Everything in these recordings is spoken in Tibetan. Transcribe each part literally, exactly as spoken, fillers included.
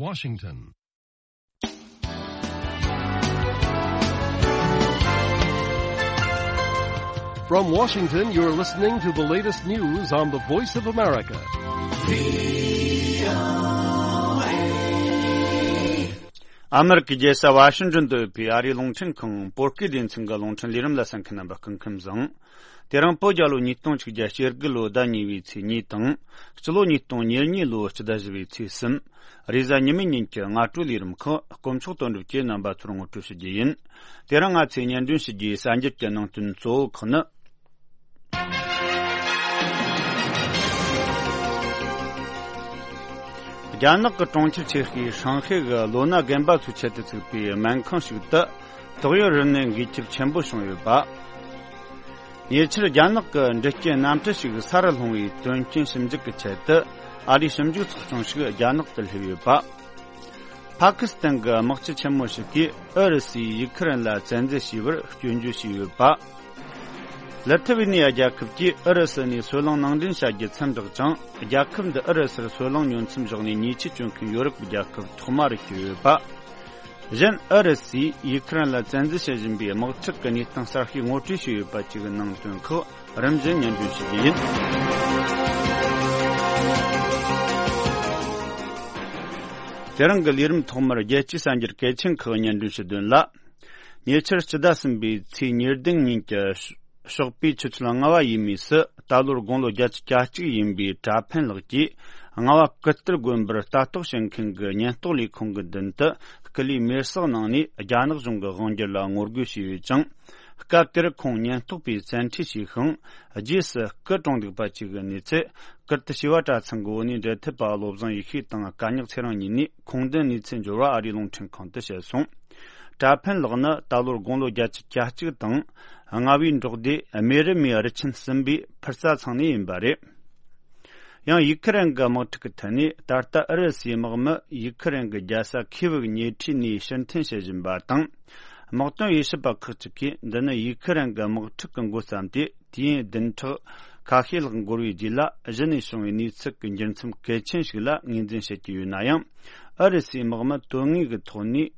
Washington. From Washington, you're listening to the latest news on the Voice of America. ཨ་མེ་རི་ཀའི་རྒྱལ་ས་ཝ་ཤིང་ཏོན་དུ་ཡོད་པའི་ཨ་རིའི་རླུང་འཕྲིན་ཁང་བོད་སྐད་སྡེ་ཚན་གྱི་རླུང་འཕྲིན་ལས་རིམ་ལ་གསན་མཁན་རྣམ་པ་སྐུ་ཁམས་བཟང་། དེ་རིང་བོད་རྒྱལ་ལོ་ཉིས་སྟོང་ཆིག་བརྒྱ་བརྒྱད་ཅུ་གྱ་དགུ་ལོ་ཟླ་གཉིས་པའི་ཚེས་གཉིས་དང་། སྤྱི་ལོ་ཉིས་སྟོང་ཉེར་གཉིས་ལོ་སྤྱི་ཟླ་བཞི་པའི་ཚེས་གསུམ། རེས་གཟའ་ཉི་མའི་ཉིན་གྱི་སྔ་དྲོའི་ལས་རིམ་ཁག་དཀོན་མཆོག་དོན་གྲུབ་ཀྱིས་རྣམ་པ་ཚོར་ངོ་སྤྲོད་ཞུ་རྒྱུ་ཡིན། དེ་རིང་ང་ཚོས་སྙན་སྒྲོན་ཞུ་རྒྱུའི་གསར་འགྱུར་གྱི་ནང་དོན་གཙོ་བོ་ཁག་ནི། རྒྱ་ནག་གི་གྲོང་ཁྱེར་ཆེ་ཤོས་ཧྲང་ཧའེ་གི་ལོ་ན་རྒན་པ་ཚོའི་ཆེད་དུ་བཙུགས་པའི་སྨན་ཁང་ཞིག་ཏུ་ཏོག་དབྱིབས་རིམས་ནད་འགོས་ཁྱབ་ཆེན་པོ་བྱུང་ཡོད་པ། ཉེ་ཆར་རྒྱ་ནག་གི་འབྲི་རྐྱེན་གནམ་གྲུ་ཞིག་ས་རུ་ལྷུང་བའི་དོན་རྐྱེན་ཞིབ་འཇུག་གི་ཆེད་དུ་ཨ་རིའི་ཞིབ་འཇུག་ཚོགས་ཆུང་ཞིག་རྒྱ་ནག་ཏུ་སླེབས་ཡོད་པ། ཕ་ཁི་སི་ཐན་གྱི་དམག་སྤྱི་ཆེན་མོ་ཞིག་གིས་ཨུ་རུ་སུས་ཡུ་ཁུ་རེན་ལ་བཙན་འཛུལ་བྱས་པར་སྐྱོན་བརྗོད་བྱས་ཡོད་པ། ལི་ཐི་ཝི་ནི་ཡ་རྒྱལ་ཁབ་ཀྱིས་ཨུ་རུ་སུ་ནས་སོལ་རླངས་ནང་འདྲེན་བྱ་རྒྱུ་མཚམས་བཞག་ཅིང་། རྒྱལ་ཁབ་འདི་ཨུ་རུ་སུར་སོལ་རླངས་ཉོ་མཚམས་བཞག་ནས་ཉེས་ཆད་གཅོད་མཁན་ཡོ་རོབ་ཀྱི་རྒྱལ་ཁབ་ཐོག་མ་རུ་གྱུར་ཡོད་པ། གཞན་ཨུ་རུ་སུས་ཡུ་ཁུ་རེན་ལ་བཙན་འཛུལ་བྱེད་བཞིན་པའི་དམག་འཁྲུག་གི་གནས་སྟངས་གསར་ཤོས་ངོ་སྤྲོད་བྱས་ཡོད་པ་བཅས་ཀྱི་ནང་དོན་ཁག་རིམ་བཞིན་སྙན་སྒྲོན་ཞུ་རྒྱུ་ཡིན། དེ་རིང་གི་ལས་རིམ་ཐོག་མར་རྒྱལ་སྤྱིའི་གསར་འགྱུར་གལ་ཆེན་ཁག་སྙན་སྒྲོན་ཞུ་དོན་ལ། ཉེ་ཆར་སྤྱི་ཟླ་གསུམ་པའི་ཚེས་ཉེར་བདུན་ཉིན་གྱི་ཞོགས་པའི་ཆུ་ཚོད་ལྔ་པ་ཡས་མས་སུ་ད་ལོར་དགུང་ལོ་བརྒྱད་ཅུ་གྱ་གཅིག་ཡིན་པའི་གྲྭ་ཕན་ལགས་ཀྱིས་རྔ་བ་ཀིརྟི་དགོན་པར་ལྟ་རྟོག་བྱེད་མཁན་གྱི་ཉེན་རྟོག་ལས་ཁུངས་ཀྱི་མདུན་དུ་སྐུ་ལུས་མེར་སྲེག་གནང་ནས། རྒྱ་ནག་གཞུང་གི་དབང་སྒྱུར་ལ་ངོ་རྒོལ་བྱས་ཡོད་ཅིང་། སྐབས་དེར་ཁོང་ཉེན་རྟོག་པས་བཙན་ཁྲིད་བྱས་ཤིང་། རྗེས་སུ་སྐུ་གྲོངས་འདུག་པ་བཅས་ཀྱི་གནས་ཚུལ་ཀིརྟི་བྱེས་པ་གྲྭ་ཚང་གི་འོད་སྣང་འབྲེལ་མཐུད་པ་བློ་བཟང་ཡེ་ཤེས་དང་སྐལ་ཉག་ཚེ་རིང་གཉིས་ནས་ཁུངས་ལྡན་གནས་ཚུལ་འབྱོར་བ་ཨ་རིའི་རླུང་འཕྲིན་ཁང་དུ་བཤད་སོང་། གྲྭ་ཕན་ལགས་ནི་ད་ལོར་དགུང་ལོ་བརྒྱད་ཅུ་གྱ་གཅིག་དང་། རྔ་བའི་འབྲོག་སྡེ་རྨེ་རུ་མའི་རུ་ཆེན་གསུམ་པའི་ཕུར་རྩ་ཚང་ནས་ཡིན་པ་རེད། ཡང་ཡུ་ཁུ་རེན་གྱི་དམག་འཁྲུག་གི་ཐད་ནས། ད་ལྟ་ཨུ་རུ་སུའི་དམག་མི་ཡུ་ཁུ་རེན་གྱི་རྒྱལ་ས་ཁིའེ་ཝུ་གི་ཉེ་འཁྲིས་ནས་ཕྱིར་འཐེན་བྱེད་བཞིན་པ་དང་། དམག་དོན་དབྱེ་ཞིབ་པ་ཁག་ཅིག་གིས། འདི་ནི་ཡུ་ཁུ་རེན་གྱི་དམག་འཁྲུག་གི་འགོ་བརྩམས་ཏེ། དུས་ཡུན་བདུན་ཕྲག་ཁ་ཤས་ལྷག་འགོར་བའི་རྗེས་ལ། གཞི་ནས་བྱུང་བའི་གནས་ཚུལ་གྱི་འགྱུར་མཚམས་གལ་ཆེན་ཞིག་ལ་ངོས་འཛིན་བྱེད་ཀྱི་ཡོད་ན་ཡང་། ཨུ་རུ་སུའི་དམག་མི་དོན་དངོས་ཀྱི་ཐོག་ནས་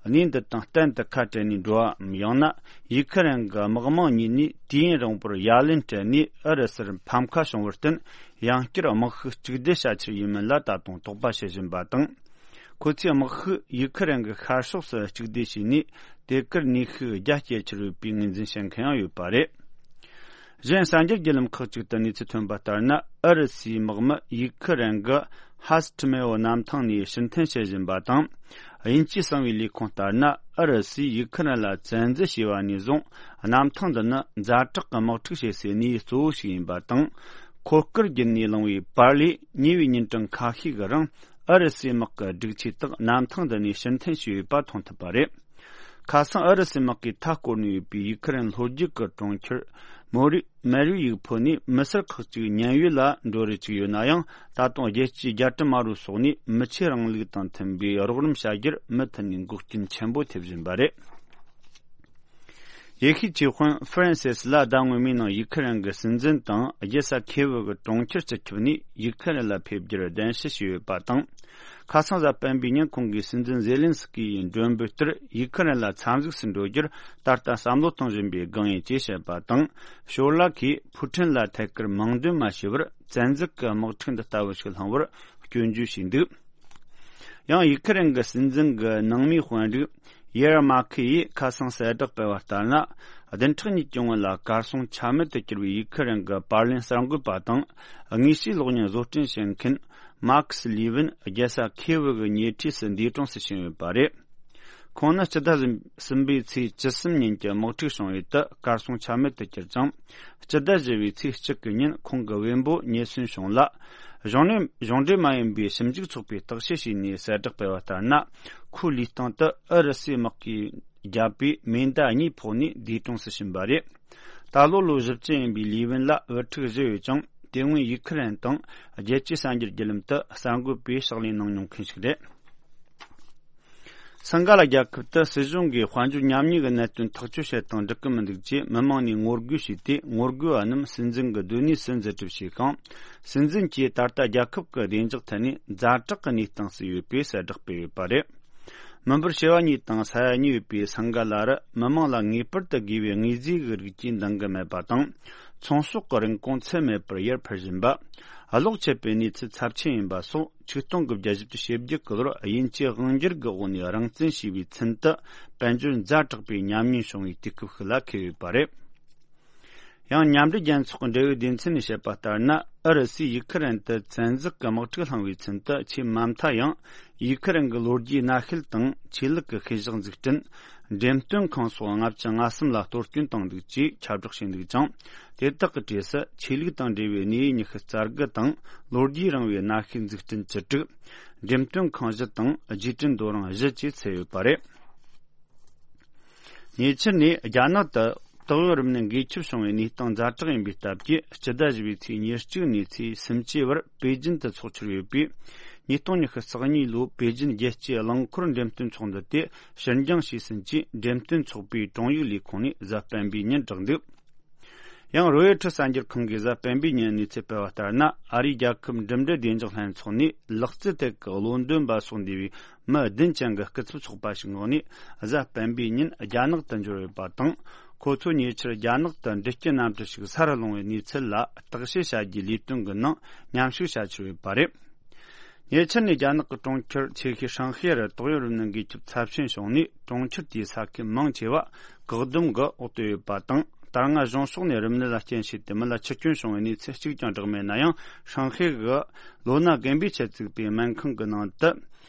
གནས་འདི་དང་གཏན་དུ་ཁ་བྲལ་ནས་འགྲོ་བའམ། ཡང་ན་ཡུ་ཁུ་རེན་གྱི་དམག་དམངས་ཉིད་ནས་དུས་ཡུན་རིང་པོར་ཡ་ལན་སྤྲད་ནས་ཨུ་རུ་སུར་ཕམ་ཁ་བྱུང་བར་བརྟེན། ཡང་བསྐྱར་དམག་ཤུགས་གཅིག་སྡུད་བྱ་ཕྱིར་ཡིན་མིན་ལ་ད་དུང་དོགས་པ་བྱེད་བཞིན་པ་དང་། ཁོ་ཚོས་དམག་ཤུགས་ཡུ་ཁུ་རེན་གྱི་ཤར་ཕྱོགས་སུ་གཅིག་སྡུད་བྱས་ནས། དེ་གར་ནུས་ཤུགས་རྒྱ་སྐྱེད་ཕྱིར་ཡོད་པའི་ངོས་འཛིན་བྱེད་མཁན་ཡང་ཡོད་པ་རེད། གཞན་གསར་འགྱུར་བརྒྱུད་ལམ་ཁག་ཅིག་ཏུ་གནས་ཚུལ་ཐོན་པ་ལྟར་ན། ཨུ་རུ་སུའི་དམག་མི་ཡུ་ཁུ་རེན་གྱི་ཧ་སི་ཁྲི་མེ་འོ་གནམ་ཐང་ནས་ཕྱིར་འཐེན་བྱེད་བཞིན་པ་དང་། དབྱིན་ཇིའི་གསང་བའི་ལས་ཁུངས་ལྟར་ན། ཨུ་རུ་སུས་ཡུ་ཁུ་རེན་ལ་བཙན་འཛུལ་བྱས་པ་ནས་བཟུང་། གནམ་ཐང་འདི་ནི་ཛ་དྲག་གི་དམག་འཁྲུག་བྱེད་སའི་གནས་ཡུལ་གཙོ་བོ་ཞིག་ཡིན་པ་དང་། འཁོར་སྐར་བརྒྱུད་ནས་བླངས་པའི་པར་ལས། ཉེ་བའི་ཉིན་གྲངས་ཁ་ཤས་ཀྱི་རིང་། ཨུ་རུ་སུའི་དམག་གི་སྒྲིག་ཆས་དག་གནམ་ཐང་འདི་ནས་ཕྱིར་འཐེན་བྱས་ཡོད་པ་མཐོང་ཐུབ་པ་རེད། ཁ་སང་ཨུ་རུ་སུའི་དམག་གིས་མཐའ་བསྐོར་ནས་ཡོད་པའི་ཡུ་ཁུ་རེན་ལྷོ་རྒྱུད་ཀྱི་གྲོང་ཁྱེར་མོ་རི་མེ་རུ་ཡིག་ཕུ་ནས་མི་སེར་ཁག་ཅིག་ཉེན་གཡོལ་ལ་འགྲོ་རེ་བཅུག་ཡོད་ན་ཡང་། ད་དུང་རྒྱལ་སྤྱིའི་རྒྱལ་དྲུང་དམར་པོའི་སོགས་ནས་མི་ཆོས་རིང་ལུགས་དང་མཐུན་པའི་རོགས་རམ་བྱ་རྒྱུར་མུ་མཐུད་ནས་འགོག་རྐྱེན་ཆེན་པོ་ཐེབས་བཞིན་པ་རེད། ཡེ་ཤུའི་ཆོས་དཔོན་ཧྥ་རན་སིས་ལ་ཟླ་སྔོན་མའི་ནང་ཡུ་ཁུ་རེན་གྱི་སྲིད་འཛིན་དང་རྒྱལ་ས་ཁེ་ཝུ་གི་གྲོང་ཁྱེར་སྤྱི་ཁྱབ་ནས་ཡུ་ཁུ་རེན་ལ་ཕེབས་རྒྱུར་གདན་ཞུ་བྱས་ཡོད་པ་དང་། ཁ་སང་གཟའ་སྤེན་པའི་ཉིན་ཁོང་གིས་སྲིད་འཛིན་ཛེ་ལིན་སི་ཀི་ཡི་མགྲོན་འབོད་ལྟར་ཡུ་ཁུ་རེན་ལ་འཚམས་གཟིགས་སུ་འགྲོ་རྒྱུར་ད་ལྟ་བསམ་བློ་གཏོང་བཞིན་པའི་སྒང་ཡིན་ཅེས་བཤད་པ་དང་། ཞོར་ལ་ཁོས་ཕུའུ་ཁྲིན་ལ་ཐད་ཀར་མིང་འདོན་མ་བྱས་པར། བཙན་འཛུལ་གྱི་དམག་འཁྲུག་འདི་ལྟ་བུ་ཞིག་སློང་བར་སྐྱོན་བརྗོད་བྱས་འདུག་ཡང་ཡུ་ཁུ་རེན་གྱི་སྲིད་འཛིན་གྱི་ནང་མིའི་དཔོན་རིགས་ཡེར་མ་ཁི་ཡིས་ཁ་སང་གསལ་བསྒྲགས་སྤེལ་བ་ལྟར་ན། བདུན་ཕྲག་གཉིས་ཀྱི་སྔོན་ལ་གར་སོང་ཆ་མེད་དུ་གྱུར་བའི་ཡུ་ཁུ་རེན་གྱི་པར་ལེན་གསར་འགོད་པ་དང་། དངོས་བཤུས་གློག་བརྙན་བཟོ་སྐྲུན་བྱེད་མཁན་མཱ་ཁི་སི་ལི་ཝིན་རྒྱལ་ས་ཁེ་ཝུ་གི་ཉེ་འཁྲིས་སུ་འདས་གྲོངས་སུ་ཕྱིན་ཡོད་པ་རེད། ཁོང་ནི་སྤྱི་ཟླ་གསུམ་པའི་ཚེས་བཅུ་གསུམ་ཉིན་གྱི་དམག་འཁྲུག་བྱུང་བའི་དུས་གར་སོང་ཆ་མེད་དུ་གྱུར་ཅིང་། སྤྱི་ཟླ་བཞི་པའི་ཚེས་གཅིག་གི་ཉིན་ཁོང་གི་བེམ་པོ་ཉེན་ཟོན་བྱུང་ལ། གཞུང་ནས་གཞུང་འབྲེལ་མ་ཡིན་པའི་ཞིབ་འཇུག་ཚོགས་པས་བརྟག་དཔྱད་བྱས་ནས་གསལ་བསྒྲགས་སྤེལ་བ་ལྟར་ན། ཁོའི་ལུས་སྟེང་དུ་ཨུ་རུ་སུའི་དམག་གིས་བརྒྱབ་པའི་མེ་མདའ་གཉིས་ཕོག་ནས་འདས་གྲོངས་སུ་ཕྱིན་པ་རེད། ད་ལོ་ལོ་བཞི་བཅུ་ཡིན་པའི་ལི་ཝིན་ལ་བུ་ཕྲུག་བཞི་ཡོད་ཅིང་། དེ་སྔོན་ཡུ་ཁུ་རེན་དང་རྒྱལ་སྤྱིའི་གསར་འགྱུར་བརྒྱུད་ལམ་དུ་གསར་འགོད་པའི་ཕྱག་ལས་གནང་མྱོང་མཁན་ཞིག་རེད། སིང་ག་ལ་རྒྱལ་ཁབ་ཏུ་སྲིད་གཞུང་གིས་དཔལ་འབྱོར་ཉམས་ཉེས་ཀྱི་གནད་དོན་ཐག་གཅོད་བྱེད་སྟངས་འགྲིག་གི་མི་འདུག་ཅེས་མི་མང་ནས་ངོ་རྒོལ་བྱས་ཏེ། ངོ་རྒོལ་བ་རྣམས་སྲིད་འཛིན་གྱི་སྡོད་གནས་སུ་འཛུལ་གྲབས་བྱས་ཤིང་། སྲིད་འཛིན་གྱིས་ད་ལྟ་རྒྱལ་ཁབ་ཀྱི་བདེ་འཇགས་ཐད་ནས་ཛ་དྲག་གི་གནས་སྟངས་སུ་ཡོད་པའི་གསལ་བསྒྲགས་སྤེལ་ཡོད་པ་རེད། མི་འབོར་བྱེ་བ་གཉིས་དང་ས་ཡ་གཉིས་ཡོད་པའི་སིང་ག་ལ་རུ་མི་མང་ལ་ངེས་པར་དུ་དགོས་པའི་དངོས་རྫས་ཀྱི་རིགས་ཀྱིས་འདང་གི་མེད་པ་དང་། ཚོང་ཟོག་གི་རིན་གོང་ཚད་མེད་པར་ཡར་འཕར་བཞིན་པ། གློག་ཆད་པའི་གནས་ཚུལ་ཚབས་ཆེན་ཡིན་པ་སོགས། ཆིག་སྟོང་དགུ་བརྒྱ་བཞི་བཅུ་ཞེ་བརྒྱད་ཀྱི་ལོར་དབྱིན་ཇིའི་དབང་སྒྱུར་གྱི་འོག་ནས་རང་བཙན་ཞེས་པའི་ཚུན་དུ་དཔལ་འབྱོར་ཛ་དྲག་པའི་ཉམས་ཉེས་བྱུང་བའི་དུས་སྐབས་ཤིག་ལ་འཁེལ་ཡོད་པ་རེད། ཡང་མཉམ་འབྲེལ་རྒྱལ་ཚོགས་ཀྱི་འབྲེལ་ཡོད་སྡེ་ཚན་ནས་བཤད་པ་ལྟར་ན། ཨུ་རུ་སུས་ཡུ་ཁུ་རེན་དུ་བཙན་འཛུལ་གྱི་དམག་འཁྲུག་བསླངས་པའི་ཚུན་དུ། ཆེས་མ་མཐའ་ཡང་ཡུ་ཁུ་རེན་གྱི་ལོ་རྒྱུས་གནའ་ཤུལ་དང་ཆོས་ལུགས་ཀྱི་ཤེས་བཞག་འཛུགས་སྐྲུན། འགྲེམས་སྟོན་ཁང་སོགས་ལྔ་བཅུ་ང་གསུམ་ལ་གཏོར་སྐྱོན་བཏང་འདུག་ཅེས་ཁྱབ་བསྒྲགས་བྱས་འདུག་ཅིང་། དེ་དག་གི་གྲས་སུ་ཆོས་ལུགས་དང་འབྲེལ་བའི་གནས་ཡུལ་ཉི་ཤུ་རྩ་དགུ་དང་། ལོ་རྒྱུས་རིང་བའི་གནའ་ཤུལ་འཛུགས་སྐྲུན་བཅུ་དྲུག་འགྲེམས་སྟོན་ཁང་བཞི་དང་རྗེས་དྲན་རྡོ་རིང་བཞི་བཅས་ཚུད་ཡོད་པ་རེད། ཉེ་ཆར་ནས་རྒྱ་ནག་ཏུ་ཏོག་དབྱིབས་རིམས་ནད་འགོས་ཁྱབ་བྱུང་བའི་གནས་སྟངས་ཛ་དྲག་ཡིན་པའི་སྟབས་ཀྱིས། སྤྱི་ཟླ་བཞི་པའི་ཚེས་ཉེར་གཅིག་ནས་ཚེས་སུམ་ཅུ་བར་པེ་ཅིན་དུ་འཚོགས་འཆར་ཡོད་པས། ཉིས་སྟོང་ཉི་ཤུ་རྩ་གཉིས་ལོའི་པེ་ཅིན་རྒྱལ་སྤྱིའི་རླངས་འཁོར་འགྲེམས་སྟོན་ཚོགས་འདུ་དེ་ཕྱིར་འགྱངས་བྱས་ཟིན་ཅེས། འགྲེམས་སྟོན་ཚོགས་པའི་དྲུང་ཡིག་ལས་ཁུངས་ནས་གཟའ་སྤེན་པའི་ཉིན་བསྒྲགས་འདུག་ཡང་རོའེ་ཊར་གསར་འགྱུར་ཁང་གིས་གཟའ་སྤེན་པའི་ཉིན་གནས་ཚུལ་སྤེལ་བ་ལྟར་ན། ཨ་རིའི་རྒྱལ་ཁབ་འགྲིམ་འགྲུལ་བདེ་འཇགས་ལྷན་ཚོགས་ནས་ལག་རྩལ་ཐད་ཀྱི་བློ་འདོན་པ་སོགས་འདུས་པའི་མི་བདུན་ཅན་གྱི་སྐུ་ཚབ་ཚོགས་པ་ཞིག་ངོས་ནས་གཟའ་སྤེན་པའི་ཉིན་རྒྱ་ནག་ཏུ་འབྱོར་ཡོད་པ་དང་། ཁོ་ཚོ་ཉེ་ཆར་རྒྱ་ནག་ཏུ་འབྲི་སྐྱེལ་གནམ་གྲུ་ཞིག་སར་ལྷུང་བའི་གནས་ཚུལ་ལ་བརྟག་དཔྱད་བྱ་རྒྱུའི་ལས་དོན་གྱི་ནང་མཉམ་ཞུགས་བྱ་འཆར་ཡོད་པ་རེད། ཉེ་ཆར་ནས་རྒྱ་ནག་གི་གྲོང་ཁྱེར་ཆེ་ཤོས་ཧྲང་ཧའེ་རུ་ཏོག་དབྱིབས་རིམས་ནད་འགོས་ཁྱབ་ཚབས་ཆེན་བྱུང་ནས། གྲོང་ཁྱེར་དེའི་ས་ཁུལ་མང་ཆེ་བ་བཀག་སྡོམ་གྱི་འོག་ཏུ་ཡོད་པ་དང་། ད་སྔ་གཞུང་ཕྱོགས་ནས་རིམས་ནད་ལ་རྐྱེན་བྱས་ཏེ་མི་ལ་འཆི་སྐྱོན་བྱུང་བའི་གནས་ཚུལ་གཅིག་ཀྱང་བསྒྲགས་མེད་ན་ཡང་། ཧྲང་ཧའེ་གི་ལོ་ན་རྒན་པའི་ཆེད་བཙུགས་པའི་སྨན་ཁང་གི་ནང་དུ་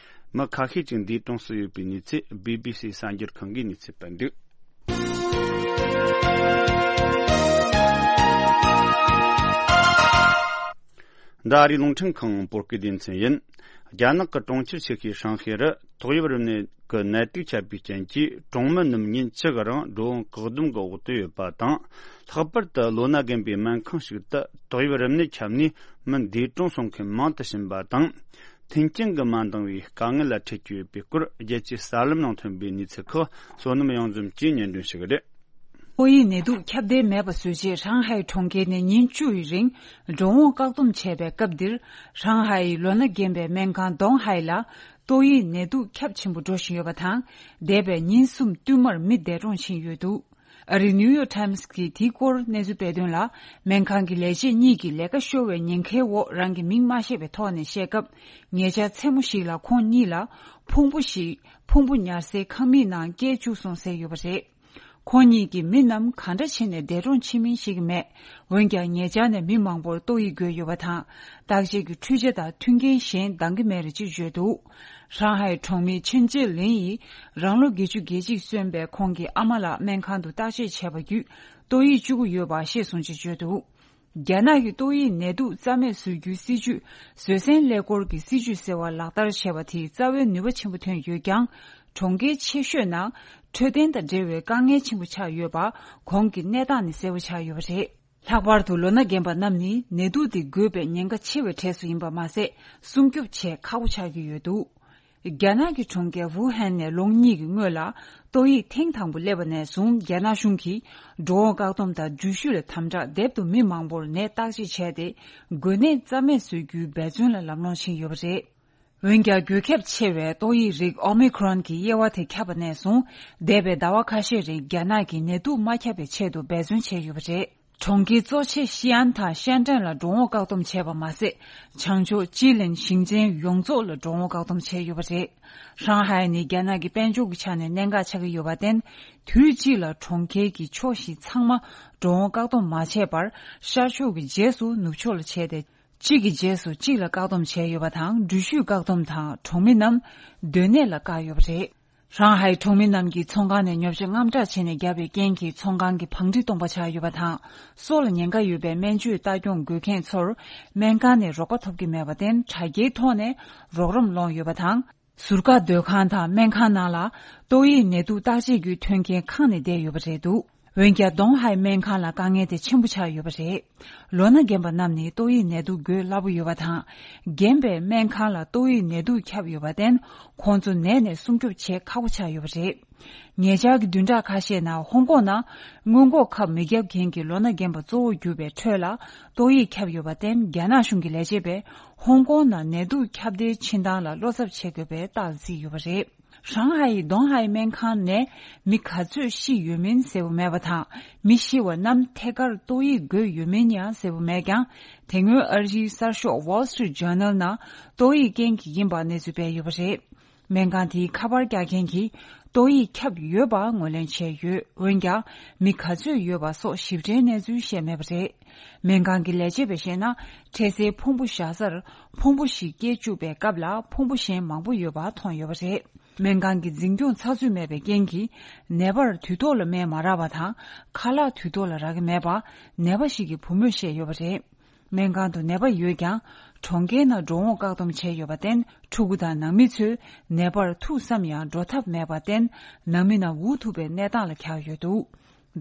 མི་ཁ་ཤས་ཅིག་འདས་གྲོངས་སུ་ཡོད་པའི་གནས་ཚུལ་བི་བི་སི་གསར་འགྱུར་ཁང་གིས་གནས་ཚུལ་སྤེལ་འདུག་འདི་ཨ་རིའི་རླུང་འཕྲིན་ཁང་བོད་སྐད་སྡེ་ཚན་ཡིན། རྒྱ་ནག་གི་གྲོང་ཁྱེར་ཆེ་ཤོས་ཧྲང་ཧའེ་རུ་ཏོག་དབྱིབས་རིམས་ནད་ཀྱི་ནད་དུག་ཁྱབ་པའི་རྐྱེན་གྱིས། གྲོང་མི་རྣམས་ཉིན་བཅུ་གི་རིང་འགྲོ་འོང་བཀག་སྡོམ་གྱི་འོག་ཏུ་ཡོད་པ་དང་། ལྷག་པར་དུ་ལོ་ན་རྒན་པའི་སྨན་ཁང་ཞིག་ཏུ་ཏོག་དབྱིབས་རིམས་ནད་ཁྱབ་ནས་མི་འདས་གྲོངས་སོང་མཁན་མང་དུ་ཕྱིན་པ་དང་། མཐུན་རྐྱེན་གྱིས་མ་འདང་བའི་དཀའ་ངལ་ལ་འཕྲད་ཀྱི་ཡོད་པའི་སྐོར། རྒྱལ་སྤྱིའི་གསར་ལམ་ནང་ཐོན་པའི་གནས་ཚུལ་ཁག་བསོད་ནམས་གཡང་འཛོམས་ཀྱིས་སྙན་སྒྲོན་ཞུ་གི་རེད། ཏོག་དབྱིབས་ནད་དུག་ཁྱབ་གདལ་མེད་པ་བཟོ་ཆེད། ཧྲང་ཧའེ་གྲོང་ཁྱེར་ནས་ཉིན་བཅུ་ཡི་རིང་འགྲོ་འོང་བཀག་སྡོམ་བྱས་པའི་སྐབས་འདིར། ཧྲང་ཧའེ་ཡི་ལོ་ན་རྒན་པའི་སྨན་ཁང་ཏོང་ཧའེ་ལ་ཏོག་དབྱིབས་ནད་དུག་ཁྱབ་ཆེན་པོ་འགྲོ་བཞིན་ཡོད་པ་དང་། འདས་པའི་ཉིན་གསུམ་བསྟུད་མར་མི་འདས་གྲོངས་ཕྱིན་ཡོད་འདུག་ཨ་རིའི་ནིའུ་ཡོག་ཊའིམ་སི་གིས་དེའི་སྐོར་གནས་ཚུལ་སྤེལ་དོན་ལ། སྨན་ཁང་གི་ལས་བྱེད་གཉིས་ཀྱིས་ལས་ཀ་ཤོར་བའི་ཉེན་ཁའི་འོག་རང་གི་མིང་མ་བཤད་པའི་ཐོག་ནས་བཤད་སྐབས། ཉེ་ཆར་མཚན་མོ་ཞིག་ལ་ཁོང་གཉིས་ལ་ཕུང་པོ་ཞིག་ཕུང་པོ་ཉར་སའི་ཁང་མིག་ནང་བསྐྱལ་བཅུག་སོང་ཟེར་ཡོད་པ་རེད། ཁོང་གཉིས་ཀྱི་མི་རྣམས་ག་འདྲ་བྱས་ནས་འདས་གྲོངས་ཕྱིན་མིན་ཤེས་ཀྱི་མེད། འོན་ཀྱང་ཉེ་ཆར་ནས་མི་མང་པོར་ཏོག་དབྱིབས་འགོས་ཡོད་པ་དང་། བརྟག་དཔྱད་ཀྱི་འཕྲུལ་ཆས་དང་མཐུན་རྐྱེན་གཞན་འདང་གི་མེད་རེད་ཅེས་བརྗོད་འདུག་ཧྲང་ཧའེ་གྲོང་མི་ཆིན་ཅེ་ལིན་ཡིས་རང་ལོ་བརྒྱད་ཅུ་གྱ་གཅིག་སོན་པའི་ཁོང་གི་ཨ་མ་ལགས་སྨན་ཁང་དུ་བརྟག་དཔྱད་བྱས་པ་བརྒྱུད་ཏོག་དབྱིབས་བཅུ་དགུ་ཡོད་པ་ཤེས་སོང་ཅེས་བརྗོད་འདུག་རྒྱ་ནག་གིས་ཏོག་དབྱིབས་ནད་དུག་རྩ་མེད་བཟོ་རྒྱུའི་སྲིད་ཇུས། བཟོད་བསྲན་ཀླད་ཀོར་གྱི་སྲིད་ཇུས་ཟེར་བ་ལག་བསྟར་བྱས་པ་དེས་རྩ་བའི་ནུས་པ་ཆེན་པོ་ཐོན་ཡོད་ཀྱང་། གྲོང་ཁྱེར་ཆེ་ཤོས་ནང་འཕྲོད་བསྟེན་དང་འབྲེལ་བའི་དཀའ་ངལ་ཆེན་པོ་ཆགས་ཡོད་པ་གོང་གི་གནས་སྟངས་ནས་གསལ་པོ་ཆགས་ཡོད་པ་རེད། ལྷག་པར་དུ་ལོ་ན་རྒན་པ་རྣམས་ནི་ནད་དུག་དེ་འགོས་པའི་ཉེན་ཁ་ཆེ་བའི་གྲས་སུ་ཡིན་པ་མ་ཟད། སྲུང་སྐྱོབ་བྱེད་ཁག་པོ་ཆགས་ཀྱི་ཡོད་འདུག་རྒྱ་ནག་གི་གྲོང་ཁྱེར་ཝུ་ཧན་ནས་ལོ་གཉིས་ཀྱི་སྔོན་ལ་ཏོག་དབྱིབས་ཐེངས་དང་པོ་སླེབས་པ་ནས་བཟུང་། རྒྱ་ནག་གཞུང་གིས་འགྲོ་འོང་བཀག་སྡོམ་དང་འགྲུལ་བཞུད་ལ་དམ་དྲག་དེབ་ཏུ་མི་མང་པོར་ནད་བརྟག་དཔྱད་བྱས་ཏེ། འགོས་ནད་རྩ་མེད་བཟོ་རྒྱུའི་འབད་བརྩོན་ལ་ལམ་ལྷོང་ཕྱིན་ཡོད་པ་རེད། འོན་ཀྱང་། འགོས་ཁྱབ་ཆེ་བའི་ཏོག་དབྱིབས་རིགས་ཨོ་མི་ཁྲོན་གྱི་དབྱེ་བ་དེ་ཁྱབ་པ་ནས་བཟུང་། འདས་པའི་ཟླ་བ་ཁ་ཤས་རིང་རྒྱ་ནག་གིས་ནད་དུག་མ་ཁྱབ་པའི་ཆེད་དུ་འབད་བརྩོན་བྱས་ཡོད་པ་རེད། གྲོང་ཁྱེར་གཙོ་ཆེ་ཤི་ཨན་དང་ཤན་ཀྲེན་ལ་འགྲོ་འོང་བཀག་སྡོམ་བྱས་པ་མ་ཟད། བྱང་ཕྱོགས་ཅི་ལིན་ཞིང་ཆེན་ཡོངས་རྫོགས་ལ་འགྲོ་འོང་བཀག་སྡོམ་བྱས་ཡོད་པ་རེད། ཧྲང་ཧའེ་ནི་རྒྱ་ནག་གི་དཔལ་འབྱོར་གྱི་ཆ་ནས་གནད་འགག་ཆགས་ཀྱི་ཡོད་པར་བརྟེན། དུས་གཅིག་ལ་གྲོང་ཁྱེར་གྱི་ཕྱོགས་བཞི་ཚང་མ་འགྲོ་འོང་བཀག་སྡོམ་མ་བྱས་པར། ཤར་ཕྱོགས་ཀྱི་རྗེས་སུ་ནུབ་ཕྱོགས་ལ་བྱས་ཏེ། གཅིག་གི་རྗེས་སུ་གཅིག་ལ་བཀག་སྡོམ་བྱས་ཡོད་པ་དང་། འགྲུལ་བཞུད་བཀག་སྡོམ་དང་། གྲོང་མི་རྣམས་སྡོད་གནས་ལ་བཀག་ཡོད་པ་རེད། ཧྲང་ཧའེ་གྲོང་མི་རྣམས་ཀྱིས་ཚོང་ཁང་ནས་ཉོ་ཆ་དངངས་སྐྲག་བྱས་ནས་བརྒྱབ་པའི་རྐྱེན་གྱིས། ཚོང་ཁང་གི་བང་སྒྲིག་སྟོང་པ་ཆགས་ཡོད་པ་དང་། སྲོག་ལ་ཉེན་ཁ་ཡོད་པའི་སྨན་བཅོས་ལྟ་སྐྱོང་དགོས་མཁན་ཚོར་སྨན་ཁང་ནས་རོགས་པ་ཐོབ་ཀྱི་མེད་པར་བརྟེན། དྲ་རྒྱའི་ཐོག་ནས་རོགས་རམ་སློང་ཡོད་པ་དང་། ཟུར་བཀག་སྡོད་ཁང་དང་སྨན་ཁང་ནང་ལ་ཏོག་དབྱིབས་ནད་དུག་བརྟག་དཔྱད་རྒྱུའི་མཐུན་རྐྱེན་ཁང་ནས་བསྡད་ཡོད་པ་རེད་འདུག་འོན་ཀྱང་ཏོང་ཧའེ་སྨན་ཁང་ལ་དཀའ་ངལ་དེ་ཆེན་པོ་ཆགས་ཡོད་པ་རེད། ལོ་ན་རྒན་པ་རྣམས་ནི་ཏོག་དབྱིབས་ནད་དུག་འགོས་སླ་པོ་ཡོད་པ་དང་། རྒན་པའི་སྨན་ཁང་ལ་ཏོག་དབྱིབས་ནད་དུག་ཁྱབ་ཡོད་པར་བརྟེན། ཁོང་ཚོ་ནད་ནས་སྲུང་སྐྱོབ་བྱེད་ཁག་པོ་ཆགས་ཡོད་པ་རེད། ཉེ་ཆར་གྱི་བདུན་ཕྲག་ཁ་ཤས་ནང་ཧོང་ཀོང་ནང་སྔོན་འགོག་ཁབ་མི་བརྒྱབ་མཁན་གྱི་ལོ་ན་རྒན་པ་གཙོ་བོར་གྱུར་པའི་ཁྲོད་ལ་ཏོག་དབྱིབས་ཁྱབ་ཡོད་པར་བརྟེན། རྒྱ་ནག་གཞུང་གི་ལས་བྱེད་པས་ཧོང་ཀོང་ནང་ནད་དུག་ཁྱབ་གདལ་ཕྱིན་སྟངས་ལ་བློ་འཚབ་བྱེད་དགོས་པའི་རྟགས་བརྩིས་ཡོད་པ་རེད། ཧྲང་ཧའེ་ཡི་ཏོང་ཧའེ་སྨན་ཁང་ནས་མི་ག་ཚོད་ཤི་ཡོད་མིན་གསལ་པོ་མེད་པ་དང་། མི་ཤི་བ་རྣམས་ཐད་ཀར་ཏོག་དབྱིབས་འགོས་ཡོད་མིན་ཡང་གསལ་པོ་མེད་ཀྱང་། དེ་སྔོན་ཨ་རིའི་གསར་ཤོག་Wall Street Journal ནང་ཏོག་དབྱིབས་རྐྱེན་གྱིས་ཡིན་པ་གནས་ཚུལ་སྤེལ་ཡོད་པ་རེད། སྨན་ཁང་དེའི་ཁ་པར་རྒྱག་མཁན་གྱིས་ཏོག་དབྱིབས་ཁྱབ་ཡོད་པ་ངོས་ལེན་བྱས་ཡོད། འོན་ཀྱང་མི་ག་ཚོད་ཡོད་པ་སོགས་ཞིབ་ཕྲའི་གནས་ཚུལ་བཤད་མེད་པ་རེད། སྨན་ཁང་གི་ལས་བྱེད་པས་བཤད་ན། འཕྲལ་སེལ་ཕུང་པོ་བཞག་སར་ཕུང་པོ་ཞིག་སྐྱེ་བཅུག་པའི་སྐབས་ལ་ཕུང་པོ་གཞན་མང་པོ་ཡོད་པ་མཐོང་ཡོད་པ་རེད། སྨན་ཁང་གི་འཛིན་སྐྱོང་ཚགས་ཚུད་མེད་པའི་རྐྱེན་གྱིས། ནད་པར་དུས་ཐོག་ལ་སྨན་མ་རག་པ་དང་། ཁ་ལག་དུས་ཐོག་ལ་རག་གི་མེད་པ། ནད་པ་ཞིག་གི་བུ་མོས་བཤད་ཡོད་པ་རེད། སྨན་ཁང་དུ་ནད་པ་ཡོད་ཀྱང་། གྲོང་ཁྱེར་ནང་འགྲོ་འོང་བཀག་སྡོམ་བྱས་ཡོད་པར་བརྟེན། ཕྲུ་གུ་དང་ནང་མི་ཚོས་ནད་པར་ཐུག་བསམ་ཡང་འགྲོ་ཐབས་མེད་པར་བརྟེན། ནང་མི་རྣམས་འུ་ཐུག་པའི་གནས་སྟངས་ལ་གྱར་ཡོད་འདུག་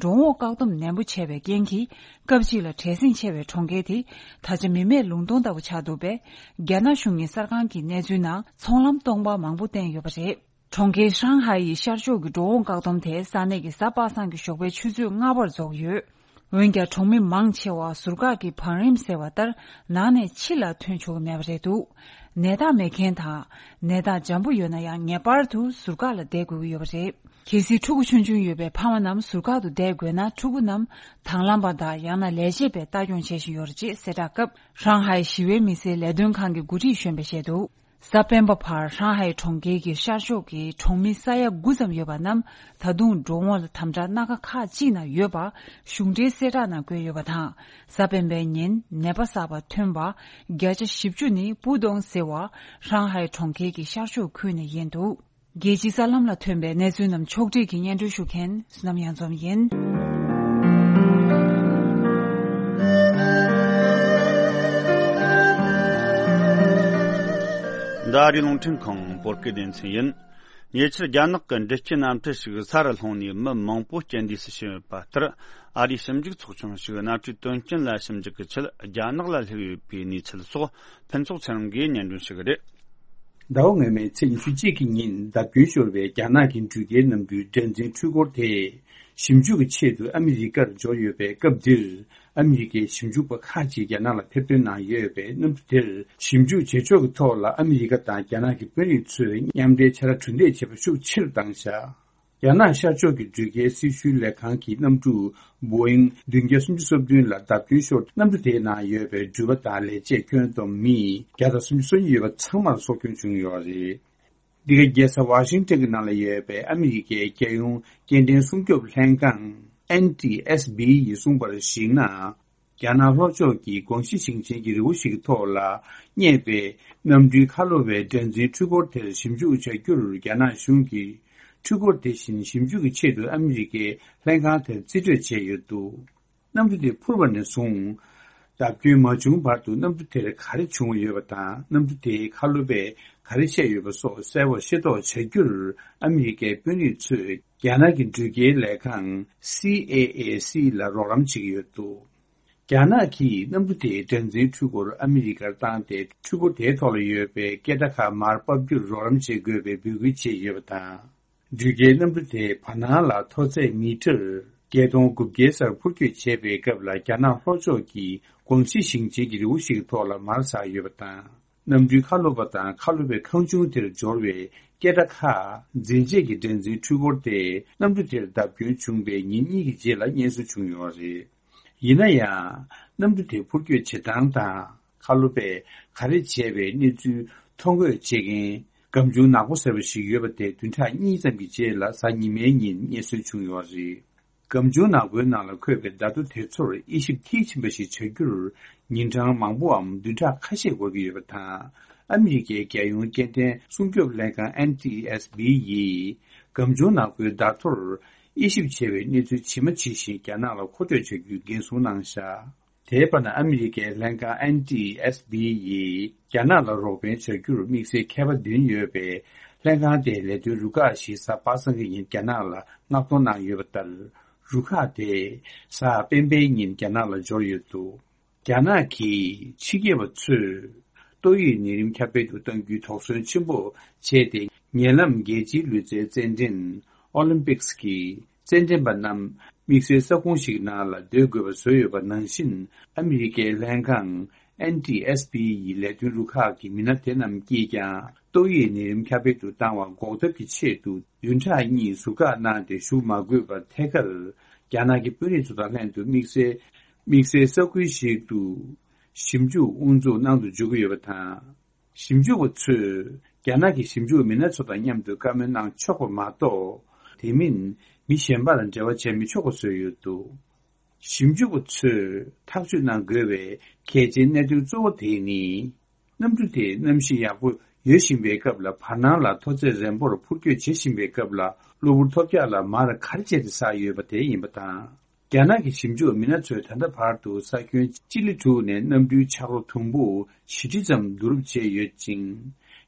འགྲོ་འོང་བཀག་སྡོམ་ནན་པོ་བྱས་པའི་རྐྱེན་གྱིས། སྐབས་གཅིག་ལ་བྲེལ་ཟིང་ཆེ་བའི་གྲོང་ཁྱེར་དེ། ད་ཆ་མི་མེད་ལུང་སྟོང་ལྟ་བུ་ཆགས་འདུག་པས། རྒྱ་ནག་གཞུང་གི་གསར་ཁང་གི་གནས་ཚུལ་ནང་ཚོང་ལམ་སྟོང་པ་མང་པོ་བསྟན་ཡོད་པ་རེད། གྲོང་ཁྱེར་ཧྲང་ཧའེ་ཡི་ཤར་ཕྱོགས་ཀྱི་འགྲོ་འོང་བཀག་སྡོམ་དེ་ས་གནས་ཀྱི་གཟའ་པ་སངས་ཀྱི་ཞོགས་པའི་ཆུ་ཚོད་ལྔ་པར་རྫོགས་ཡོད། འོན་ཀྱང་གྲོང་མི་མང་ཆེ་བ་ཟུར་བཀག་གི་བང་རིམ་ཟེར་བ་ལྟར་ནང་ནས་ཕྱི་ལ་ཐོན་ཆོག་གི་མེད་པ་རེད་འདུག་ནད་རྟགས་མེད་མཁན་དང་། ནད་རྟགས་འཇམ་པོ་ཡོད་ན་ཡང་ངེས་པར་དུ་ཟུར་བཀག་ལ་བསྡད་དགོས་ཀྱི་ཡོད་པ་རེད། གལ་སྲིད་ཕྲུ་གུ་ཆུང་ཆུང་ཡོད་པའི་ཕ་མ་རྣམས་ཟུར་བཀག་ཏུ་བསྡད་དགོས་ན། ཕྲུ་གུ་རྣམས་དྭང་བླངས་པ་དང་ཡང་ན་ལས་བྱེད་པས་ལྟ་སྐྱོང་བྱེད་བཞིན་ཡོད་རེད་ཅེས་གསལ་བསྒྲགས་སྐབས། ཧྲང་ཧའེ་ཞི་བའི་མི་སེར་ལས་དོན་ཁང་གི་འགོ་ཁྲིད་གཞོན་པས་བཤད་འདུག་གཟའ་སྤེན་པ་བར་ཧྲང་ཧའེ་གྲོང་ཁྱེར་གྱི་ཤར་ཕྱོགས་ཀྱི་གྲོང་མི་ས་ཡ་དགུ་ཙམ་ཡོད་པ་རྣམས་ད་དུང་འགྲོ་འོང་ལ་དམ་དྲག་སྣ་ཁ་ཁག་ཅིག་ནང་ཡོད་པ་གཞུང་འབྲེལ་གསལ་བསྒྲགས་ནང་བཀོད་ཡོད་པ་དང་། གཟའ་སྤེན་པའི་ཉིན་ནད་པ་གསར་པ་ཐོན་པ་བརྒྱ་ཆ་བཞི་བཅུ་ནི་པུ་ཏོང་ཟེར་བ་ཧྲང་ཧའེ་གྲོང་ཁྱེར་གྱི་ཤར་ཕྱོགས་ཁུལ་ནས་ཡིན་འདུག་རྒྱལ་སྤྱིའི་གསར་ལམ་ལ་ཐོན་པའི་གནས་ཚུལ་རྣམས་ཕྱོགས་སྒྲིག་གིས་སྙན་སྒྲོན་ཞུ་མཁན་བསོད་ནམས་གཡང་འཛོམས་ཡིན། འདི་ཨ་རིའི་རླུང་འཕྲིན་ཁང་བོད་སྐད་སྡེ་ཚན་ཡིན། ཉེ་ཆར་རྒྱ་ནག་གི་འདྲི་སྐྱེལ་གནམ་གྲུ་ཞིག་ས་རུ་ལྷུང་ནས་མི་མང་པོ་རྐྱེན་འདས་སུ་ཕྱིན་ཡོད་པ་ལྟར། ཨ་རིའི་ཞིབ་འཇུག་ཚོགས་ཆུང་ཞིག་གནམ་གྲུའི་དོན་རྐྱེན་ལ་ཞིབ་འཇུག་གི་ཆེད་རྒྱ་ནག་ལ་སླེབས་ཡོད་པའི་གནས་ཚུལ་སོགས་ཕུན་ཚོགས་ཚེ་རིང་གིས་སྙན་སྒྲོན་ཞུ་གི་རེད། ཟླ་བ་སྔོན་མའི་ཚེས་ཉི་ཤུ་གཅིག་གི་ཉིན་བརྡབ་སྐྱོན་ཤོར་བའི་རྒྱ་ནག་གི་འགྲུལ་སྐྱེལ་གནམ་གྲུའི་སྒྲ་འཛིན་འཕྲུལ་འཁོར་དེ་ཞིབ་འཇུག་གི་ཆེད་དུ་ཨ་མི་རི་ཀར་འབྱོར་ཡོད་པའི་སྐབས་འདིར། ཨ་མི་རི་ཀའི་ཞིབ་འཇུག་པ་ཁག་ཅིག་རྒྱ་ནག་ལ་ཐེར་འདོན་གནང་ཡོད་པའི་གནམ་གྲུ་དེར་ཞིབ་འཇུག་བྱེད་ཕྱོགས་ཀྱི་ཐོག་ལ་ཨ་མི་རི་ཀ་དང་རྒྱ་ནག་གི་དཔོན་རིགས་ཚོས་མཉམ་འབྲེལ་བྱ་དགའ་གྲུ་འདེགས་བྱེད་པ་ཤུགས་ཆེ་རུ་བཏང་བཞག་རྒྱ་ནག་ཤར་ཕྱོགས་ཀྱི་འགྲུལ་སྐྱེལ་སྲི་ཞུའི་ལས་ཁང་གི་གནམ་གྲུ་Boeing བདུན་བརྒྱ་སུམ་ཅུ་སོ་བདུན་ལ་བརྡབ་སྐྱོན་ཤོར། གནམ་གྲུ་དེའི་ནང་ཡོད་པའི་འགྲུལ་པ་དང་ལས་བྱེད་ཁྱོན་བསྡོམས་མི་བརྒྱ་དང་སུམ་ཅུ་སོ་གཉིས་ཡོད་པ་ཚང་མར་སྲོག་སྐྱོན་བྱུང་ཡོད་རེད། འདི་ག་རྒྱལ་ས་ཝ་ཤིང་ཊོན་གྱི་ནང་ལ་ཡོད་པའི་ཨ་མི་རི་ཀའི་རྒྱལ་ཡོངས་སྐྱེལ་འདྲེན་སྲུང་སྐྱོབ་ལྷན་ཁང་N T S B ཡིས་གསུངས་པར་གཞིགས་ན། རྒྱ་ནག་ལྷོ་ཕྱོགས་ཀྱི་ཀོང་ཞི་ཞིང་ཆེན་གྱི་རི་བོ་ཞིག་གི་ཐོག་ལ་རྙེད་པའི་གནམ་གྲུའི་ཁ་ལོ་བའི་སྒྲ་འཛིན་འཕྲུལ་འཁོར་དེར་ཞིབ་འཇུག་བྱ་རྒྱུར་རྒྱ་ནག་གཞུང་གིས་འཕྲུལ་འཁོར་དེ་བཞིན་ཞིབ་འཇུག་གི་ཆེད་དུ་ཨ་མི་རི་ཀའི་ལྷན་ཁང་དེར་རྩིས་སྤྲོད་བྱས་ཡོད་འདུག་གནམ་གྲུ་དེ་འཕུར་བ་ནས་བཟུང་། བརྡབ་སྐྱོན་མ་བྱུང་བར་དུ་གནམ་གྲུ་དེར་ག་རེ་བྱུང་ཡོད་པ་དང་། གནམ་གྲུ་དེའི་ཁ་ལོ་པས་ག་རེ་བཤད་ཡོད་པ་སོགས་གསལ་པོར་ཤེས་རྟོགས་བྱ་རྒྱུར་ཨ་མི་རི་ཀའི་དཔོན་རིགས་ཚོས་རྒྱ་ནག་གི་འགྲུལ་སྐྱེལ་ལས་ཁང་C A A C ལ་རོགས་རམ་བྱེད་ཀྱི་ཡོད་འདུག་རྒྱ་ནག་གིས་གནམ་གྲུ་དེའི་སྒྲ་འཛིན་འཕྲུལ་འཁོར་ཨ་མི་རི་ཀར་བཏང་སྟེ། འཕྲུལ་འཁོར་དེའི་ཐོག་ལ་ཡོད་པའི་སྐད་སྒྲ་ཁག་མར་ཕབ་རྒྱུར་རོགས་རམ་བྱེད་དགོས་པའི་འབོད་སྐུལ་བྱས་ཡོད་པ་དང་། འགྲུལ་སྐྱེལ་གནམ་གྲུ་དེའི་བར་སྣང་ལ་མཐོ་ཚད་མི་ཊར་བརྒྱད་སྟོང་དགུ་བརྒྱའི་སར་འཕུར་སྐྱོད་བྱས་པའི་སྐབས་ལ། རྒྱ་ནག་ལྷོ་ཕྱོགས་ཀྱི་ཀོང་ཞི་ཞིང་ཆེན་གྱི་རི་བོ་ཞིག་གི་ཐོག་ལ་མར་ཟགས་ཡོད་པ་དང་། གནམ་གྲུའི་ཁ་ལོ་པ་དང་ཁ་ལོ་པའི་ཁང་ཆུང་དེར་འབྱོར་བའི་སྐད་སྒྲ་ཁག་འཛིན་ཆེད་ཀྱི་སྒྲ་འཛིན་འཕྲུལ་འཁོར་དེ་གནམ་གྲུ་དེར་བརྡབ་སྐྱོན་བྱུང་བའི་ཉིན་གཉིས་ཀྱི་རྗེས་ལ་རྙེད་སོན་བྱུང་ཡོད་རེད། ཡིན་ན་ཡང་། གནམ་གྲུ་དེ་འཕུར་སྐྱོད་བྱེད་སྟངས་དང་། ཁ་ལོ་པས་ག་རེ་བྱས་པའི་གནས་ཚུལ་ཐོ་འགོད་བྱེད་མཁན་སྒམ་ཆུང་ནག་པོ་ཟེར་བ་ཞིག་ཡོད་པ་དེ་བདུན་ཕྲག་གཉིས་ཙམ་གྱི་རྗེས་ལ་གཟའ་ཉི་མའི་ཉིན་རྙེད་སོན་བྱུང་ཡོད་རེད། སྒམ་ཆུང་ནག་པོའི་ནང་ལ་འཁོད་པའི་བརྡ་ཐོ་དེ་ཚོར་དབྱེ་ཞིབ་མཐིལ་ཕྱིན་པ་ཞིག་བྱ་རྒྱུར་ཉིན་གྲངས་མང་པོའམ་བདུན་ཕྲག་ཁ་ཤས་འགོར་གྱི་ཡོད་པ་དང་། ཨ་མི་རི་ཀའི་རྒྱལ་ཡོངས་སྐྱེལ་འདྲེན་སྲུང་སྐྱོབ་ལྷན་ཁང་N T S B ཡིས་སྒམ་ཆུང་ནག་པོའི་བརྡ་ཐོར་དབྱེ་ཞིབ་བྱས་པའི་གནས་ཚུལ་ཇི་མ་ཇི་བཞིན་རྒྱ་ནག་ལ་མཁོ་སྤྲོད་བྱ་རྒྱུའི་འགན་སྲུང་གནང་བཞག་དེའི་བར་ན་ཨ་མི་རི་ཀའི་ལྷན་ཁང་N T S B ཡིས་རྒྱ་ནག་ལ་རོགས་ཕན་བྱ་རྒྱུར་དམིགས་བསལ་མཁས་པ་འདུན་ཡོད་པའི་ལྷན་ཁང་དེའི་ལས་དོན་རུ་ཁག་ཞིག་གཟའ་པ་སངས་ཀྱི་ཉིན་རྒྱ་ནག་ལ་མངགས་གཏོང་གནང་ཡོད་པ་ལྟར། རུ་ཁག་དེ་གཟའ་སྤེན་པའི་ཉིན་རྒྱ་ནག་ལ་འབྱོར་ཡོད་འདུག་རྒྱ་ནག་གི་ཕྱི་རྒྱལ་བ་ཚོས་ཏོག་དབྱིབས་ནད་རིམས་ཁྱབ་སྤེལ་དུ་གཏང་རྒྱུའི་དོགས་ཟོན་ཆེན་པོ་བྱས་ཏེ། ཉེ་ལམ་རྒྱལ་སྤྱིའི་ལུས་རྩལ་རྩེད་འགྲན་ཨོ་ལིམ་པིག་སི་གི་རྩེད་འགྲན་པ་རྣམས་དམིགས་བསལ་ས་ཁོངས་ཤིག་ནང་ལ་སྡོད་དགོས་པ་བཟོས་ཡོད་པ་ནང་བཞིན། ཨ་མི་རི་ཀའི་ལྷན་ཁང་ཨེན་ཊི་ཨེས་པི་ཡི་ལས་དོན་རུ་ཁག་གི་མི་སྣ་དེ་རྣམས་ཀྱིས་ཀྱང་ཏོག་དབྱིབས་ནད་རིམས་ཁྱབ་སྤེལ་དུ་བཏང་བ་འགོག་ཐབས་ཀྱི་ཆེད་དུ། བདུན་ཕྲག་གཉིས་ཟུར་བཀག་གནང་སྟེ་བཞུགས་མ་དགོས་པར་ཐད་ཀར་རྒྱ་ནག་གི་དཔོན་རིགས་ཚོ་དང་ལྷན་དུ་དམིགས་བསལ་དམིགས་བསལ་ས་ཁུལ་ཞིག་ཏུ་ཞིབ་འཇུག་དབུ་འཛུགས་གནང་དུ་འཇུག་གི་ཡོད་པ་དང་། ཞིབ་འཇུག་པ་ཚོས་རྒྱ་ནག་གི་ཞིབ་འཇུག་མི་སྣ་ཚོ་དང་མཉམ་དུ་བཀའ་མོལ་གནང་ཆོག་པ་མ་གཏོགས། དེ་མིན་མི་གཞན་པ་ལ་འབྲེལ་བ་བྱས་མི་ཆོག་པ་བཟོས་ཡོད་འདུག་ཞིབ་འཇུག་པ་ཚོས་ཐག་གཅོད་གནང་དགོས་པའི་གལ་ཆེའི་གནད་དོན་གཙོ་བོ་དེ་ནི། གནམ་གྲུ་དེ་གནམ་གཤིས་ཡག་པོ་ཡོད་བཞིན་པའི་སྐབས་ལ། བར་སྣང་ལ་མཐོ་ཚད་རན་པོར་འཕུར་སྐྱོད་བྱེད་བཞིན་པའི་སྐབས་ལ། གློ་བུར་ཐོལ་རྒྱག་ལ་མར་ག་རེ་བྱས་ཏེ་ཟགས་ཡོད་པ་དེ་ཡིན་པ་དང་། རྒྱ་ནག་གི་ཞིབ་འཇུག་མི་སྣ་ཚོས་ད་ལྟ་བར་དུ་ས་ཁྱོན་སྤྱི་ལེ་དྲུག་ནས་གནམ་གྲུའི་ཆག་རོ་དུམ་བུ་བཞི་ཁྲི་ཙམ་བསྡུ་རུབ་བྱས་ཡོད་ཅིང་།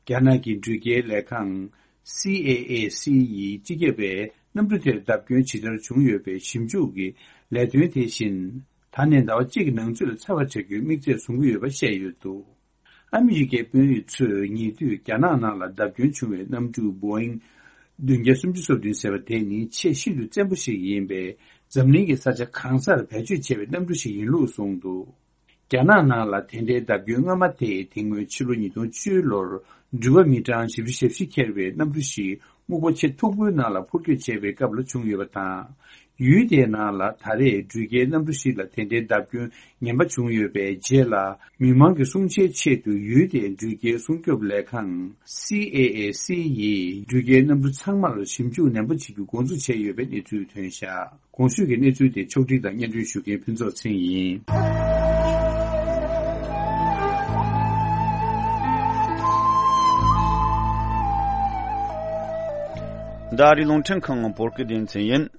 རྒྱ་ནག་གི་འགྲུལ་སྐྱེལ་ལས་ཁང་། སི་ཨེ་ཨེ་སི་ཡི་སྤྱི་ཁྱབ་པས་གནམ་གྲུ་དེར་བརྡབ་སྐྱོན་ཇི་ལྟར་བྱུང་ཡོད་པའི་ཞིབ་འཇུག་གི་ལས་དོན་དེ་བཞིན། ད་ནས་ཟླ་བ་གཅིག་གི་ནང་ཚུད་ལ་ཚར་བར་བྱ་རྒྱུའི་དམིགས་ཚད་བཟུང་གི་ཡོད་པ་བཤད་ཡོད་འདུག་ཨ་མི་རི་ཀའི་དཔོན་རིགས་ཚོས་ཉེ་དུས་རྒྱ་ནག་ནང་ལ་བརྡབ་སྐྱོན་བྱུང་བའི་གནམ་གྲུ་བོ་ཨིང་བདུན་བརྒྱ་སུམ་ཅུ་སོ་བདུན་ཟེར་བ་དེ་ནི་ཆེས་ཤིན་ཏུ་བཙན་པོ་ཞིག་ཡིན་པས། འཛམ་གླིང་གི་ས་ཆ་གང་སར་བེད་སྤྱོད་བྱས་པའི་གནམ་གྲུ་ཞིག་ཡིན་ལུགས་གསུངས་འདུག་རྒྱ་ནག་ནང་ལ་དེ་འདྲའི་བརྡབ་སྐྱོན་སྔ་མ་དེ་དེ་སྔོན་ཕྱི་ལོ་ཉིས་སྟོང་བཅུ་ལོར་འགྲུལ་པ་མི་གྲངས་བཞི་བཅུ་ཞེ་བཞི་འཁྱེར་བའི་གནམ་གྲུ་ཞིག་སྨུག་པ་ཆེས་མཐུག་པོའི་ནང་ལ་འཕུར་སྐྱོད་བྱས་པའི་སྐབས་ལ་བྱུང་ཡོད་པ་དང་། ཡུལ་དེའི་ནང་ལ་ད་རེས་འགྲུལ་སྐྱེལ་གནམ་གྲུ་ཞིག་ལ་དེ་འདྲའི་བརྡབ་སྐྱོན་ངན་པ་བྱུང་ཡོད་པའི་རྗེས་ལ། མི་མང་གི་སྲུང་བྱའི་ཆེད་དུ་ཡུལ་དེའི་འགྲུལ་སྐྱེལ་སྲུང་སྐྱོབ་ལས་ཁང་། སི་ཨེ་ཨེ་སི་ཡིས་འགྲུལ་སྐྱེལ་གནམ་གྲུ་ཚང་མར་ཞིབ་འཇུག་ནན་པོ་བྱེད་རྒྱུ་འགོ་འཛུགས་བྱས་ཡོད་པའི་གནས་ཚུལ་ཐོན་བཞག་གོང་ཞུས་ཀྱི་གནས་ཚུལ་དེ་ཕྱོགས་སྒྲིག་དང་སྙན་སྒྲོན་ཞུ་མཁན་ཕུན་ཚོགས་ཚེ་རིང་ཡིན། འདི་ཨ་རིའི་རླུང་འཕྲིན་ཁང་བོད་སྐད་སྡེ་ཚན་ཡིན།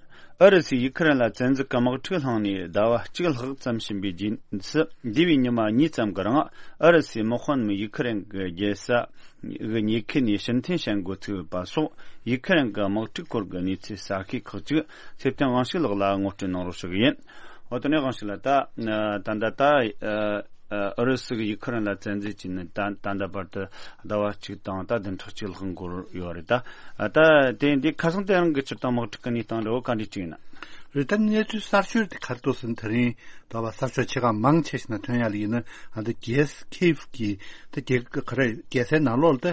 ཨུ་རུ་སུས་ཡུ་ཁུ་རེན་ལ་བཙན་འཛུལ་གྱི་དམག་འཁྲུག་བསླངས་ནས་ཟླ་བ་གཅིག་ལྷག་ཙམ་ཕྱིན་པའི་རྗེས་སུ། འདས་པའི་ཉི་མ་གཉིས་ཙམ་གྱི་རིང་ཨུ་རུ་སུའི་དམག་དཔོན་ཡུ་ཁུ་རེན་གྱི་རྒྱལ་ས་གི་ཉེ་ཁུལ་ནས་ཕྱིར་འཐེན་བྱེད་འགོ་ཚུགས་པ་སོགས། ཡུ་ཁུ་རེན་གྱི་དམག་འཁྲུག་སྐོར་གྱི་གནས་ཚུལ་གསར་ཤོས་ཁག་ཅིག་ཚེ་བརྟན་དབང་ཕྱུག་ལགས་ལ་ངོ་སྤྲོད་གནང་རོགས་ཞུ་གི་ཡིན། འོ་དེ་ནས་དབང་ཕྱུག་ལགས། ད་ད་ལྟ་ད་ཨུ་རུ་སུ་གིས་ཡུ་ཁུ་རེན་ལ་བཙན་འཛུལ་བྱས་ནས་ད་ད་ལྟ་བར་དུ་ཟླ་བ་གཅིག་དང་ད་བདུན་ཕྲག་གཅིག་ལྷག་འགོར་ཡོད་རེད། ད་ད་དེ་འདི་ཁ་སང་དེ་རིང་གི་སྤྱིར་བཏང་དམག་འཁྲུག་གི་གནས་སྟངས་རེད། འོ་ག་འདྲ་ཅིག་ཡིན་ན། རེད། ད་གནས་ཚུལ་གསར་ཤོས་དེ་ག་རེ་འདུག་ཟེར་ན། དེ་རིང་ད་བར་གསར་ཤོག་ཆེ་ཁག་མང་ཆེ་ཞིག་ནང་ཐོན་ཡ་ལ་ཡིན་ན། ཨ་ད་རྒྱལ་ས་ཁིབ་ཀྱི་ད་རྒྱལ་ག་རེ་རྒྱལ་སའི་ནང་ལོགས་ལ་ད་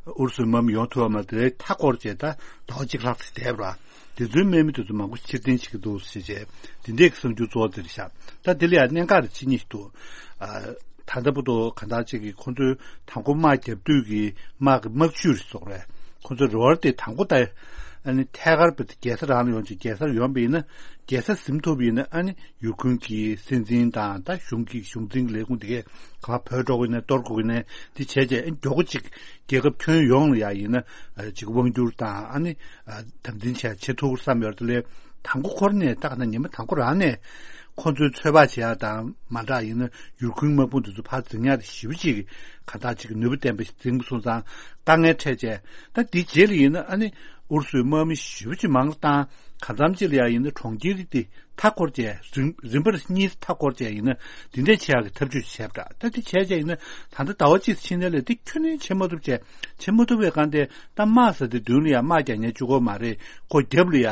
ཨུ་རུ་སུའི་དམག་མི་ཡོང་ཐུབ་པ་མ་རེད། མཐའ་བསྐོར་བྱས་ད་ཟླ་བ་གཅིག་ལྷག་ཙམ་བསྡད་པ་རེད། དེ་ཚོའི་དམག་མི་དེ་ཚོ་མང་པོ་ཕྱིར་འཐེན་བྱེད་ཀྱི་འདུག་ཟེར་བྱས་དེ་འདྲས་ཀྱི་གསར་འགྱུར་གཙོ་བོ་དེ་རེད་ཤག་ད་དེ་ལ་ཡང་གནད་འགག་རེ་ཕྱེ་མཁན་ཞིག་འདུག་ཨ་ད་ལྟ་བར་དུ་གང་ལྟར་ཅིག་གིས་ཁོང་ཚོའི་དང་པོ་དམག་བརྒྱབ་དུས་ཀྱི་དམག་གི་དམག་ཇུས་རེད་ཟེར་དགོས་རེད། ཁོང་ཚོའི་རེ་བ་དེ་དང་པོ་ད་ཨ་ནི་ཐད་ཀར་བྱས་ཏེ་རྒྱལ་ས་རང་ལ་ཡོང་ཅིག་རྒྱལ་སར་ཡོང་བ་ཡིན་ན། རྒྱལ་ས་ཟིན་ཐུབ་པ་ཡིན་ན། ཨ་ནི་ཡུལ་ཁུལ་གྱི་སྲིད་འཛིན་དང་ད་གཞུང་གི་གཞུང་འཛིན་གྱི་ལས་ཁུངས་དེ་གས་ག་པར་བྲོས་འགྲོ་གི་ཡིན་ན། གཏོར་དགོས་ཀྱི་ཡིན་ན། དེ་བྱས་བྱས་ཨ་ནི་མགྱོགས་པོ་ཅིག་རྒྱལ་ཁབ་ཁྱོན་ཡོངས་ལ་ཡ་ཡིན་ན་ཨ་ཅིག་དབང་བསྒྱུར་དང་། ཨ་ནི་ཨ་དམ་འཛིན་བྱས་བྱེད་ཐུབ་བསམ་ཡོད་རེད། དེ་ལས་དང་པོ་ཁོ་རང་ནས་ད་ག་ན་ཉི་མ་དང་པོ་རང་ནས་ཁོ་ཚོའི་ཚོད་དཔག་བྱེད་ཡ་དང་མ་འདྲ་ཡིན་ན། ཡུལ་ཁུལ་དམག་དཔུང་དེ་ཚོ་ཕར་འཛིང་ཡ་དེ་ཞེ་པོ་ཅིག་ག་འདྲ་ཅིག་ནུས་པ་ལྡན་པ་ཞིག་འཛིང་པ་སོང་ཙང་དཀའ་ངལ་འཕྲད་བྱས། ད་དེའི་རྗེས་ལ་ཡིན་ན་ཨ་ནི་ཨུ་རུ་སུའི་དམག་མི་ཞེ་པོ་ཅིག་མང་རུ་བཏང་། གང་འཚམ་ཅིག་ལ་ཡ་ཡིན་ན་གྲོང་ཁྱེར་དེ་མཐའ་བསྐོར་བྱས། རིམ་རིམ་པར་གཉིས་མཐའ་བསྐོར་བྱས་ཡིན་ན་དེ་འདྲས་བྱེད་ཡག་གི་ཐབས་ཇུས་བྱས་པ་འདྲ། ད་དེ་བྱས་བྱས་ཡིན་ན་ད་ལྟ་ཟླ་བ་གཅིག་ཕྱིན་ནས་ལས་དེ་ཁྱོན་ནས་བྱེད་མ་ཐུབ་བྱས། བྱེད་མ་ཐུབ་པའི་སྒང་དེ་ད་དམག་ཟེར་དེ་མདུན་ལ་ཡ་དམག་རྒྱག་མཁན་གཅིག་པོ་མ་རེད། ཁོ་རྒྱབ་ལ་ཡ་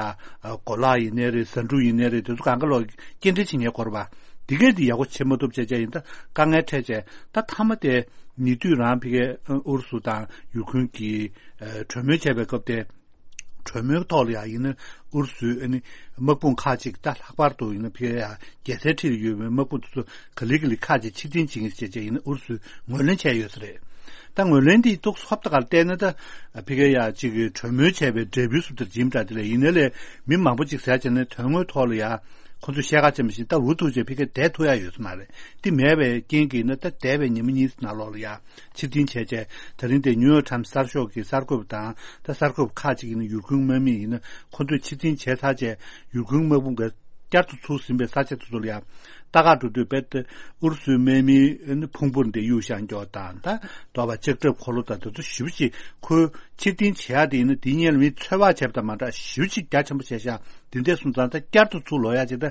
གོ་ལག་ཡིན་ནའི་རེད། ཟ་འབྲུ་ཡིན་ནའི་རེད། དེ་ཚོ་གང་ག་ལོག་སྐྱེལ་འདྲེན་བྱེད་མཁན་དགོས་རེད་པ། དེ་གས་དེ་ཡག་པོ་བྱེད་མ་ཐུབ་བྱས་བྱས་ཡིན། ད་དཀའ་ངལ་འཕྲད་བྱས། ད་མཐའ་མ་དེ་ཉེ་དུས་རང་ཕ་གིའི་ཨུ་རུ་སུ་དང་ཡུཀ་རེན་གྱི་གྲོས་མོལ་བྱས་པའི་སྐབས་དེ། གྲོས་མོལ་ཐོག་ལ་ཡང་ཡིན་ན་ཨུ་རུ་སུའི་ཨ་ནི་དམག་དཔུང་ཁག་ཅིག་ད་ལྷག་པར་དུ་ཡིན་ན་ཕ་གིའི་ཡ་རྒྱལ་སའི་འཁྲིས་ལ་ཡོད་པའི་དམག་དཔུང་དེ་ཚོ་ག་ལེ་ག་ལེ་ཁག་ཅིག་ཕྱིར་འཐེན་བྱེད་མཁན་ཞིག་བྱས་བྱས་ཡིན་ན་ཨུ་རུ་སུས་ངོས་ལེན་བྱས་ཡོད་ས་རེད། ད་ངོས་ལེན་འདི་ཏོག་ཙམ་ཧོབ་ཏེ་ག་ལ་བལྟས་ན། ད་ཕ་གིའི་ཡ་ཅིག་གྲོས་མོལ་བྱས་པའི་འབྲས་བུའི་བཟོ་ལྟར་ཡིན་པ་འདྲ། དེ་ལས་ཡིན་ནའི་ལས་མི་མང་པོ་ཅིག་ཟེར་བྱས་ནས་དོན་དངོས་ཐོག་ལ་ཡ་ཁོ་ཚོས་བཤད་ཁ་ཅན་པ་བཞིན་ད་འུ་ཐུག་བྱས་ཕ་གིར་བསྡད་ཐུབ་ཡ་ཡོད་ས་མ་རེད། དེ་མེད་པའི་རྐྱེན་གྱིས་ན་ད་འདས་པའི་ཉི་མ་གཉིས་ནང་ལོགས་ལ་ཡ་ཕྱིར་འཐེན་བྱས་བྱས། ད་རིང་དེ་ནིའུ་ཡོག་ཊའིམ་སི་གསར་ཤོག་གི་གསར་འགོད་པ་དང་། ད་གསར་འགོད་པ་ཁག་ཅིག་ཡིན་ན་ཡུཀ་རེན་དམག་མི་ཡིན་ན་ཁོ་ཚོས་ཕྱིར་འཐེན་བྱས་ཚར་བྱས། ཡུཀ་རེན་དམག་དཔུང་གིས་བསྐྱར་དུ་ཚུར་ཟིན་པའི་ས་ཆ་དེ་ཚོ་ལ་ཡ་ ལྟ་ག་འགྲོ་དུས་རྦད་དེ་ཨུ་རུ་སུའི་དམག་མིའི་ཕུང་པོ་འདི་གཡུག་བཞག་འགྱོག་དང་ད་ལྟོ་བ་ལྕགས་ཁྲབ་འཁོར་ལོ་དང་དེ་ཚོ་ཞེ་པོ་ཅིག་ཁོའི་ཕྱིར་འཐེན་བྱེད་ཡག་དེ་ཡིན་ན་དེའི་སྔོན་ལ་མི་འཚོལ་བ་བྱས་པ་དང་མ་འདྲ་ཞེ་པོ་ཅིག་རྒྱ་ཆེན་པོ་བྱས་ཤག་དེ་འདྲས་སོང་ཙང་ད་བསྐྱར་དུ་ཚུར་ལོག་ཡག་ཅིག་ད་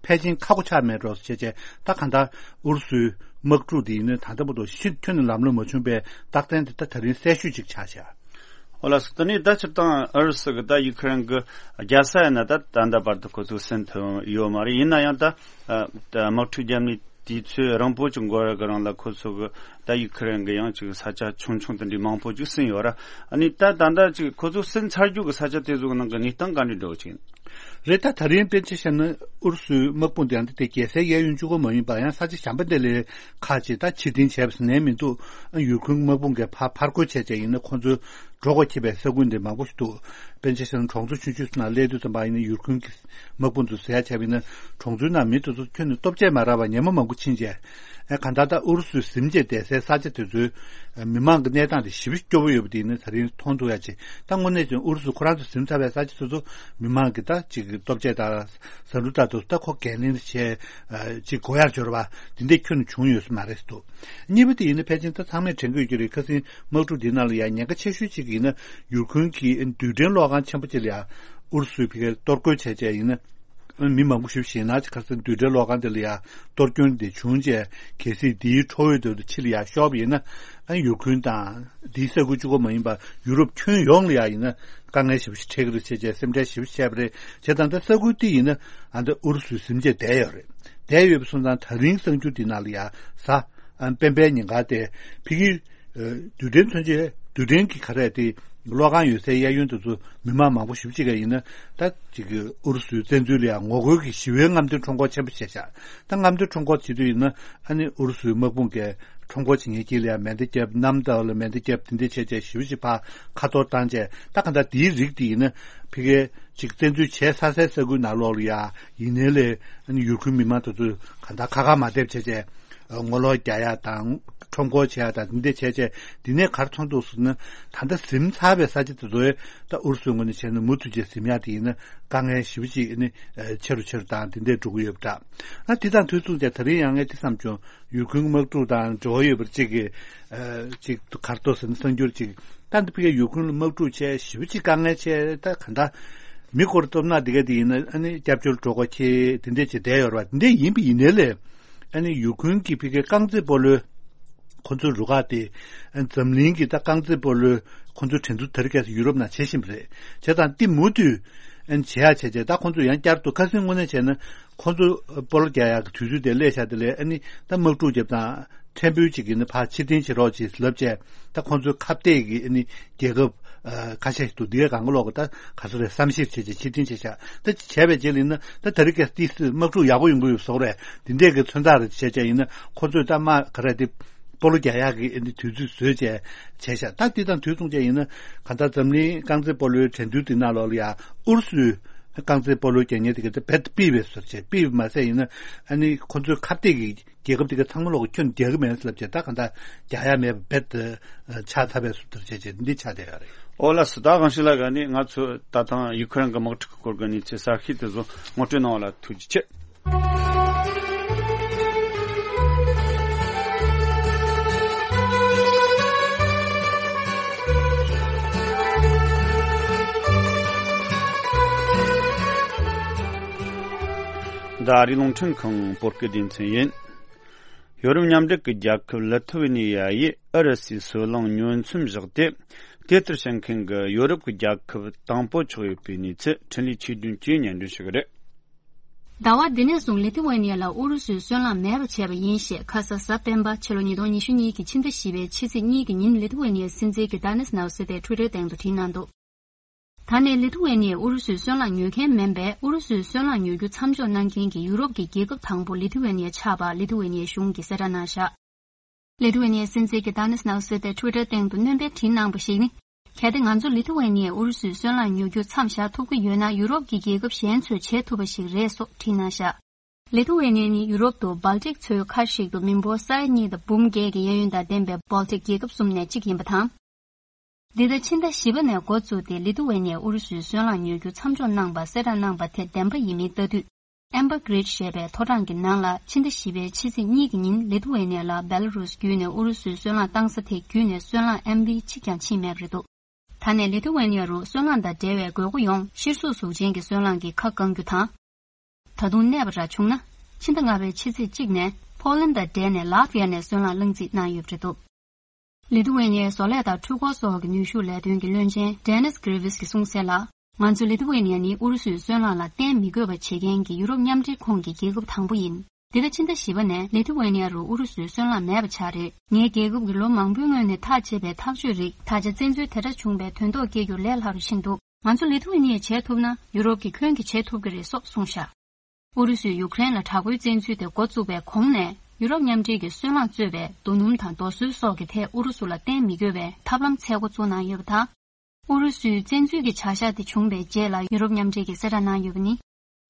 ཕལ་ཆེར་ཁག་པོ་ཆགས་མེད་འགྲོ་ཟེར་བྱས་བྱས་ད་གང་ལྟར་ཨུ་རུ་སུའི་དམག་འཁྲུག་དེ་ཡིན་ན་ད་ལྟ་བར་དུ་ཤི་ཁྱོན་ནས་ལམ་ལྷོང་མ་བྱུང་བའི་རྟགས་མཚན་དེ་ད་ད་རིང་གསལ་ཤོས་ཅིག་ཆགས་ཤག་ཨོ་ལགས་སོ། དེ་ནས་ད་སྤྱིར་བཏང་ཨུ་རུ་སུ་གི་ད་ཡུ་ཁུ་རེན་གི་རྒྱལ་ས་ཡིན་ན་ད་ད་ལྟ་བར་དུ་ཁོ་ཚོས་ཟིན་ཐུབ་ཡོད་མ་རེད། ཡིན་ན་ཡང་ད་ཨ་ད་དམག་འཁྲུག་རྒྱབ་ནས་དུས་ཚོད་རིང་པོ་ཅིག་འགོར་བའི་རིང་ལ་ཁོ་ཚོ་གི་ད་ཡུ་ཁུ་རེན་གི་ཡང་ཅིག་ས་ཆ་ཆུང་ཆུང་དེ་འདྲའི་མང་པོ་ཅིག་ཟིན་ཡོད་ར། ཨ་ནི་ད་ད་ལྟ་ཅིག་ཁོ་ཚོ་ཟིན་ཚར་རྒྱུ་གི་ས་ཆ་དེ་ཚོ་གི་ནང་གི་གནས་སྟངས་ག་འདྲ་འགྲོ་གི་ཅིག་ཡིན། རེད། ད་ད་རིང་དཔེར་ཆ་བཞག་ན་ཨུ་རུ་སུའི་དམག་དཔུང་དེ་ཡང་དེ་རྒྱལ་སའི་གཡས་གཡོན་གཅིག་པོ་མ་ཡིན་པ་ཡང་ས་ཆ་གཞན་པ་དེ་ལས་ཁག་ཅིག་ད་ཕྱིར་འཐེན་བྱས་པ་ཟིན་ནའི་མི་འདུག་ཨ་ཡུ་ཁུན་དམག་དཔུང་གིས་ཕར་ཕར་རྒོལ་བྱས་བྱས་ཡིན་ན་ཁོང་ཚོའི་འགྲོ་དགོས་ཁེལ་པའི་ས་ཁུལ་འདི་མང་པོ་ཞིག་འདུག་དཔེར་ཆ་བཞག་ན་གྲོང་ཚོ་ཆུང་ཆུང་ཚོ་ནང་སླེབས་དུས་ཙམ་པ་ཡིན་ན་ཡུ་ཁུན་གྱི་དམག་དཔུང་ཚོས་ཟེར་ཡག་བྱས་པ་ཡིན་ན་གྲོང་ཚོའི་ནང་མི་དེ་ཚོ་ཁྱོན་ནས་སྟོབས་ཆེ་མ་རག་པར་ཉེན་མོ་མང་པོ་ཕྱིན་བྱས། ཨ་གང་ལྟར་ད་ཨུ་རུ་སུས་ཟིན་བྱས་བསྡད་སའི་ས་ཆ་དེ་ཚོའི་མི་མང་གི་གནས་སྟངས་དེ་ཞེ་པོ་སྐྱོ་བོ་ཡོད་པ་དེ་ཡིན་ན་ད་རིང་མཐོང་ཐུབ་ཡག་ཅིག་ད་དངོས་གནས་ཀྱང་ཨུ་རུ་སུ་ཁོ་རང་ཚོ་ཟིན་ཚར་བའི་ས་ཆ་དེ་ཚོ་མི་མང་གི་ད་ཅིག་སྟོབས་ཆེ་དང་ཟ་འབྲུ་ལྟ་དུས་ད་ཁོ་འགན་ལེན་བྱས་ཅིག་དགོས་ཡག་འབྱོར་བ་དེ་འདྲས་ཁྱོན་ནས་བྱུང་ཡོད་ས་མ་རེད་འདུག་གཉིས་པ་དེ་ཡིན་ན་ཕལ་ཆེར་ད་ཚང་མས་དྲན་གྱི་ཡོད་ཀྱི་རེད། ཁ་སང་དམག་འཁྲུག་འདི་ནང་ལ་ཡང་ཉེན་ཁ་ཆེ་ཤོས་གཅིག་ཡིན་ན་ཡུ་ཁུན་གྱི་རྡུལ་ཕྲན་གློག་ཁང་ཆེན་པོ་གཅིག་ལ་ཡང་ཨུ་རུ་སུའི་ཕ་གིར་གཏོར་རྒོལ་བྱས་བྱས་ཡིན་ན་མི་མང་པོ་ཞིག་ཞེད་སྣང་ཅིག་ཁ་སང་རྡུལ་ཕྲན་གློག་ཁང་དེ་ལ་ཡང་གཏོར་སྐྱོན་དེ་བྱུང་རྗེས་གལ་སྲིད་འདིའི་ཁྲོད་དུ་ཕྱི་ལ་ཡང་ཤོར་བ་ཡིན་ན་ཡུ་ཁུན་དང་འདིའི་ས་ཁུལ་གཅིག་པོ་མ་ཡིན་པར་ཡུ་རོབ་ཁྱོན་ཡོངས་ལ་ཡང་ཡིན་ན་དཀའ་ངལ་ཞེ་པོ་ཞིག་འཕྲད་ཀྱི་རེད་ཅེས་བཅས་སེམས་ཁྲལ་ཞེ་པོ་བྱས་པ་རེད། བྱས་ཙང་ད་ས་ཁུལ་དེ་ཡིན་ན་ཨ་ད་ཨུ་རུ་སུའི་ཟིན་བྱས་བསྡད་ཡོད་རེད། བསྡད་ཡོད་པ་སོང་ཙང་ད་རིང་གསར་འགྱུར་འདི་ནང་ལ་ཡང་གཟའ་སྤེན་པའི་ཉིན་ཀ་དེ་ཕ་གིའི་རྡུལ་ཕྲན་མཚོན་ཆའི་རྡུལ་ཕྲན་གྱི་ག་རེ་དེ་གློག་ཁང་ཡོད་སའི་གཡས་གཡོན་དེ་ཚོ་མི་མང་མང་པོ་ཞེ་པོ་ཅིག་ག་ཡིན་ན་ད་ཅིག་ཨུ་རུ་སུའི་བཙན་འཛུལ་ལ་ཡང་ངོ་རྒོལ་གྱི་ཞི་བའི་རྔམ་སྟོན་ཁྲོམ་སྐོར་ཆེན་པོ་བྱས་ཤག་ད་རྔམ་སྟོན་ཁྲོམ་སྐོར་བྱེད་དུས་ཡིན་ན་ཨ་ནི་ཨུ་རུ་སུའི་དམག་དཔུང་གིས་ཁྲོམ་སྐོར་བྱེད་མཁན་དཀྱིལ་ལ་ཡང་མེ་མདའ་བརྒྱབ། གནམ་བདག་ལ་མེ་མདའ་བརྒྱབ། དེ་འདྲ་བྱས་བྱས་ཞེ་པོ་ཅིག་ཕར་ཁ་གཏོར་བཏང་བྱས་ད་ག་འདྲ་དེའི་རིགས་དེ་ཡིན་ན་ཕ་གིའི་ཅིག་བཙན་འཛུལ་བྱས་ཚར་སའི་ས་ཁུལ་ནང་ལོགས་ལ་ཡང་ཡིན་ནའི་ལས་ཨ་ནི་ཡུ་ཁུན་མི་མང་དེ་ཚོས་ག་འདྲ་ཁ་ཁ་མ་བསྡད་བྱས་བྱས། ངོ་ལོག་རྒྱག་ཡག་དང་ཁྲོམ་སྐོར་བྱེད་ཡག་དང་འདི་འདྲ་བྱས་བྱས་འདི་ནས་ག་རེ་མཐོང་འདུག་ཟེར་ན་ད་ལྟ་ཟིན་ཚར་བའི་ས་ཆ་དེ་ཚོ་ད་ཨུ་རུ་སུའི་ངོས་ནས་བྱས་ན་མུ་མཐུད་བྱས་ཟིན་ཡག་དེ་ཡིན་ན་དཀའ་ངལ་ཞེ་པོ་ཅིག་ནི་ཆེ་རུ་ཆེ་རུ་དང་དེ་འདྲས་འགྲོ་གི་ཡོད་པ་འདྲ། ཨ་དེ་དང་དུས་མཚུངས་ཀྱང་ད་རིང་ཡང་ངས་དེ་བསམ་བྱུང་། ཡུ་ཁུན་དམག་འཁྲུག་དང་འབྲེལ་བ་ཡོད་པར་ཅིག་གི་ཅིག་ག་རེ་འདུག་ཟེར་ན་གསར་འགྱུར་ཅིག་ད་འདི་ཕ་གིའི་ཡུ་ཁུན་ལ་དམག་འཁྲུག་བྱས་ཞེ་པོ་ཅིག་དཀའ་ངལ་ཆེ་ད་ག་འདྲ་མི་སྐོར་སྟོབས་ན་དེ་ག་དེ་ཡིན་ན་ཨ་ནི་སྐྱབས་བཅོལ་འགྲོ་དགོས་ཁེལ་དེ་འདྲས་ཅིག་བསྡད་ཡོད་རེད་བ། དེ་འདྲས་ཡིན་པ་ཡིན་ནའི་ལས། ཨ་ནི་ཡུ་ཁུན་གྱི་ཕ་གིའི་རྐང་རྩེད་སྤོ་ལོའི་ཁོ་ཚོའི་རུ་ཁག་དེ་ཨ་འཛམ་གླིང་གི་ད་རྐང་རྩེད་སྤོ་ལོའི་ཁོ་ཚོའི་འགྲན་བསྡུར་དེ་རིང་ཁ་སང་ཡུ་རོབ་ནང་བྱེད་བཞིན་པ་རེད། བྱས་ཙང་དེ་མུ་མཐུད་ཨ་ནི་བྱེད་ཡག་བྱས་བྱས་ད་ཁོ་ཚོས་ཡང་བསྐྱར་དུ་ཁ་སང་དངོས་གནས་བྱས་ན་ཁོ་ཚོ་སྤོ་ལོ་རྒྱག་ཡག་གི་དུས་ཚོད་དེ་སླེབས་ཤག་དེ་ལས་ཨ་ནི་ད་དམག་འཁྲུག་རྒྱབ་དང་ཕྲན་བུ་ཅིག་གིས་ནི་ཕར་ཕྱིར་འཐེན་བྱེད་རོགས་ཅེས་ལབ་བྱས་ད་ཁོ་ཚོའི་ཁ་གཏད་ཀྱི་ཨ་ནི་རྒྱལ་ཁབ་ཁ་ཤས་ཤིག་འདུག་འདི་གའི་གང་ག་ལོག་གི་ད་ག་ཚོད་རེད་བསམ་ཤེས་བྱས་བྱས་ཕྱིར་འཐེན་བྱས་ཤག་ད་བྱས་པའི་རྗེས་ལ་ཡིན་ན་ད་ད་རིང་ཁ་སང་དམག་འཁྲུག་ཡག་པོ་ཡོང་གི་ཡོད་བཟོ་འདྲ་འདི་འདྲས་ཀྱི་མཚོན་རྟགས་རེ་བྱས་བྱས་ཡིན་ན་ཁོ་ཚོས་ད་མ་ག་རེ་དེ་སྤོ་ལོ་རྒྱག་ཡག་གི་ཨ་ནི་དུས་ཚོད་བཟོས་བྱས་བྱས་ཤག་ད་འདི་དང་དུས་མཚུངས་བྱས་ཡིན་ན་གང་ལྟར་འཛམ་གླིང་རྐང་རྩེད་སྤོ་ལོའི་འགྲན་བསྡུར་འདི་ནང་ལོགས་ལ་ཡང་ཨུ་རུ་སུའི་རྐང་རྩེད་སྤོ་ལོའི་རྒྱལ་གཉེར་དེ་ག་དེ་རྦད་དེ་ཕུད་པའི་བཟོ་བྱས་ཕུད་པ་མ་ཟད་ཡིན་ན་ཨ་ནི་ཁོ་ཚོའི་ཁ་གཏད་ཀྱི་རྒྱལ་ཁབ་དེ་ག་ཚང་མ་ལོག་གི་ཁྱོན་རྒྱག་གི་མེད་ཟེར་ལབ་བྱས་ད་གང་ལྟར་རྒྱག་ཡ་མེད་པ་རྦད་དེ་ཆགས་ཚར་བའི་བཟོ་ལྟར་བྱས་བྱས་འདི་ཆགས་བསྡད་ཡོད་རེད། ཨོ་ལགས་སོ། ད་གང་ཞིག་ལ་ག་ནི་ང་ཚོ་ད་ཐེངས་ཡུ་ཁུ་རེན་གྱི་དམག་འཁྲུག་གི་སྐོར་གྱི་གནས་ཚུལ་གསར་ཤོས་དེ་ཚོ་ངོ་སྤྲོད་གནང་བ་ལ་ཐུགས་རྗེ་ཆེ། འདི་ཨ་རིའི་རླུང་འཕྲིན་ཁང་བོད་སྐད་སྡེ་ཚན་ཡིན། ཡོ་རོབ་མཉམ་འབྲེལ་གྱི་རྒྱལ་ཁབ་ལི་ཐུ་ཝེ་ནི་ཡ་ཡིས་ཨུ་རུ་སུའི་སོལ་རླངས་ཉོ་མཚམས་བཞག་སྟེ། དེ་ལྟར་བྱེད་མཁན་གྱི་ཡོ་རོབ་ཀྱི་རྒྱལ་ཁབ་དང་པོ་ཆགས་ཡོད་པའི་གནས་ཚུལ་འཕྲིན་ལས་ཆོས་བདུན་གྱིས་སྙན་སྒྲོན་ཞུ་གི་རེད། ཟླ་བ་འདི་ནས་བཟུང་ལི་ཐུ་ཝེ་ནི་ཡ་ལ་ཨུ་རུ་སུའི་སོལ་རླངས་མེད་པ་བྱས་པ་ཡིན་ཞེས་ཁ་ས་གཟའ་སྤེན་པ་ཕྱི་ལོ་ཉིས་སྟོང་ཉི་ཤུ་གཉིས་ཀྱི་ཕྱི་ཟླ་བཞི་པའི་ཕྱི་ཚེས་གཉིས་ཀྱི་ཉིན་ལི་ཐུ་ཝེ་ནི་ཡའི་སྲིད་འཛིན་གྱི་ད་ནེས་ནའུ་སེ་ཏས་ཊུ་ཝི་ཊར་སྟེང་དུ་བྲིས་གནང་འདུག་ད་ནས་ལི་ཐུ་ཝེ་ནི་ཡས་ཨུ་རུ་སུའི་སོལ་རླངས་ཉོ་མཁན་མིན་པས་ཨུ་རུ་སུའི་སོལ་རླངས་ཉོ་རྒྱུ་མཚམས་འཇོག་གནང་མཁན་གྱི་ཡུ་རོབ་ཀྱི་རྒྱལ་ཁབ་དང་པོ་ལི་ཐུ་ཝེ་ནི་ཡ་ཆགས་པ་ལི་ཐུ་ཝེ་ནི་ཡའི་གཞུང་གིས་གསལ་བསྒྲགས་གནང་བཞག་ལི་ཐུ་ཝེ་ནི་ཡའི་སྲིད་འཛིན་གྱི་ད་ནེས་ནའུ་སེ་ཏས་ཊུ་ཝི་ཊར་སྟེང་དུ་སྣོན་པས་བྲིས་གནང་པ་ཞིག་ནི། གལ་ཏེ་ང་ཚོ་ལི་ཐུ་ཝེ་ནི་ཡས་ཨུ་རུ་སུའི་སོལ་རླངས་ཉོ་རྒྱུ་མཚམས་བཞག་ཐུབ་ཀྱི་ཡོད་ན་ཡུ་རོབ་ཀྱི་རྒྱལ་ཁབ་གཞན་ཚོས་བྱེད་ཐུབ་པ་ཞིག་རེད་སོགས་བྲིས་གནང་བཞག་ལི་ཐུ་ཝེ་ནི་ཡ་ནི་ཡུ་རོབ་ཏུ་སྦལ་ཏིག་མཚོའི་ཁ་ཞིག་ཏུ་མི་འབོར་ས་ཡ་གཉིས་དང་འབུམ་བརྒྱད་ཀྱི་གཡས་གཡོན་དང་ལྡན་པའི་སྦལ་ཏིག་རྒྱལ་ཁབ་གསུམ་ནས་གཅིག་ཡིན་པ་དང་། འདི་ཟླ་ཕྱི་ཟླ་བཞི་པ་ནས་འགོ་བཙུགས་ཏེ་ལི་ཐུ་ཝེ་ནི་ཡས་ཨུ་རུ་སུའི་སོལ་རླངས་ཉོ་རྒྱུ་མཚམས་འཇོག་གནང་བ་གསལ་བསྒྲགས་གནང་བ་དེ་བདེན་པ་ཡིན་མིན་ལྟ་དུས། Amber Grid ཞེས་པའི་ཐོ་གྲངས་ཀྱི་ནང་ལ་ཕྱི་ཟླ་བཞི་པའི་ཕྱི་ཚེས་གཉིས་ཀྱི་ཉིན་ལི་ཐུ་ཝེ་ནི་ཡ་ལ་བེ་ལ་རུས་བརྒྱུད་ནས་ཨུ་རུ་སུའི་སོལ་རླངས་བཏང་ས་དེ་བརྒྱུད་ནས་སོལ་རླངས་ཨེམ་བི་གཅིག་ཀྱང་ཕྱིན་མེད་པ་རེད་འདུག་ད་ནས་ལི་ཐུ་ཝེ་ནི་ཡ་རུ་སོལ་རླངས་དང་འབྲེལ་བའི་དགོས་མཁོ་ཡོངས་གཤེར་གཟུགས་གཟུགས་ཅན་གྱི་སོལ་རླངས་ཀྱིས་ཁ་བསྐང་རྒྱུ་དང་། ད་དུང་གནས་པ་འདྲ་བྱུང་ན། ཕྱི་ཟླ་ལྔ་པའི་ཕྱི་ཚེས་གཅིག་ནས་ཕོ་ལན་དང་འབྲེལ་ནས་ལ་ཏི་ཝི་ཡ་ནས་སོལ་རླངས་བླངས་རྩིས་གནང་ཡོད་པ་རེད་འདུག་ལི་ཐུ་ཝེ་ནི་ཡའི་བཟོ་ལས་དང་འཕྲུལ་འཁོར་སོགས་ཀྱི་ནུས་ཤུགས་ལས་དོན་གྱི་བློན་ཆེན་Denis Krivis གྱིས་གསུངས་གསལ་ལ། ང་ཚོ་ལི་ཐུ་ཝེ་ནི་ཡ་ནི་ཨུ་རུ་སུའི་སོལ་རླངས་ལ་བརྟེན་མི་དགོས་པ་བྱེད་མཁན་གྱི་ཡུ་རོབ་མཉམ་འབྲེལ་ཁོངས་ཀྱི་རྒྱལ་ཁབ་དང་པོ་ཡིན། འདི་ཟླ་ཕྱི་ཟླ་བཞི་པ་ནས་ལི་ཐུ་ཝེ་ནི་ཡ་རུ་ཨུ་རུ་སུའི་སོལ་རླངས་མེད་པ་ཆགས་རེད། ངའི་རྒྱལ་ཁབ་ཀྱིས་ལོ་མང་པོའི་སྔོན་ནས་ཐག་བཅད་པའི་ཐག་གཅོད་རིགས་ད་ཆ་བཙན་འཛུལ་དེ་འདྲ་བྱུང་བའི་དོན་ཐོག་སྐྱེལ་རྒྱུར་ལས་སླ་རུ་ཕྱིན་འདུག་ང་ཚོ་ལི་ཐུ་ཝེ་ནི་ཡས་བྱེད་ཐུབ་ན་ཡུ་རོབ་ཀྱིས་ཁྱོན་གྱིས་བྱེད་ཐུབ་ཀྱི་རེད་སོགས་གསུངས་བཞག་ཨུ་རུ་སུས་ཡུ་ཀེ་རེན་ལ་དྲག་པོའི་བཙན་འཛུལ་དེ་འགོ་བཙུགས་པའི་གོང་ནས་ཡུ་རོབ་མཉམ་འབྲེལ་གྱིས་སོལ་རླངས་གཙོས་པའི་རྡོ་སྣུམ་དང་རྡོ་སོལ་སོགས་ཀྱི་ཐད་ཨུ་རུ་སུ་ལ་བརྟེན་མི་དགོས་པའི་ཐབས་ལམ་འཚོལ་འགོ་བཙུགས་གནང་ཡོད་པ་དང་། ཨུ་རུ་སུའི་བཙན་འཛུལ་གྱི་བྱ་གཞག་དེ་བྱུང་བའི་རྗེས་ལ་ཡུ་རོབ་མཉམ་འབྲེལ་གྱིས་གསལ་བསྒྲགས་གནང་ཡོད་པ་ནི།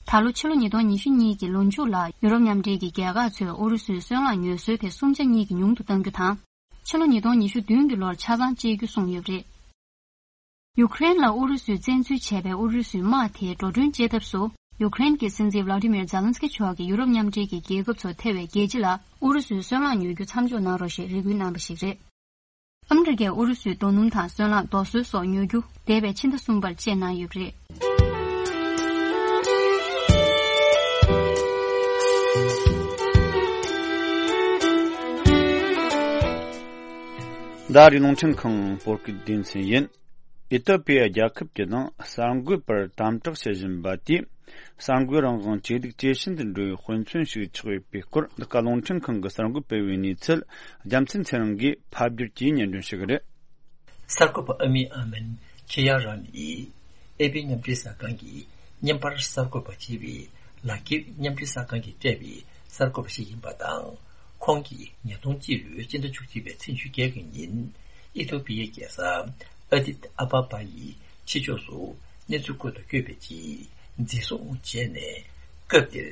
ད་ལོ་ཕྱི་ལོ་ཉིས་སྟོང་ཉི་ཤུ་གཉིས་ཀྱི་ལོ་མཇུག་ལ་ཡུ་རོབ་མཉམ་འབྲེལ་གྱི་རྒྱལ་ཁག་ཚོས་ཨུ་རུ་སུའི་སོལ་རླངས་ཉོ་སྲོལ་དེ་སུམ་ཆ་གཉིས་ཀྱིས་ཉུང་དུ་གཏང་རྒྱུ་དང་། ཕྱི་ལོ་ཉིས་སྟོང་ཉི་ཤུ་བདུན་གྱི་ལོར་ཆ་ཚང་བཅད་རྒྱུ་གསུངས་ཡོད་པ་རེད། ཡུ་ཀེ་རེན་ལ་ཨུ་རུ་སུས་བཙན་འཛུལ་བྱས་པའི་ཨུ་རུ་སུའི་དམག་དེ་འགྲོ་གྲོན་བཅད་ཐབས་སུ། ཡུ་ཀེ་རེན་གྱི་སྲིད་འཛིན་Volodymyr Zelensky མཆོག་གིས་ཡུ་རོབ་མཉམ་འབྲེལ་གྱི་རྒྱལ་ཁབ་ཚོ་ཐེ་བའི་རྒྱལ་སྤྱི་ལ་ཨུ་རུ་སུའི་སོལ་རླངས་ཉོ་རྒྱུ་མཚམས་འཇོག་གནང་རོགས་ཞེས་རེ་སྐུལ་གནང་པ་ཞིག་རེད། ཨ་མི་རི་ཀས་ཨུ་རུ་སུའི་རྡོ་སྣུམ་དང་སོལ་རླངས་རྡོ་སོལ་སོགས་ཉོ་རྒྱུ་འདས་པའི་ཕྱི་ཟླ་གསུམ་པར་བཅད་གནང་ཡོད་པ་རེད། ཟླ་རེའི་རླུང་འཕྲིན་ཁང་བོད་སྐད་སྡེ་ཚན་ཡིན། ཨི་ཐི་ཡོ་པི་ཡ་རྒྱལ་ཁབ་ཀྱི་ནང་གསར་འགོད་པར་དམ་དྲག་བྱེད་བཞིན་པ་དེས་གསར་འགོད་རང་དབང་ཇེ་སྡུག་ཇེ་ཞན་དུ་འགྲོ་བའི་དཔེ་མཚོན་ཞིག་ཆགས་ཡོད་པའི་སྐོར། འདི་ག་རླུང་འཕྲིན་ཁང་གི་གསར་འགོད་པས་བྱས་པའི་གནས་ཚུལ་རྒྱལ་མཚན་ཚེ་རིང་གིས་ཕབ་བསྒྱུར་གྱིས་སྙན་སྒྲོན་ཞུ་གི་རེད། གསར་འགོད་པ་ཨ་མི་ཨ་མན་ཁེ་ཡ་ར་ནི་ཨེ་པི་མཉམ་འབྲེལ་གསར་ཁང་གི་བརྙན་པར་གསར་འགོད་པ་བྱས་པའི་ལག་འཁྱེར་མཉམ་འབྲེལ་གསར་ཁང་གིས་སྤྲད་པའི་གསར་འགོད་པ་ཞིག་ཡིན་པ་དང་། ཁོང་གིས་ཉིས་སྟོང་གཅིག་ལོའི་སྤྱི་ཟླ་བཅུ་གཅིག་པའི་ཚེས་ཉི་ཤུ་བརྒྱད་ཀྱི་ཉིན་ཨི་ཐོ་པི་ཡའི་རྒྱལ་ས་ཨ་དིད་ཨ་བ་བ་ཡི་ཕྱི་ཕྱོགས་སུ་གནས་ཚུལ་བཀོད་དུ་བསྐྱོད་པའི་རྗེས་འཛིན་བཟུང་བྱས་ནས། སྐབས་དེར་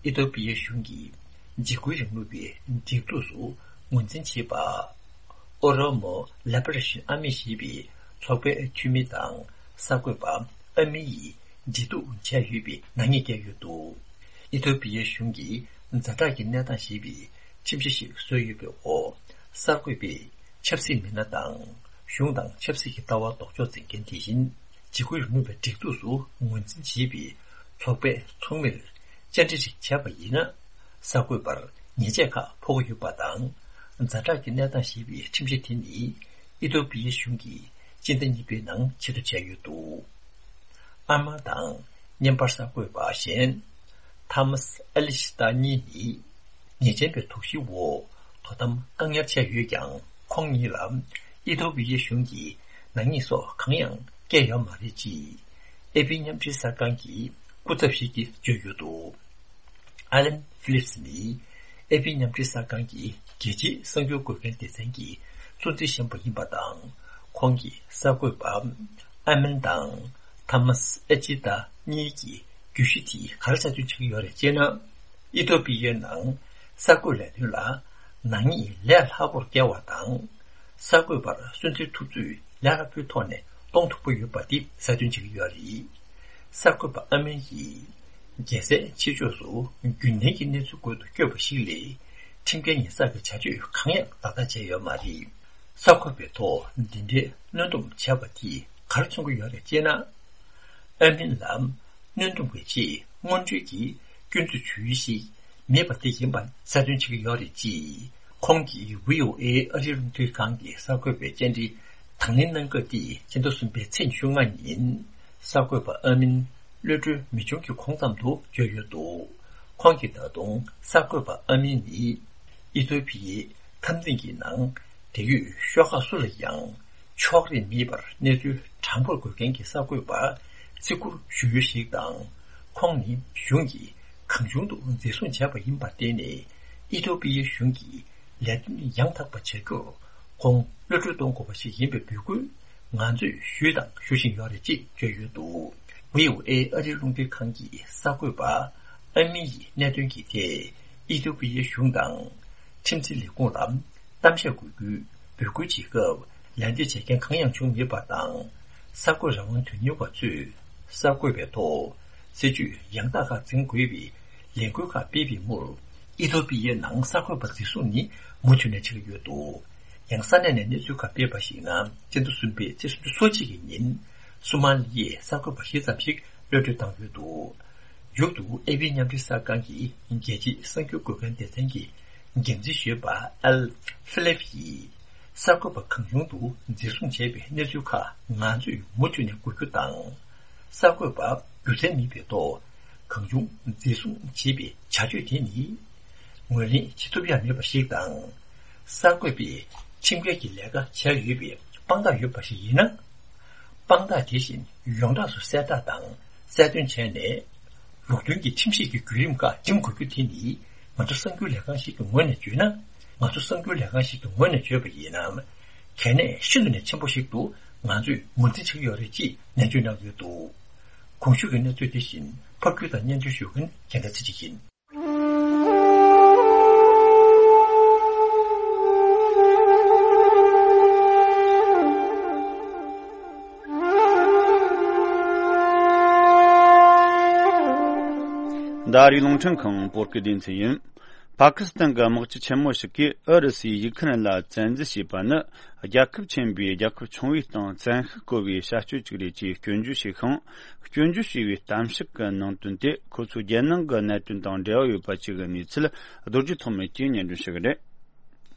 ཨི་ཐོ་པི་ཡའི་གཞུང་གིས་འཇིགས་སྐུལ་རིང་ལུགས་པའི་སྒྲིག་འཛུགས་སུ་ངོས་འཛིན་བྱས་པ། Oromo Liberation Army ཞེས་པའི་ཚོགས་པའི་འཐུས་མི་དང་གསར་འགོད་པ་ཨ་མི་ཡིས་འབྲེལ་གཏུག་བྱས་ཡོད་པའི་ནག་ཉེས་བཀལ་ཡོད་འདུག་ཨི་ཐོ་པི་ཡའི་གཞུང་གིས་ཛ་དྲག་གི་གནས་སྟངས་ཞེས་པའི་ཁྲིམས་གཞི་ཞིག་བཟོས་ཡོད་པའི་འོག་གསར་འགོད་པས་ཆབ་སྲིད་མི་སྣ་དང་གཞུང་དང་ཆབ་སྲིད་ཀྱི་ལྟ་བ་ལྡོག་ཕྱོགས་འཛིན་མཁན་དེ་བཞིན་འཇིགས་སྐུལ་རིང་ལུགས་པའི་སྒྲིག་འཛུགས་སུ་ངོས་འཛིན་བྱེད་པའི་ཚོགས་པའི་ཚོགས་མིར་བཅར་འདྲི་ཞིག་བྱས་པ་ཡིན་ན། གསར་འགོད་པར་ཉེས་ཆད་ཁག་ཕོག་གི་ཡོད་པ་དང་། ཛ་དྲག་གི་གནས་སྟངས་ཞེས་པའི་ཁྲིམས་གཞི་དེ་ནི་ཨི་ཐོ་པི་ཡའི་གཞུང་གིས་སྤྱི་ཟླ་གཉིས་པའི་ནང་ཆེད་དུ་བྱས་ཡོད་འདུག་ཨ་མ་དང་བརྙན་པར་གསར་འགོད་པ་གཞན་ཐ་མཱས་ཨེ་ལི་ཤི་ཏ་གཉིས་ནི་ཉེས་ཅན་པའི་དོགས་གཞིའི་འོག་དོ་དམ་བཀག་ཉར་བྱས་ཡོད་ཀྱང་། ཁོང་གཉིས་ལ་ཨི་ཐོ་པི་ཡའི་གཞུང་གིས་ནག་ཉེས་སོགས་གང་ཡང་བཀལ་ཡོད་མ་རེད་ཅེས་ཨེ་པི་མཉམ་འབྲེལ་གསར་ཁང་གི་སྐུ་ཚབ་ཞིག་གིས་བརྗོད་ཡོད་འདུག་ཨ་ལན་ཕི་ལིབ་སི་ནི་ཨེ་པི་མཉམ་འབྲེལ་གསར་ཁང་གི་རྒྱལ་སྤྱིའི་གསར་འགྱུར་འགོད་མཁན་སྡེ་ཚན་གྱི་གཙོ་འཛིན་གཞོན་པ་ཡིན་པ་དང་། ཁོང་གིས་གསར་འགོད་པ་ཨ་མན་དང་ཐ་མཱས་ཨེ་ཅི་ཏ་གཉིས་ཀྱིས་བརྗོད་གཞི་དེ་ག་རེ་གསལ་སྟོན་བྱེད་ཀྱི་ཡོད་རེད་ཅེ་ན། ཨི་ཐོ་པི་ཡའི་ནང་གསར་འགོད་ལས་དོན་ལ་ནག་ཉེས་ལས་སླ་པོར་བཀལ་བ་དང་། གསར་འགོད་པར་སུན་གཙེར་ཐུབ་ཚོད་ལས་སླ་པོའི་ཐོག་ནས་གཏོང་ཐུབ་ཀྱི་ཡོད་པ་དེ་གསལ་སྟོན་བྱེད་ཀྱི་ཡོད་རེད། གསར་འགོད་པ་ཨ་མན་གྱིས་རྒྱལ་སའི་ཕྱི་ཕྱོགས་སུ་རྒྱུན་ལྡན་གྱི་གནས་ཚུལ་འགོད་དུ་བསྐྱོད་པ་ཞིག་ལས། ཁྲིམས་འགལ་ཉེས་བསགས་ཀྱི་བྱ་སྤྱོད་གང་ཡང་ལག་བསྟར་བྱས་ཡོད་མ་རེད། གསར་འགོད་པའི་ཐོག་འདི་འདྲའི་གནོན་སྡོམ་བྱས་པ་དེས་ག་རེ་མཚོན་གྱི་ཡོད་རེད་ཅེ་ན། ཨ་མན་ལ་གནོན་སྡོམ་གྱི་ཆེད་སྔོན་འགྲོའི་གི་སྐྱོན་འཛུགས་བྱུང་ཡུལ་ཞིག་མེད་པ་དེ་ཡིན་པ་གསལ་སྟོན་བྱེད་ཀྱི་ཡོད་རེད་ཅེས། ཁོང་གིས་བྷི་ཨོ་ཨེ་ཨ་རིའི་རླུང་འཕྲིན་ཁང་གི་གསར་འགོད་པའི་བཅར་འདྲི་དང་ལེན་གནང་སྐབས་དེ་ཕྱི་ཟླ་གསུམ་པའི་ཚེས་ཉི་ཤུ་ལྔ་ཉིན་གསར་འགོད་པ་ཨ་མིན་གློད་གྲོལ་མི་བྱུང་གི་གོང་ཙམ་དུ་བརྗོད་ཡོད་འདུག་ཁོང་གིས་ད་དུང་གསར་འགོད་པ་ཨ་མིན་ནི་ཨི་ཐོ་པི་ཡའི་འཐབ་འཛིང་གི་ནང་འབྲེལ་ཡོད་ཤོག་ཁག་སུ་ལ་ཡང་ཕྱོགས་རིས་མེད་པར་གནས་ཚུལ་དྲང་པོར་འགོད་མཁན་གྱི་གསར་འགོད་པ་བརྩི་བཀུར་ཞུ་ཡུལ་ཞིག་དང་། ཁོང་ནི་གཞུང་གིས་གང་བྱུང་དུ་འཛིན་བཟུང་བྱས་པ་ཡིན་པར་བརྟེན་ནས། ཨི་ཐོ་པི་ཡའི་གཞུང་གིས་ལས་དོན་ཡང་དག་པ་བྱ་རྒྱུར་ཁོང་གློད་གྲོལ་གཏོང་དགོས་པ་ཞིག་ཡིན་པའི་འབོད་སྐུལ་ང་ཚོས་ཞུས་དང་ཞུ་བཞིན་ཡོད་རེད་ཅེས་བརྗོད་ཡོད་འདུག་བྷི་ཨོ་ཨེ་ཨ་རིའི་རླུང་འཕྲིན་ཁང་གི་གསར་འགོད་པ་ཨ་མི་ཡི་གནད་དོན་གྱི་ཐད་ཨི་ཐོ་པི་ཡའི་གཞུང་དང་ཁྲིམས་འཛིན་ལས་ཁུངས་ལ་གཏམ་བཤད་དགོས་རྒྱུའི་འབོད་སྐུལ་བྱེད་སྐབས་ལད་ཟློས་བྱེད་མཁན་གང་ཡང་བྱུང་མེད་པ་དང་། གསར་འགོད་རང་དབང་དོན་གཉེར་བ་ཚོས་གསར་འགོད་པའི་ཐོག་སྲིད་ཇུས་ཡང་དག་ཁག་འཛིན་དགོས་པའི་ ལས་འགུལ་ཁག་སྤེལ་བའི་མུར། ཨི་ཐོ་པི་ཡའི་ནང་གསར་འགོད་པ་འཛིན་བཟུང་ནི་མུ་མཐུད་ནས་བྱེད་ཀྱི་ཡོད་འདུག། ཡང་ས་གནས་ནས་གནས་ཚུལ་ཁག་སྤེལ་བར་གཞིགས་ན། སྤྱི་ཟླ་གསུམ་པའི་ཚེས་སུམ་ཅུ་སོ་གཅིག་གི་ཉིན། སོ་མ་ལི་ཡའི་གསར་འགོད་པ་བཞི་ཙམ་ཞིག་གློད་གྲོལ་བཏང་ཡོད་འདུག། མཇུག་ཏུ་ཨེ་ཕི་མཉམ་འབྲེལ་གསར་ཁང་གི་རྒྱལ་སྤྱིའི་གསར་འགྱུར་འགོད་མཁན་སྡེ་ཚན་གྱི་འགན་འཛིན་ཞུས་པ་ཨལ་ཧྥི་ལེབ་ཡིས། གསར་འགོད་པ་གང་བྱུང་དུ་འཛིན་བཟུང་བྱས་པའི་གནས་ཚུལ་ཁག་ང་ཚོས་མུ་མཐུད་ནས་འགོག་རྒྱུ་དང་། གསར་འགོད་པ་སྒྱུ་རྩལ་མེད་པའི་ཐོག་གང་བྱུང་འཛིན་བཟུང་བྱེད་པའི་བྱ་སྤྱོད་དེ་ནི་ངོས་ལེན་བྱེད་ཐུབ་ཡ་མེད་པ་ཞིག་དང་། གསར་འགོད་པས་ཁྲིམས་འགལ་གྱི་ལས་ཀ་བྱས་ཡོད་པའི་དཔང་རྟགས་ཡོད་པ་ཞིག་ཡིན་ན། དཔང་རྟགས་དེ་བཞིན་ཡོངས་གྲགས་སུ་གསལ་བསྒྲགས་དང་གསལ་སྟོན་བྱས་ནས། ལུགས་མཐུན་གྱི་ཁྲིམས་ཤེས་ཀྱི་བརྒྱུད་རིམ་ཁག་འགྲིམ་དགོས་རྒྱུ་དེ་ནི། ང་ཚོ་གསར་འགྱུར་ལས་ཁང་ཞིག་གི་ངོས་ནས་བརྗོད་ན། ང་ཚོ་གསར་འགྱུར་ལས་ཁང་ཞིག་གི་ངོས་ནས་བརྗོད་པ་ཡིན་ན། གལ་གནད་ཤིན་ཏུ་ནས་ཆེན་པོ་ཞིག་ཏུ་ང་ཚོས་ངོས་འཛིན་བྱེད་ཀྱི་ཡོད་རེད་ཅེས་ནན་བརྗོད་གནང་ཡོད་འདུག། གོང་ཞུས་ཀྱི་གནས་ཚུལ་དེ་བཞིན་ཕབ་སྒྱུར་དང་སྙན་སྒྲོན་ཞུ་མཁན་རྒྱལ་མཚན་ཚེ་རིང་ཡིན། འདི་ཨ་རིའི་རླུང་འཕྲིན་ཁང་བོད་སྐད་སྡེ་ཚན་ཡིན། པ་ཀི་སི་ཐན་གྱི་དམག་སྤྱི་ཆེན་མོ་ཞིག་གིས་ཨུ་རུ་སུས་ཡུག་ཁི་རན་ལ་བཙན་འཛུལ་བྱས་པ་ནི། རྒྱལ་ཁབ་ཆེན་པོས་རྒྱལ་ཁབ་ཆུང་བའི་སྟེང་བཙན་ཤུགས་བཀོལ་བའི་བྱ་སྤྱོད་ཅིག་རེད་ཅེས་སྐྱོན་བརྗོད་བྱས་ཤིང་། སྐྱོན་བརྗོད་བྱས་པའི་གཏམ་བཤད་ཀྱི་ནང་དོན་དེ་ཁོ་ཚོས་རྒྱལ་ནང་གི་གནད་དོན་དང་འབྲེལ་བ་ཡོད་པ་བཅས་ཀྱི་གནས་ཚུལ་རྡོ་རྗེ་ཐོགས་མེད་ཀྱིས་སྙན་སྒྲོན་ཞུ་གི་རེད།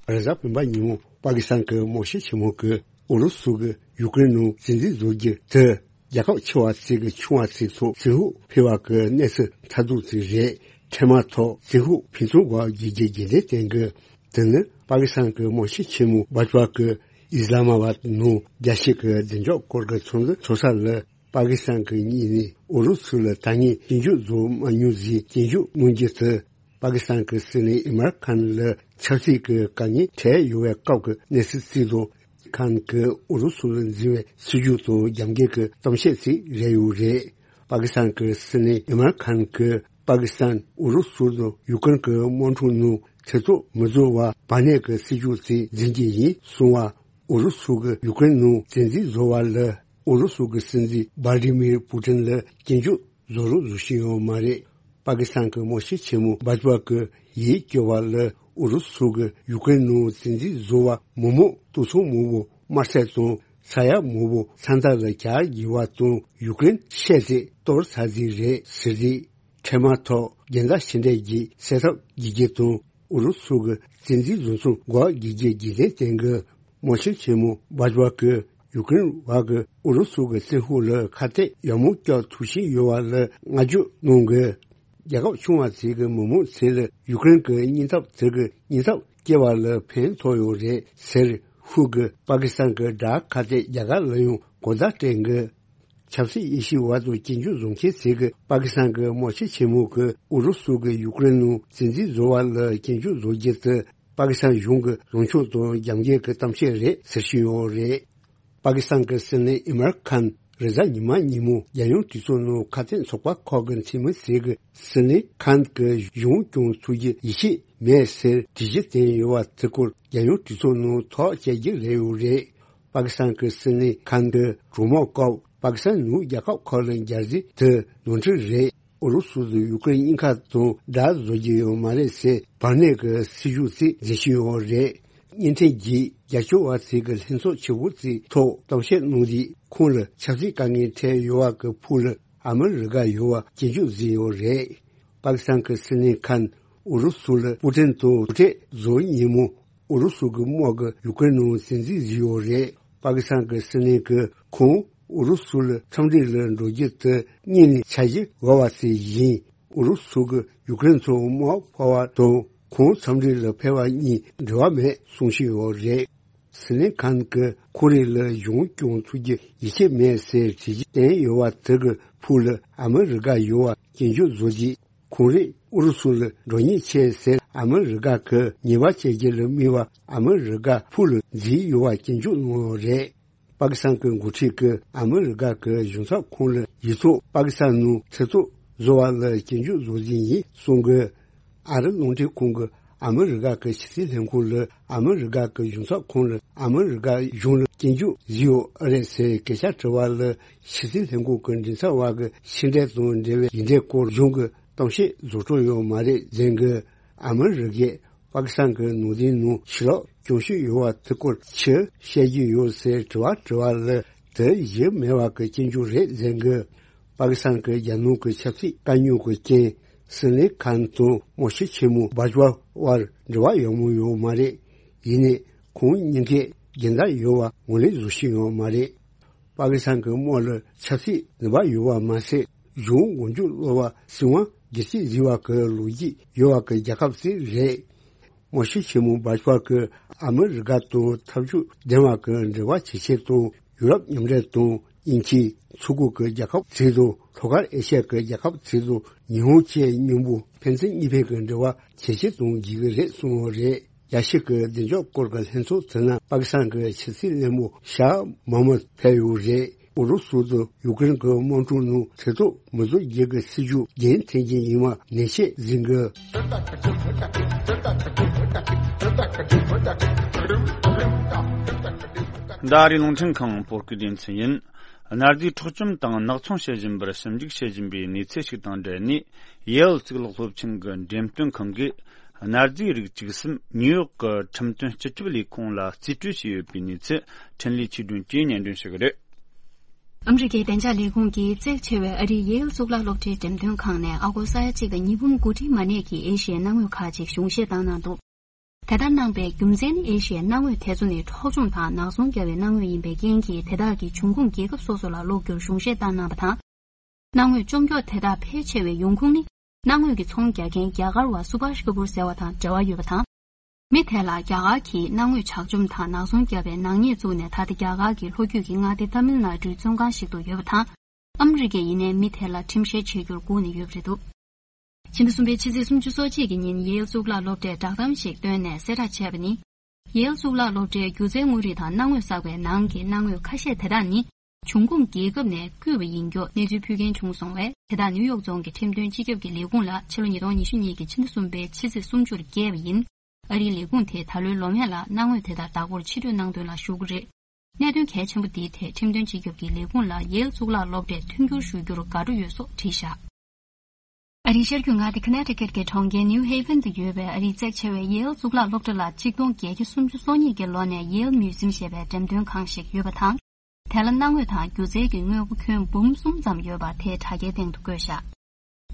རེས་གཟའ་སྤེན་པ་ཉིན་མོ་པ་ཀི་སི་ཐན་གྱི་དམག་སྤྱི་ཆེན་མོ་གིས་ཨུ་རུ་སུ་གིས་ཡུཀ་རེན་ནང་བཙན་འཛུལ་བཟོ་རྒྱུ་དེ། རྒྱལ་ཁབ་ཆེ་བ་ཚིག་གི་ཆུང་བ་ཚིག་ཐོག་ཚིག་ཧུག་འཕེལ་བ་གི་གནས་ཚུལ་མཐར་ཐུག་ཚིག་རེད། འཕྲལ་མ་ཐོག་ཚིག་ཧུག་ཕུན་ཚོགས་སྒོ་བརྒྱུད་རྒྱུ་རྒྱུན་ལྡན་བསྟན་གི། དེ་ནི་པ་ཀི་སི་ཐན་གྱི་དམག་སྤྱི་ཆེན་མོ་བྷ་ཇ་བྷ་གིས་ཨི་སི་ལ་མ་བྷད་ནང་རྒྱལ་སྤྱི་གི་བདེ་འཇགས་སྐོར་གྱི་ཚོགས་འདུ་ཚོགས་ས་ལ། པ་ཀི་སི་ཐན་གྱི་གཉིས་ནས་ཨུ་རུ་སུ་ལ་ད་ངས་སྐྱོན་བརྗོད་བཟོ་མ་མྱོང་ཟེར་སྐྱོན་བརྗོད་གནང་རྒྱུ་དེ། པ་ཀི་སི་ཐན་གྱི་སྲིད་བློན་ཨི་མར་ཁཱན་ལ་ཆབ་སྲིད་ཀྱི་དཀའ་ངལ་འཕྲད་ཡོད་པའི་སྐབས་ཀྱི་གནས་ཚུལ་བརྩིས་ཏེ། ཁཱན་གྱིས་ཨུ་རུ་སུ་ལ་འཛིན་པའི་སྲིད་ཇུས་དང་རྒྱབ་འགལ་གྱི་གཏམ་བཤད་ཅིག་རེད་ཡོད་རེད། པ་ཀི་སི་ཐན་གྱི་སྲིད་བློན་ཨི་མར་ཁཱན་གྱིས་པ་ཀི་སི་ཐན་ཨུ་རུ་སུ་དང་ཡུཀ་རེན་གྱི་དམག་འཁྲུག་ནང་ཐེ་གཏོགས་མི་བཟོ་བར་བར་གནས་ཀྱི་སྲིད་ཇུས་ཅིག་འཛིན་གྱི་ཡིན་གསུངས་པ། ཨུ་རུ་སུ་གིས་ཡུཀ་རེན་ནང་བཙན་འཛུལ་བཟོ་བ་ལ་ཨུ་རུ་སུ་གི་སྲིད་འཛིན་ཝ་ལ་ཏི་མིར་པུ་ཏིན་ལ་སྐྱོན་བརྗོད་བཟོ་རོགས་བཟོ་བཞིན་ཡོད་མ་རེད། པ་ཀི་སི་ཐན་གྱི་དམག་སྤྱི་ཆེན་མོ་བྷ་ཇ་བྷ་གིས་ཡིད་སྐྱོ་བ་ལ་ཨུ་རུ་སུ་གིས་ཡུཀ་རེན་ནང་བཙན་འཛུལ་བཟོ་བར་མི་མང་སྟོང་ཚོ་མང་པོ་དམར་བསད་དང་ས་ཡ་མང་པོ་ས་མཐའ་ལ་གྱར་བཞག་པ་དང་ཡུཀ་རེན་བཤད་ཚད་གཏོར་ཚར་རྩིས་རེད་ཟེར་རྗེས། འཕྲལ་མ་ཐོག་རྒྱལ་ཟླ་ཕྱི་འབྲེལ་གྱི་སེལ་ཐབས་བགྱིད་རྒྱུ་དང་ཨུ་རུ་སུ་གི་བཙན་འཛུལ་བཟོ་ཚུལ་འགོག་བགྱིད་རྒྱུ་རྒྱུན་ལྡན་བསྟན་གི། དམག་སྤྱི་ཆེན་མོ་བྷ་ཇ་བྷ་གིས་ཡུཀ་རེན་བར་གྱི་ཨུ་རུ་སུ་གི་བཙན་ཤུགས་ལ་ཁ་གཏད་ཡག་མོ་རྒྱག་ཐུབ་བཞིན་ཡོད་པ་ལ་བསྔགས་བརྗོད་གནང་གི། རྒྱལ་ཁབ་ཆུང་བ་ཚོའི་གི་མི་མང་ཚོ་ལ་ཡུཀ་རེན་གྱི་སྙིང་སྟོབས་དེ་གི་སྙིང་སྟོབས་སྐྱེ་བ་ལ་ཕན་ཐོགས་ཡོད་རེད་ཟེར་ཧུ་གིས་པ་ཀི་སི་ཐན་གྱི་དགྲ་ཁ་གཏད་རྒྱ་གར་ལ་ཡང་གོ་བརྡ་སྤྲད་གི། ཆབ་སྲིད་དབྱེ་ཞིབ་པ་དང་སྐྱོན་བརྗོད་བཟོ་མཁན་ཚོས་ཀྱིས་པ་ཀི་སི་ཐན་གྱི་དམག་སྤྱི་ཆེན་མོ་གིས་ཨུ་རུ་སུ་གིས་ཡུཀ་རེན་ནང་བཙན་འཛུལ་བཟོ་བ་ལ་སྐྱོན་བརྗོད་བཟོ་རྒྱུ་དེ་པ་ཀི་སི་ཐན་གཞུང་གི་ལངས་ཕྱོགས་དང་རྒྱབ་འགལ་གྱི་གཏམ་བཤད་རེད་ཟེར་བཞིན་ཡོད་རེད། པ་ཀི་སི་ཐན་གྱི་སྲིད་བློན་ཨི་མར་ཁཱན་རེས་གཟའ་ཉི་མ་ཉིན་མོ་རྒྱལ་ཡོངས་གྲོས་ཚོགས་ནང་ཁ་གཏད་ཚོགས་པ་ཁག་གི་འཐུས་མི་ཚོས་ཀྱིས་སྲིད་བློན་ཁཱན་གྱི་གཞུང་སྐྱོང་ཐུབ་རྒྱུ་ཡིད་ཆེས་མེད་ཟེར་དྲི་གཞི་བཏོན་ཡོད་པ་དེ་སྐོར་རྒྱལ་ཡོངས་གྲོས་ཚོགས་ནང་ཐག་བཅད་རྒྱུ་རེད་ཡོད་རེད། པ་ཀི་སི་ཐན་གྱི་སྲིད་བློན་ཁཱན་གྱི་གྲོས་མོལ་སྐབས་པ་ཀི་སི་ཐན་ནུབ་རྒྱལ་ཁབ་ཁག་ལ་རྒྱག་རྩིས་དེ་ནོར་འཁྲུལ་རེད། ཨུ་རུ་སུ་དང་ཡུ་ཀེ་རེན་གཉིས་ཀ་དང་དགྲ་བཟོ་རྒྱུ་ཡོད་མ་རེད་ཟེར་བར་གནས་ཀྱི་སྲིད་ཇུས་ཅིག་འཛིན་བཞིན་ཡོད་རེད། བརྙན་འཕྲིན་གྱི་རྒྱབ་སྐྱོར་བ་ཚོས་ཀྱི་ལྷན་ཚོགས་ཆེ་བོ་ཅིག་ཐོག་གཏམ་བཤད་གནང་དུས་ཁོང་ལ་ཆབ་སྲིད་དཀའ་ངལ་འཕྲད་ཡོད་པ་གི་ཕུགས་ལ་ཨ་མི་རི་ཀ་ཡོད་པ་སྐྱོན་བརྗོད་བཟོས་ཡོད་རེད། པ་ཀི་སི་ཐན་གྱི་སྲིད་བློན་ཁཱན་ཨུ་རུ་སུ་ལ་པུ་ཏིན་དང་ཐུག་འཕྲད་བཟོ་ཉིན་མོ། ཨུ་རུ་སུ་གི་དམག་གིས་ཡུ་ཀེ་རེན་ནང་བཙན་འཛུལ་བཟོས་ཡོད་རེད། པ་ཀི་སི་ཐན་གྱི་སྲིད་བློན་གྱིས་ཁོང་ཨུ་རུ་སུ་ལ་འཚམས་འདྲི་ལ་འགྲོ་རྒྱུ་དེ་སྔོན་ནས་འཆར་གཞི་བར་བ་ཞིག་ཡིན། ཨུ་རུ་སུ་གིས་ཡུ་ཀེ་རེན་ཚོར་དམག་འཕར་བ་དང་ཁོང་འཚམས་འདྲི་ལ་ཕེབས་པ་གཉིས་འབྲེལ་བ་མེད་གསུང་བཞིན་ཡོད་རེད། སྲིད་བློན་ཁཱན་གྱིས་ཁོ་རེ་ལ་གཞུང་སྐྱོང་ཐུབ་རྒྱུ་ཡིད་ཆེས་མེད་ཟེར་དྲི་གཞི་བཏོན་ཡོད་པ་དེ་གི་ཕུགས་ལ་ཨ་མི་རི་ཀ་ཡོད་པ་སྐྱོན་བརྗོད་བཟོ་རྗེས། ཁོང་རེས་ཨུ་རུ་སུ་ལ་འགྲོ་ཉེན་ཆེ་ཟེར་ཨ་མི་རི་ཀ་གི་ཉེས་པ་བཅད་རྒྱུ་ལ་དམིགས་པ་ཨ་མི་རི་ཀ་ཕུགས་ལ་འཛིན་ཡོད་པ་སྐྱོན་བརྗོད་གནང་ཡོད་རེད། པ་ཀི་སི་ཐན་གྱི་འགོ་ཁྲིད་ཀྱིས་ཨ་མི་རི་ཀ་གི་གཞུང་ཚབ་ཁང་ལ་ཡིག་ཐོག་པ་ཀི་སི་ཐན་ནང་ཐེ་གཏོགས་བཟོ་བ་ལ་སྐྱོན་བརྗོད་བཟོ་རྒྱུ་ཡིན་གསུང་གི། ཨ་རི་རླུང་འཕྲིན་ཁང་གིས་ཨ་མི་རི་ཀ་གི་ཕྱི་སྲིད་ལྷན་ཁང་ལ་ཨ་མི་རི་ཀ་གི་གཞུང་ཚབ་ཁང་ལ་ཨ་མི་རི་ཀ་གཞུང་ལ་སྐྱོན་བརྗོད་བཟོས་ཡོད་ཨེ་རེད་ཟེར་སྐད་ཆ་དྲི་བ་ལ། ཕྱི་སྲིད་ལྷན་ཁང་གི་མགྲིན་ཚབ་པ་གིས་ཕྱི་འབྲེལ་དང་འབྲེལ་བའི་ཡིག་འབྲེལ་སྐོར་གཞུང་གི་ གཏམ་བཤད་རྫོགས་གྲབས་ཡོད་མ་རེད་ཟེར་གི། ཨ་མི་རི་ཀས་པ་ཀི་སི་ཐན་གྱི་ནང་བསྟན་ནང་ཕྱི་ལོགས་སྐྱོན་ཤོས་ཡོད་པ་དེ་སྐོར་ཅི་བཤད་ཀྱི་ཡོད་ཟེར་དྲི་བ་དྲི་བ་ལ། དེ་གཞི་མེད་པ་གི་སྐྱོན་བརྗོད་རེད་ཟེར་གི། པ་ཀི་སི་ཐན་གྱི་རྒྱལ་ནང་གི་ཆབ་སྲིད་དཀའ་རྙོག་གི་རྐྱེན། སིན་ལི་ཁཱན་དང་མོ་ཤི་ཆེན་མོ་བྷ་ཇ་བ་དབར་འབྲེལ་བ་ཡག་མོ་ཡོད་མ་རེད། ཡིན་ནའི་ཁོང་གཉིས་ཀས་སྦྱིན་བདག་ཡོད་པ་ངོས་ལེན་བཟོ་ཤེས་ཡོད་མ་རེད། པ་ཀི་སི་ཐན་གྱི་དམག་ལ་ཆབ་སྲིད་ནུས་པ་ཡོད་པ་མ་ཟད། གཞུང་མགོ་མཇུག་སློག་པ་སྲིད་དབང་སྒེར་གཅོད་བཟོས་པ་གི་ལོ་རྒྱུས་ཡོད་པ་གི་རྒྱལ་ཁབ་ཅིག་རེད། མོ་ཤི་ཆེན་མོ་བྷ་ཇ་བ་གིས་ཨ་མི་རི་ཀ་དང་འཐབ་ཕྱོགས་ལྡན་པ་གི་འབྲེལ་བ་བྱེད་ཆེད་དང་། ཡུ་རོབ་མཉམ་འབྲེལ་དང་དབྱིན་ཇི། མཚོ་ཁུག་གི་རྒྱལ་ཁབ་ཚོ་དང་། ལྷོ་ཕྱོགས་ཨེ་ཤ་ཡ་གི་རྒྱལ་ཁབ་ཚོ་དང་། ཉི་ཧོང་བཅས་མཉམ་པོ་ཕན་ཚུན་གཉིས་ཕན་གྱི་འབྲེལ་བ་བྱེད་ཆེད་དང་བྱེད་ཀྱི་རེད་གསུངས་པ་རེད། རྒྱལ་སྤྱི་གི་བདེ་འཇགས་སྐོར་གྱི་ལྷན་ཚོགས་དེ་ན་པ་ཀི་སི་ཐན་གྱི་ཕྱི་སྲིད་བློན་པོ་ཤཱ་མོ་ཧམ་མད་ཕེབས་ཡོད་རེད། ཨུ་རུ་སུ་དང་ཡུ་ཀེ་རེན་གྱི་དམག་འཁྲུག་ནང་ཚེ་སྲོག་མི་གཏོང་རྒྱུ་གི་སྲིད་ཇུས་རྒྱུན་མཐུད་རྒྱུ་ཡིན་པ་ནན་བཤད་ཟིན་གི། འདི་ཨ་རིའི་རླུང་འཕྲིན་ཁང་བོད་སྐད་སྡེ་ཚན་ཡིན། གནའ་རྫས་འཕྲོག་བཅོམ་དང་ནག་ཚོང་བྱེད་བཞིན་པར་ཞིབ་འཇུག་བྱེད་བཞིན་པའི་གནས་ཚུལ་ཞིག་དང་འབྲེལ་ནས། ཡེལ་གཙུག་ལག་སློབ་ཆེན་གྱི་འགྲེམས་སྟོན་ཁང་གིས། གནའ་རྫས་རིགས་བཅུ་གསུམ་ནིའུ་ཡོག་གི་ཁྲིམས་དོན་སྤྱི་ཁྱབ་ལས་ཁུངས་ལ་རྩིས་སྤྲོད་བྱས་ཡོད་པའི་གནས་ཚུལ། འཕྲིན་ལས་ཆོས་སྒྲོན་གྱིས་སྙན་སྒྲོན་ཞུ་གི་རེད། ཨ་མི་རི་ཀའི་བདེ་འཇགས་ལས་ཁུངས་ཀྱིས་བཙན་བྱོལ་བའི་ཨ་རིའི་ཡེལ་གཙུག་ལག་སློབ་གྲྭའི་འགྲེམས་སྟོན་ཁང་ནས་ཨ་སྒོར་ས་ཡ་གཅིག་དང་ཉིས་འབུམ་དགུ་ཁྲིའི་མ་གནས་ཀྱི་ཨེ་ཤི་ཡའི་གནའ་དངོས་ཁག་ཅིག་གཞུང་བཞེས་བཏང་གནང་འདུག་དེ་ལྟར་གནང་པའི་རྒྱུ་མཚན་ནི། ཨེ་ཤི་ཡའི་གནའ་དངོས་དེ་ཚོ་ནི་འཕྲོག་བཅོམ་དང་ནག་ཚོང་བརྒྱབ་པའི་གནའ་དངོས་ཡིན་པའི་རྐྱེན་གྱིས། དེ་དག་གིས་འབྱུང་ཁུངས་རྒྱལ་ཁབ་སོ་སོ་ལ་སློག་རྒྱུར་གཞུང་བཞེས་བཏང་གནང་བ་དང་། གནའ་དངོས་བཅོམ་འཁྱོག་དེ་དག་ཕལ་ཆེ་བའི་ཡོང་ཁུངས་ནི། གནའ་དངོས་ཀྱི་ཚོང་རྒྱག་མཁན་རྒྱ་གར་བ་སུ་བྷཱཤ་ཀ་པུར་ཟེར་བ་དང་འབྲེལ་བ་ཡོད་པ་དང་། མི་དེ་ལ་རྒྱ་གར་གྱིས་གནའ་དངོས་ཇག་བཅོམ་དང་ནག་ཚོང་བརྒྱབ་པའི་ནག་ཉེས་བཙུགས་ནས། ད་ལྟ་རྒྱ་གར་གྱི་ལྷོ་རྒྱུད་ཀྱི་མངའ་སྡེ་ཏཱ་མིལ་ནཱ་ཌུའི་བཙོན་ཁང་ཞིག་ཏུ་ཡོད་པ་དང་། ཨ་མི་རི་ཀས་ཡིན་ནའི་མི་དེ་ལ་ཁྲིམས་བཤེར་བྱེད་རྒྱུར་སྒུག་ནས་ཡོད་པ་རེད་འདུག་ཕྱི་ཟླ་གསུམ་པའི་ཕྱི་ཚེས་སུམ་ཅུ་སོ་གཅིག་གི་ཉིན། ཡེལ་གཙུག་ལག་སློབ་གྲྭས་བསྒྲགས་གཏམ་ཞིག་བཏོན་ནས་གསལ་བསྒྲགས་བྱས་པ་ནི། ཡེལ་གཙུག་ལག་སློབ་གྲྭའི་སྒྱུ་རྩལ་དངོས་རིགས་དང་གནའ་དངོས་གསར་པའི་ནང་གི་གནའ་དངོས་ཁ་ཤས་དེ་དག་ནི། འབྱུང་ཁུངས་རྒྱལ་ཁབ་ནས་བརྐུས་པ་ཡིན་སྐོར་གནས་ཚུལ་ཕུལ་མཁན་བྱུང་སོང་བས། དེ་དག་ནིའུ་ཡོག་རྫོང་གི་ཁྲིམས་དོན་སྤྱི་ཁྱབ་ཀྱི་ལས་ཁུངས་ལ་ཕྱི་ལོ་ཉིས་སྟོང་ཉི་ཤུ་གཉིས་ཀྱི་ཕྱི་ཟླ་གསུམ་པའི་ཕྱི་ཚེས་སུམ་ཅུར་བསྐྱལ་བ་ཡིན། ཨ་རིའི་ལས་ཁུངས་དེས་ད་ལོའི་ལོ་སྨད་ལ་གནའ་དངོས་དེ་དག་བདག་པོར་ཕྱིར་སྤྲོད་གནང་དོན་ལ་ཞུ་གི་རེད། གནད་དོན་གལ་ཆེན་པོ་འདིའི་ཐད་ཁྲིམས་དོན་སྤྱི་ཁྱབ་ཀྱི་ལས་ཁུངས་ལ་ཡེལ་གཙུག་ལག་སློབ་གྲྭས་མཐུན་འགྱུར་ཞུ་རྒྱུར་དགའ་སྤྲོ་ཡོད་སོགས་བྲིས་བཞག་ཨ་རིའི་ཤར་རྒྱུད་མངའ་སྡེ་ཁ་ནེ་ཊི་ཀེཊ་ཀྱི་གྲོང་ཁྱེར་ནིའུ་ཧེ་ཝན་དུ་ཡོད་པའི་ཨ་རིའི་གཙིགས་ཆེ་བའི་ཡེལ་གཙུག་ལག་སློབ་གྲྭ་ལ་གཅིག་སྟོང་བརྒྱད་བརྒྱ་སུམ་ཅུ་སོ་གཉིས་ཀྱི་ལོ་ནས་ཡེལ་མིའུ་ཛིམ་ཞེས་པའི་འགྲེམས་སྟོན་ཁང་ཞིག་ཡོད་པ་དང་། དེ་ལ་གནའ་དངོས་དང་སྒྱུ་རྩལ་གྱི་དངོས་པོ་ཁྱོན་འབུམ་གསུམ་ཙམ་ཡོད་པ་དེའི་དྲ་རྒྱའི་སྟེང་དུ་བཀོད་བཞག་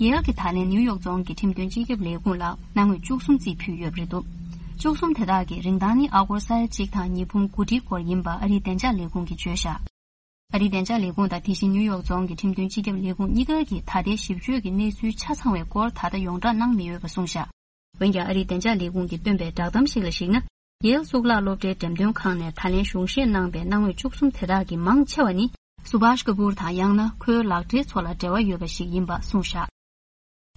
ཡེལ་གྱིས་ད་ལན་ནིའུ་ཡོག་རྫོང་གི་ཁྲིམས་དོན་སྤྱི་ཁྱབ་ལས་ཁུངས་ལ་གནའ་དངོས་བཅུ་གསུམ་རྩིས་ཕུལ་ཡོད་པ་རེད་འདུག་བཅུ་གསུམ་དེ་དག་གི་རིན་ཐང་ནི་ཨ་སྒོར་ས་ཡ་གཅིག་དང་ཉིས་འབུམ་དགུ་ཁྲིའི་སྐོར་ཡིན་པ་ཨ་རིའི་བདེ་འཇགས་ལས་ཁུངས་ཀྱིས་བརྗོད་བཞག་ཨ་རིའི་བདེ་འཇགས་ལས་ཁུངས་དང་དེ་བཞིན་ནིའུ་ཡོག་རྫོང་གི་ཁྲིམས་དོན་སྤྱི་ཁྱབ་ལས་ཁུངས་གཉིས་ཀ་གིས་ད་ལྟའི་ཞིབ་དཔྱོད་ཀྱི་གནས་ཚུལ་ཆ་ཚང་བའི་སྐོར་ད་ལྟ་ཡོངས་བསྒྲགས་གནང་མི་ཡོད་པ་གསུངས་བཞག་འོན་ཀྱང་ཨ་རིའི་བདེ་འཇགས་ལས་ཁུངས་ཀྱིས་བཏོན་པའི་བསྒྲགས་གཏམ་ཞིག་ལ་གཞིགས་ན། ཡེལ་གཙུག་ལག་སློབ་གྲྭའི་འགྲེམས་སྟོན་ཁང་ནས་ད་ལན་གཞུང་བཞེས་གནང་པའི་གནའ་དངོས་བཅུ་གསུམ་དེ་དག་གི་མང་ཆེ་བ་ནི་སུ་བྷཱཤ་ཀ་པུར་དང་ཡང་ན་ཁོའི་ལག་འབྲེལ་ཚོ་ལ་འབྲེལ་བ་ཡོད་པ་ཞིག་ཡིན་པ་གསུངས་བཞག་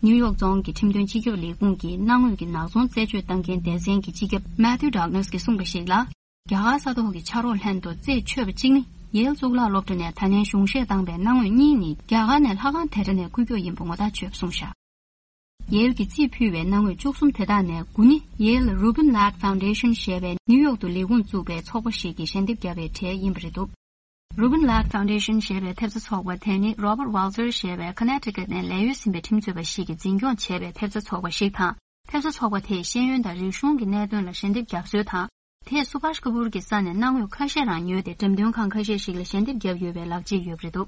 ནིའུ་ཡོག་རྫོང་གི་ཁྲིམས་དོན་སྤྱི་ཁྱབ་ལས་ཁུངས་ཀྱིས་གནའ་དངོས་ཀྱི་ནག་ཚོང་རྩད་གཅོད་བཏང་མཁན་སྡེ་ཚན་གྱི་སྤྱི་ཁྱབ་མེ་ཐིའུ་ཌག་ལཱ་སི་ཀྱིས་གསུངས་པར་གཞིགས་ལ། རྒྱ་གར་ས་ཐོག་གི་ཕྱག་རོགས་ལྷན་དུ་རྩད་ཆོད་པ་གཅིག་ནི། ཡེལ་གཙུག་ལག་སློབ་གྲྭ་ནས་ད་ལན་གཞུང་བཞེས་བཏང་པའི་གནའ་དངོས་གཉིས་ནི་རྒྱ་གར་ནས་ལྷ་ཁང་དེ་འདྲ་ནས་བརྐུས་ཀྱོག་ཡིན་པ་ངོ་ཐག་ཆོད་པ་གསུངས་བཞག་ཡེལ་གྱིས་རྩིས་ཕུལ་བའི་གནའ་དངོས་བཅུ་གསུམ་དེ་དག་ནས་དགུ་ནི་Yale Rubin Ladd Foundation ཞེས་པའི་ནིའུ་ཡོག་ཏུ་ལས་ཁུངས་བཙུགས་པའི་ཚོགས་པ་ཞིག་གིས་ཞལ་འདེབས་བརྒྱབ་པའི་གྲས་ཡིན་པ་རེད་འདུག Rubin Ladd Foundation ཞེས་པའི་ཐེབས་རྩ་ཚོགས་པ་དེ་ནི་Robert Walters ཞེས་པའི་ཁ་ནེ་ཊི་ཀེཊ་ནས་ལས་གཡོལ་ཟིན་པའི་ཁྲིམས་རྩོད་པ་ཞིག་གིས་འཛིན་སྐྱོང་བྱས་པའི་ཐེབས་རྩ་ཚོགས་པ་ཞིག་དང་། ཐེབས་རྩ་ཚོགས་པ་དེས་ཤེས་ཡོན་དང་རིག་གཞུང་གི་གནད་དོན་ལ་ཞལ་འདེབས་བརྒྱབ་སྲོལ་དང་། དེས་སུ་བྷཱཤ་ཀ་པུར་གྱི་ས་ནས་གནའ་དངོས་ཁ་ཤས་རང་ཉོས་ཏེ་འགྲེམས་སྟོན་ཁང་ཁ་ཤས་ཤིག་ལ་ཞལ་འདེབས་བརྒྱབ་ཡོད་པའི་ལག་རྗེས་ཡོད་པ་རེད་འདུག་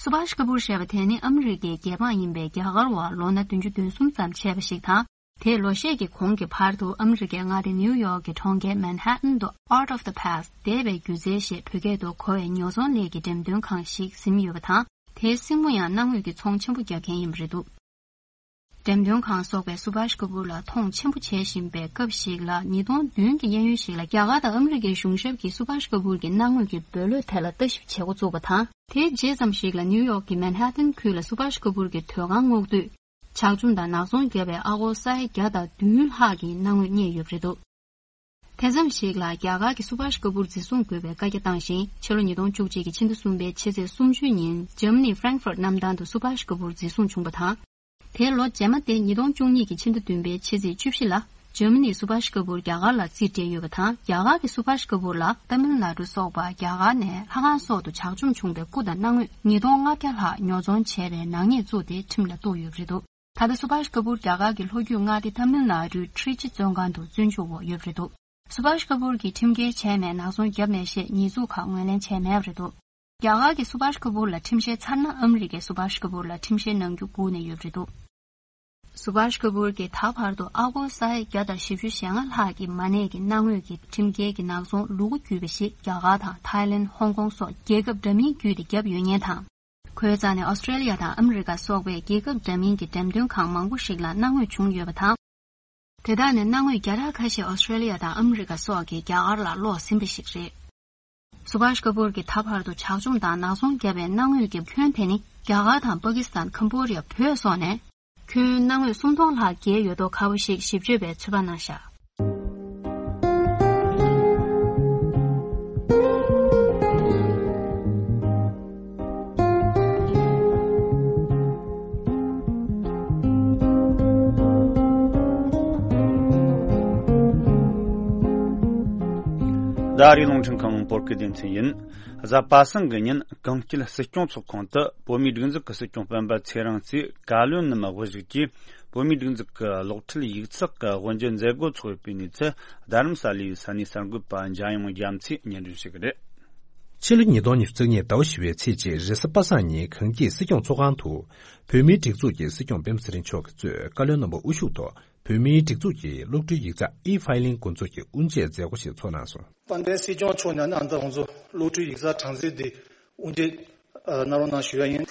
སུ་བྷཱཤ་ཀ་པུར་ཞེས་པ་དེ་ནི་ཨ་མི་རི་ཀའི་རྒྱལ་འབངས་ཡིན་པའི་རྒྱ་གར་བ་ལོ་ན་བདུན་ཅུ་དོན་གསུམ་ཙམ་བྱས་པ་ཞིག་དང་། དེས་ལོ་ཤས་ཀྱི་གོང་གི་བར་དུ་ཨ་མི་རི་ཀའི་མངའ་སྡེ་ནིའུ་ཡོག་གི་གྲོང་ཁྱེར་མན་ཧ་ཏན་དུ་Art of the Past འདས་པའི་སྒྱུ་རྩལ་ཞེས་བོད་སྐད་དུ་གོ་བའི་ཉོ་ཚོང་ལས་ཀྱི་འགྲེམས་སྟོན་ཁང་ཞིག་ཟིན་ཡོད་པ་དང་། དེའི་སྲིང་མོ་ཡང་གནའ་དངོས་ཀྱི་ཚོང་ཆེན་པོ་རྒྱག་མཁན་ཡིན་པ་རེད་འདུག་འགྲེམས་སྟོན་ཁང་སོགས་པས་སུ་བྷཱཤ་ཀ་པུར་ལ་མཐོང་ཆེན་པོ་བྱེད་བཞིན་པའི་སྐབས་ཤིག་ལ། ཉིས་སྟོང་བདུན་གྱི་གཡས་གཡོན་ཞིག་ལ་རྒྱ་གར་དང་ཨ་མི་རི་ཀའི་གཞུང་ཞབས་ཀྱིས་སུ་བྷཱཤ་ཀ་པུར་གྱི་གནའ་དངོས་ཀྱི་འབུལ་ལོས་ཐད་ལ་ལྟ་ཞིབ་བྱེད་འགོ་བཙུགས་པ་དང་། དེའི་རྗེས་ཙམ་ཞིག་ལ་ནིའུ་ཡོག་གི་མན་ཧ་ཏན་ཁུལ་ལ་སུ་བྷཱཤ་ཀ་པུར་གྱི་ཟློས་ཁང་སྔོག་དུས། ཇག་བཅོམ་དང་ནག་ཚོང་བརྒྱབ་པའི་ཨ་སྒོར་ས་ཡ་བརྒྱ་དང་བདུན་ལྷག་གི་གནའ་དངོས་རྙེད་ཡོད་པ་རེད་འདུག་དེ་ཙམ་ཞིག་ལ་རྒྱ་གར་གྱིས་སུ་བྷཱཤ་ཀ་པུར་འཛིན་བཟུང་དགོས་པའི་བཀའ་རྒྱ་བཏང་ཞིང་། ཕྱི་ལོ་ཉིས་སྟོང་བཅུ་གཅིག་གི་ཕྱི་ཟླ་གསུམ་པའི་ཕྱི་ཚེས་སུམ་ཅུ་ཉིན་འཇར་མ་ནིའི་ཧྥ་རེང་ཧྥུར་གནམ་ཐང་དུ་སུ་བྷཱཤ་ཀ་པུར་འཛིན་བཟུང་བྱུང་བ་དང་། དེའི་ལོ་རྗེས་མ་སྟེ་ཉིས་སྟོང་བཅུ་གཉིས་ཀྱི་ཕྱི་ཟླ་བདུན་པའི་ཕྱི་ཚེས་བཅུ་བཞི་ལ་འཇར་མ་ནིས་སུ་བྷཱཤ་ཀ་པུར་རྒྱ་གར་ལ་རྩིས་སྤྲད་ཡོད་པ་དང་། རྒྱ་གར་གྱིས་སུ་བྷཱཤ་ཀ་པུར་ལ་ཏཱ་མིལ་ནཱ་ཌུ་སོགས་པ་རྒྱ་གར་ནས་ལྷ་ཁང་སོགས་དུ་ཇག་བཅོམ་བྱུང་བའི་སྐུ་དང་གནའ་དངོས་ཉིས་སྟོང་ལྔ་བརྒྱ་ལྷག་ཉོ་ཚོང་བྱས་པའི་ནག་ཉེས་བཙུགས་ཏེ་ཁྲིམས་ལ་གཏུགས་ཡོད་པ་རེད་འདུག་ད་ལྟ་སུ་བྷཱཤ་ཀ་པུར་རྒྱ་གར་གྱི་ལྷོ་རྒྱུད་མངའ་སྡེ་ཏཱ་མིལ་ནཱ་ཌུའི་ཊྲི་ཅི་བཙོན་ཁང་དུ་བཙོན་འཇུག་འོག་ཡོད་པ་རེད་འདུག་སུ་བྷཱཤ་ཀ་པུར་གྱིས་ཁྲིམས་འགལ་བྱས་མེད་ནག་ཚོང་བརྒྱབ་མེད་ཞེས་ཉེས་འཛུགས་ཁག་ངོས་ལེན་བྱས་མེད་པ་རེད་འདུག་རྒྱ་གར་གྱིས་སུ་བྷཱཤ་ཀ་པུར་ལ་ཁྲིམས་བཤེར་ཚར་ན་ཨ་མི་རི་ཀས་སུ་བྷཱཤ་ཀ་པུར་ལ་ཁྲིམས་བཤེར་གནང་རྒྱུ་སྒུག་ནས་ཡོད་པ་རེད་འདུག་སུ་བྷཱཤ་ཀ་པུར་གྱིས་ད་བར་དུ་ཨ་སྒོར་ས་ཡ་བརྒྱ་དང་བཞི་བཅུ་ཞེ་ལྔ་ལྷག་གི་མ་གནས་ཀྱི་གནའ་དངོས་ཀྱི་ཁྲིམས་འགལ་གྱི་ནག་ཚོང་ལུ་གུ་བརྒྱུས་པ་ཞིག་རྒྱ་གར་དང་ཐའི་ལེན། ཧོང་ཀོང་སོགས་རྒྱལ་ཁབ་འདྲ་མིན་བརྒྱུད་དེ་བརྒྱབ་ཡོད་ཉེན་དང་། ཁོའི་རྩ་ནས་ཨོ་སི་ཀྲེ་ལི་ཡ་དང་ཨ་མི་རི་ཀ་སོགས་པའི་རྒྱལ་ཁབ་འདྲ་མིན་གྱི་འགྲེམས་སྟོན་ཁང་མང་པོ་ཞིག་ལ་སྣང་ངོས་བྱུང་ཡོད་པ་དང་། དེ་དག་ནས་སྣང་ངོས་བརྒྱ་ཕྲག་ཁ་ཤས་ཨོ་སི་ཀྲེ་ལི་ཡ་དང་ཨ་མི་རི་ཀ་སོགས་ཀྱིས་རྒྱ་གར་ལ་སློག་ཟིན་པ་ཞིག་རེད། སུ་བྷཱཤ་ཀ་པུར་གྱིས་ད་བར་དུ་ཇག་བཅོམ་དང་ནག་ཚོང་བརྒྱབ་པའི་སྣང་ངོས་ཀྱི་ཁྱོན་དེ་ནི་རྒྱ་གར་དང་པ་ཀི་སི་ཐན། ཁམ་བྷོ་ཌི་ཡ། བོད་སོགས་ནས། ཁྱོན་སྣང་ངོས་སུམ་སྟོང་ལྷག་བརྒལ་ཡོད་མདོག་ཁ་པོ་ཞིག་ཞིབ་དཔྱོད་པས་ཚོད་དཔག་གནང་བཞག་ཟླ་རེའི་རླུང་འཕྲིན་ཁང་བོད་སྐད་སྡེ་ཚན་ཡིན། གཟའ་པ་སངས་ཀྱི་ཉིན་གངས་སྐྱིད་སྲིད་སྐྱོང་ཚོགས་ཁང་དུ་བོད་མིའི་སྒྲིག་འཛུགས་ཀྱི་སྲིད་སྐྱོང་སྤེན་པ་ཚེ་རིང་གིས་བཀའ་བློན་རྣམས་དབུ་བཞུགས་ཀྱིས་བོད་མིའི་སྒྲིག་འཛུགས་ཀྱི་གློག་འཕྲིན་ཡིག་ཚགས་ཀྱི་དབུ་འབྱེད་མཛད་སྒོ་འཚོགས་ཡོད་པའི་གནས་ཚུལ་རྡ་རམ་ས་ལའི་ས་གནས་གསར་འགོད་པ་འཇམ་དབྱངས་རྒྱ་མཚོས་སྙན་སྒྲོན་ཞུ་གི་རེད། ཕྱི་ལོ་ཉིས་སྟོང་ཉི་ཤུ་རྩ་གཉིས་ཟླ་བ་བཞི་པའི་ཚེས་གཅིག་རེས་གཟའ་པ་སངས་ཉིན་གངས་སྐྱིད་སྲིད་སྐྱོང་ཚོགས་ཁང་དུ་བོད་མིའི་སྒྲིག་འཛུགས་ཀྱི་སྲིད་སྐྱོང་སྤེན་པ་ཚེ་རིང་མཆོག་གིས་གཙོས་བཀའ་བློན་རྣམ་པ་དབུ་བཞུགས་ཐོག་བོད་མིའི་སྒྲིག་འཛུགས་ཀྱི་གློག་འཕྲུལ་ཡིག་ཚགས་ཨི་ཕའི་ལིང་འགོ་འཛུགས་ཀྱི་དབུ་འབྱེད་མཛད་སྒོ་ཞིག་ཚོགས་གནང་སོང་། དཔལ་ལྡན་སྲིད་སྐྱོང་མཆོག་ནས་ནི་ཨ་ནི་ད་ང་ཚོ་གློག་འཕྲུལ་ཡིག་ཚགས་གྲངས་རྩིས་འདི་དབུ་འབྱེད་གནང་རོགས་གནང་ཞུ་ཡ་ཡིན།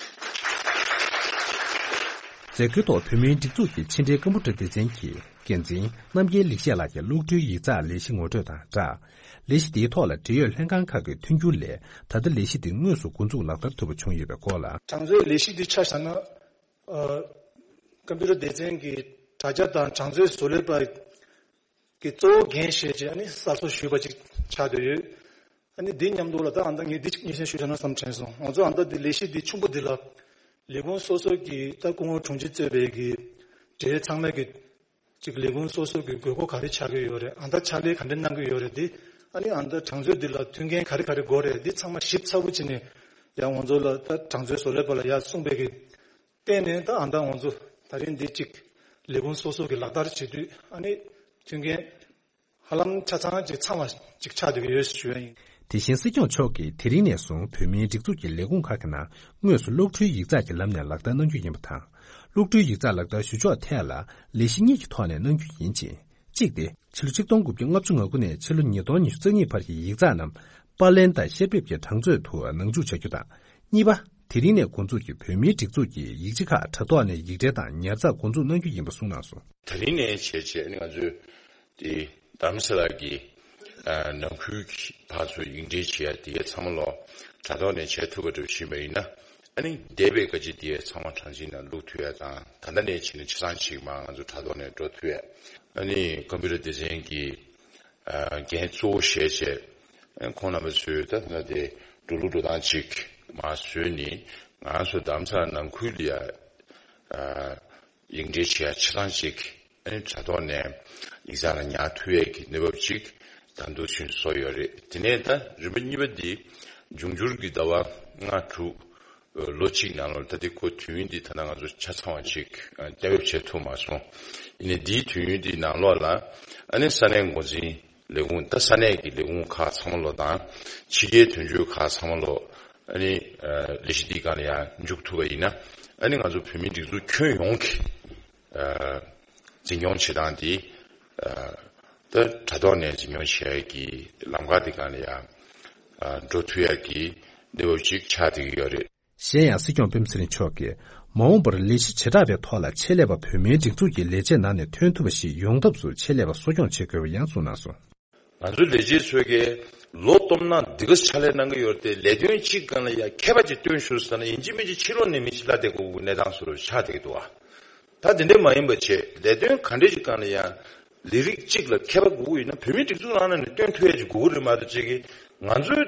མཛད་སྒོའི་ཐོག་བོད་མིའི་སྒྲིག་འཛུགས་ཀྱི་ཕྱི་འབྲེལ་ཀམ་པུ་ཊར་སྡེ་ཚན་གྱི་འགན་འཛིན་རྣམ་རྒྱལ་ལེགས་བཤད་ལགས་ཀྱིས་གློག་འཕྲུལ་ཡིག་ཚགས་ལས་གཞི་ངོ་སྤྲོད་དང་སྦྲགས། ལས་གཞི་དེའི་ཐོག་ལ་འབྲེལ་ཡོད་ལྷན་ཁང་ཁག་གི་མཐུན་འགྱུར་ལས་ད་ལྟ་ལས་གཞི་དེ་དངོས་སུ་འགོ་འཛུགས་ལག་བསྟར་ཐུབ་པ་བྱུང་ཡོད་པའི་སྐོར་ལ། གྲངས་མཛོད་ལས་གཞི་འདི་ཆ་བཞག་ན། ཨ། ཀམ་པུ་ཊར་སྡེ་ཚན་གྱི་དྲ་རྒྱ་དང་གྲངས་མཛོད་བཟོ་ལས་པ་གི་གཙོ་བོ་འགན་བཞེས་བྱས་ཨ་ནི་གསར་བཟོ་ཞུས་པ་ཅིག་ཆགས་བསྡད་ཡོད། ཨ་ནི་འདི་མཉམ་དུ་ལ་ད་ཨ་ད་ངས་འདི་ཅིག་སྙན་སེང་ཞུ་བྱ་ན་བསམ་དྲན་སོང་། ང་ཚོ་ཨ་ད་འདི་ལས་གཞི་འདི་ཆུང་པོ་འདི་ལ་ལས་ཁུངས་སོ་སོ་གི་ད་སྐུ་ངོ་དྲུང་ཆེ་གཙོས་པའི་གི་འབྲེལ་ཡོད་ཚང་མས་གི་ཅིག་ལས་ཁུངས་སོ་སོ་གི་དགོས་མཁོ་ག་རེ་ཆགས་ཀྱི་ཡོད་རེད། ཨ་ད་ཕྱག་ལས་ག་འདྲ་གནང་གི་ཡོད་རེད། འདི་ཨ་ནི་ཨ་ད་གྲངས་མཛོད་འདི་ལ་མཐུན་རྐྱེན་ག་རེ་ག་རེ་དགོས་རེད། འདི་ཚང་མ་ཞིབ་ཚགས་པོ་བྱས་ནས་ཡང་ང་ཚོ་ལ་ད་གྲངས་མཛོད་བཟོ་ལས་པ་ལ་ཡར་གསུངས་པའི་གི་བརྟེན་ནས་ད་ཨ་ད་ང་ཚོ་ད་རིང་འདི་གཅིག་ལས་ཁུངས་སོ་སོ་གི་ལག་བསྟར་བྱེད་དུས་ཨ་ནི་མཐུན་རྐྱེན་ཧ་ལམ་ཆ་ཚང་གཅིག་ཚང་བ་གཅིག་ཆགས་བསྡད་ཀྱི་ཡོད་ཞུ་ཡ་ཡིན། དེ་བཞིན་སྲིད་སྐྱོང་མཆོག་གིས་དེ་རིང་ནས་བཟུང་བོད་མིའི་སྒྲིག་འཛུགས་ཀྱི་ལས་ཁུངས་ཁག་གི་ནང་དངོས་སུ་གློག་འཕྲུལ་ཡིག་ཚགས་ཀྱི་ལམ་ནས་ལག་བསྟར་གནང་རྒྱུ་ཡིན་པ་དང་། གློག་འཕྲུལ་ཡིག་ཚགས་ལག་བསྟར་ཞུ་ཕྱོགས་ཐད་ལ་ལས་གཞི་གཉིས་ཀྱི་ཐོག་ནས་གནང་རྒྱུ་ཡིན་ཅིང་། གཅིག་སྟེ། ཕྱི་ལོ་ཆིག་སྟོང་དགུ་བརྒྱ་ལྔ་བཅུ་ང་དགུ་ནས་ཕྱི་ལོ་ཉིས་སྟོང་ཉི་ཤུ་རྩ་གཉིས་བར་གྱི་ཡིག་ཚགས་རྣམས་པར་ལེན་དང་བཤེར་འབེབས་ཀྱི་གྲངས་མཛོད་དུ་ནང་འཇུག་བྱ་རྒྱུ་དང་། གཉིས་པ། དེ་རིང་ནས་འགོ་འཛུགས་ཀྱི་བོད་མིའི་སྒྲིག་འཛུགས་ཀྱི་ཡིག་ཆ་ཁག་དྲ་ཐོག་ནས་ཡིག་འབྲེལ་དང་ཉར་ཚགས་འགོ་འཛུགས་གནང་རྒྱུ་ཡིན་པ་གསུངས་གནང་སོང་། དེ་རིང་ནས་བྱས་རྗེས་ནི་ང་ཚོས་དེ་རྡ་རམ་ས་ལ་གི་ཨ་ནང་ཁུལ་གྱི་ཕར་ཚུར་ཡིག་འབྲེལ་བྱེད་ཡ་དེ་གའི་ཚང་མ་ལོ་དྲ་ཐོག་ནས་བྱེད་ཐུབ་པ་འདྲ་བཞིན་པ་ཡིན་ན། ཨ་ནི་འདས་པའི་བཀའ་སྤྱི་དེ་ཚང་མ་གྲངས་ཅིག་ནང་བླུག་ཐུབ་ཡ་དང་ད་ལྟ་ནས་བྱས་ནས་ཆ་ཚང་ཞིག་མ་ང་ཚོ་དྲ་ཐོག་ནས་འགྲོ་ཐུབ་ཡ། ཨ་ནི་ཀམ་པུ་ཊར་སྡེ་ཚན་གྱི་ཨ་འགན་གཙོ་བོ་བཞེས་བྱས་ཨ་ཁོང་རྣམ་པ་ཚོས་ད་ལྟ་དེ་འགྲོ་ལུགས་འགྲོ་སྟངས་ཅིག་མ་བཟོས་ནས་ང་ཚོ་རྡ་རམ་ས་ལ་ནང་ཁུལ་ལ་ཡ་ཨ་ཡིག་འབྲེལ་བྱེད་ཡ་ཆ་ཚང་ཅིག་ཨ་ནི་དྲ་ཐོག་ནས་ཡིག་ཚང་ལ་ཉར་ཐུབ་ཡས་ཀྱི་གནས་བབ་ཅིག་ད་དུང་ཚུན་བཟོ་ཡོད་རེད། དེ་ནས་ད་རིམ་པ་གཉིས་པ་འདི་འབྱུང་འགྱུར་གྱི་ཟླ་བ་ལྔ་དྲུག་ལོ་གཅིག་ནང་ལོགས་ད་ལྟ་ཁོ་དུས་ཡུན་འདི་ད་ལྟ་ང་ཚོ་ཆ་ཚང་བ་ཅིག་གཏན་འབེབས་བྱེད་ཐུབ་མ་སོང་། ཡིན་ནའི་འདིའི་དུས་ཡུན་འདི་ནང་ལོགས་ལ་ཨ་ནི་ས་གནས་འགོ་འཛིན་ལས་ཁུངས་ད་ས་གནས་ཀྱི་ལས་ཁུངས་ཁག་ཚང་མ་ལོགས་དང་ཕྱི་རྒྱལ་དོན་གཅོད་ཁག་ཚང་མ་ལོགས་ཨ་ནི་ལས་གཞི་འདིའི་སྒང་ལ་ཡང་འཇུག་ཐུབ་པ་ཡིན་ན་ཨ་ནི་ང་ཚོ་བོད་མིའི་སྒྲིག་འཛུགས་ཁྱོན་ཡོངས་ཀྱི་འཛིན་སྐྱོང་བྱེད་སྟངས་དེ་ད་དྲ་ཐོག་ནས་འཛིན་སྐྱོང་བྱེད་ཡག་གི་ལམ་ཁ་དེ་སྒང་ལ་ཡང་འགྲོ་ཐུབ་ཡག་གི་གནས་བབ་ཅིག་ཆགས་བསྡད་ཀྱི་ཡོད་རེད། གཞན་ཡང་སྲིད་སྐྱོང་སྤེན་པ་ཚེ་རིང་མཆོག་གིས་མ་འོངས་པར་ལས་གཞི་བྱེ་བྲག་པའི་ཐོག་ལ་ཆེད་ལས་པ་བོད་མིའི་སྒྲིག་འཛུགས་ཀྱི་ལས་བྱེད་ནང་ནས་ཐོན་ཐུབ་པ་ཞིག་ཡོང་ཐབས་སུ་ཆེད་ལས་པ་གསོ་སྐྱོང་བྱེད་དགོས་པ་ཡང་གསུངས་གནང་སོང་། ང་ཚོའི་ལས་བྱེད་ཚོས་ཀྱིས་ལོ་སྟོང་ནང་འདི་ག་ཕྱག་ལས་གནང་གི་ཡོད་རེད་དེ་ལས་དོན་གཅིག་སྒང་ལ་ཡ་མཁས་པ་ཅིག་བཏོན་ཤོག་ཟེར་ན་ཡིན་གཅིག་མིན་གཅིག་ཕྱི་ལོགས་ནས་མི་ཞིག་གླ་བསྡད་དགོས་ཀྱི་གནས་སྟངས་བཟོ་འདྲ་ཆགས་བསྡད་ཀྱི་འདུག་བ། ད་དེ་འདྲས་མ་ཡིན་པ་བྱས་ལས་དོན་ག་འདྲས་ཅིག་སྒང་ལ་ཡ་ལས་རིགས་གཅིག་ལ་མཁས་པ་དགོས་ཀྱི་ཡོད་ན་བོད་མིའི་སྒྲིག་འཛུགས་ནང་ནས་བཏོན་ཐུབ་ཡ་ཅིག་དགོས་ཀྱི་རེད་མ་གཏོགས་ཅིག་གིས་ང་ཚོའི་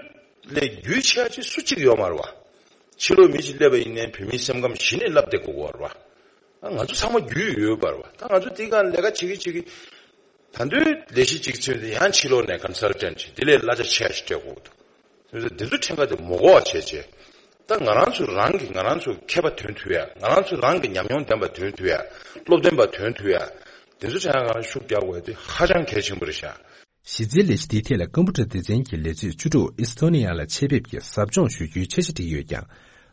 ལས་རྒྱུས་ཆེ་བ་ཅིག་སུ་གཅིག་ཡོད་མ་རེད་བ། ཕྱི་ལོགས་མི་ཞིག་སླེབས་པ་ཡིན་ནའི་བོད་མིའི་སེམས་ཁམས་གཞི་ནས་བསླབ་བསྡད་དགོས་ཀྱི་ཡོད་རེད་བ། ང་ཚོ་ཚང་མ་རྒྱུས་ཡོད་པ་རེད་བ། ད་ང་ཚོ་དེའི་སྒང་ལས་ཀ་བྱེད་ཀྱི་བྱེད་ཀྱི། ད་དུང་ལས་གཞི་གཅིག་མཚོན་ཏེ་ཡང་ཕྱི་ལོགས་ནས་ཀོན་སལ་ཊན་ཊི་དེ་ལས་གླ་ཆ་ཆེ་ཞིག་སྤྲད་དགོས་འདུག་དེ་ཚོ་འདི་ཚོ་ཕྲན་ཁ་དེ་མ་གོ་བ་བྱས་བྱས་ ད་ང་རང་ཚོ་རང་གི་ང་རང་ཚོ་མཁས་པ་ཐོན་ཐུབ་ཡ། ང་རང་ཚོ་རང་གི་ཉམས་མྱོང་ལྡན་པ་ཐོན་ཐུབ་ཡ། སློབ་སྟོན་པ་ཐོན་ཐུབ་ཡ། དེ་ཚོ་ཆ་ཡང་ང་རང་ཤུགས་རྒྱག་དགོས་དེ་ཧ་ཅང་གལ་ཆེན་པོ་རེད་ཤག་གཞི་རྩའི་ལས་གཞི་འདིའི་ཐད་ལ་ཀམ་པུ་ཊར་སྡེ་ཚན་གྱི་ལས་བྱེད་བཅུ་དྲུག་ཨི་སི་ཐོ་ནི་ཡ་ལ་ཆེད་ཕེབས་ཀྱིས་ཟབ་སྦྱོང་ཞུ་རྒྱུའི་འཆར་གཞི་བསྒྲིགས་ཡོད་ཀྱང་།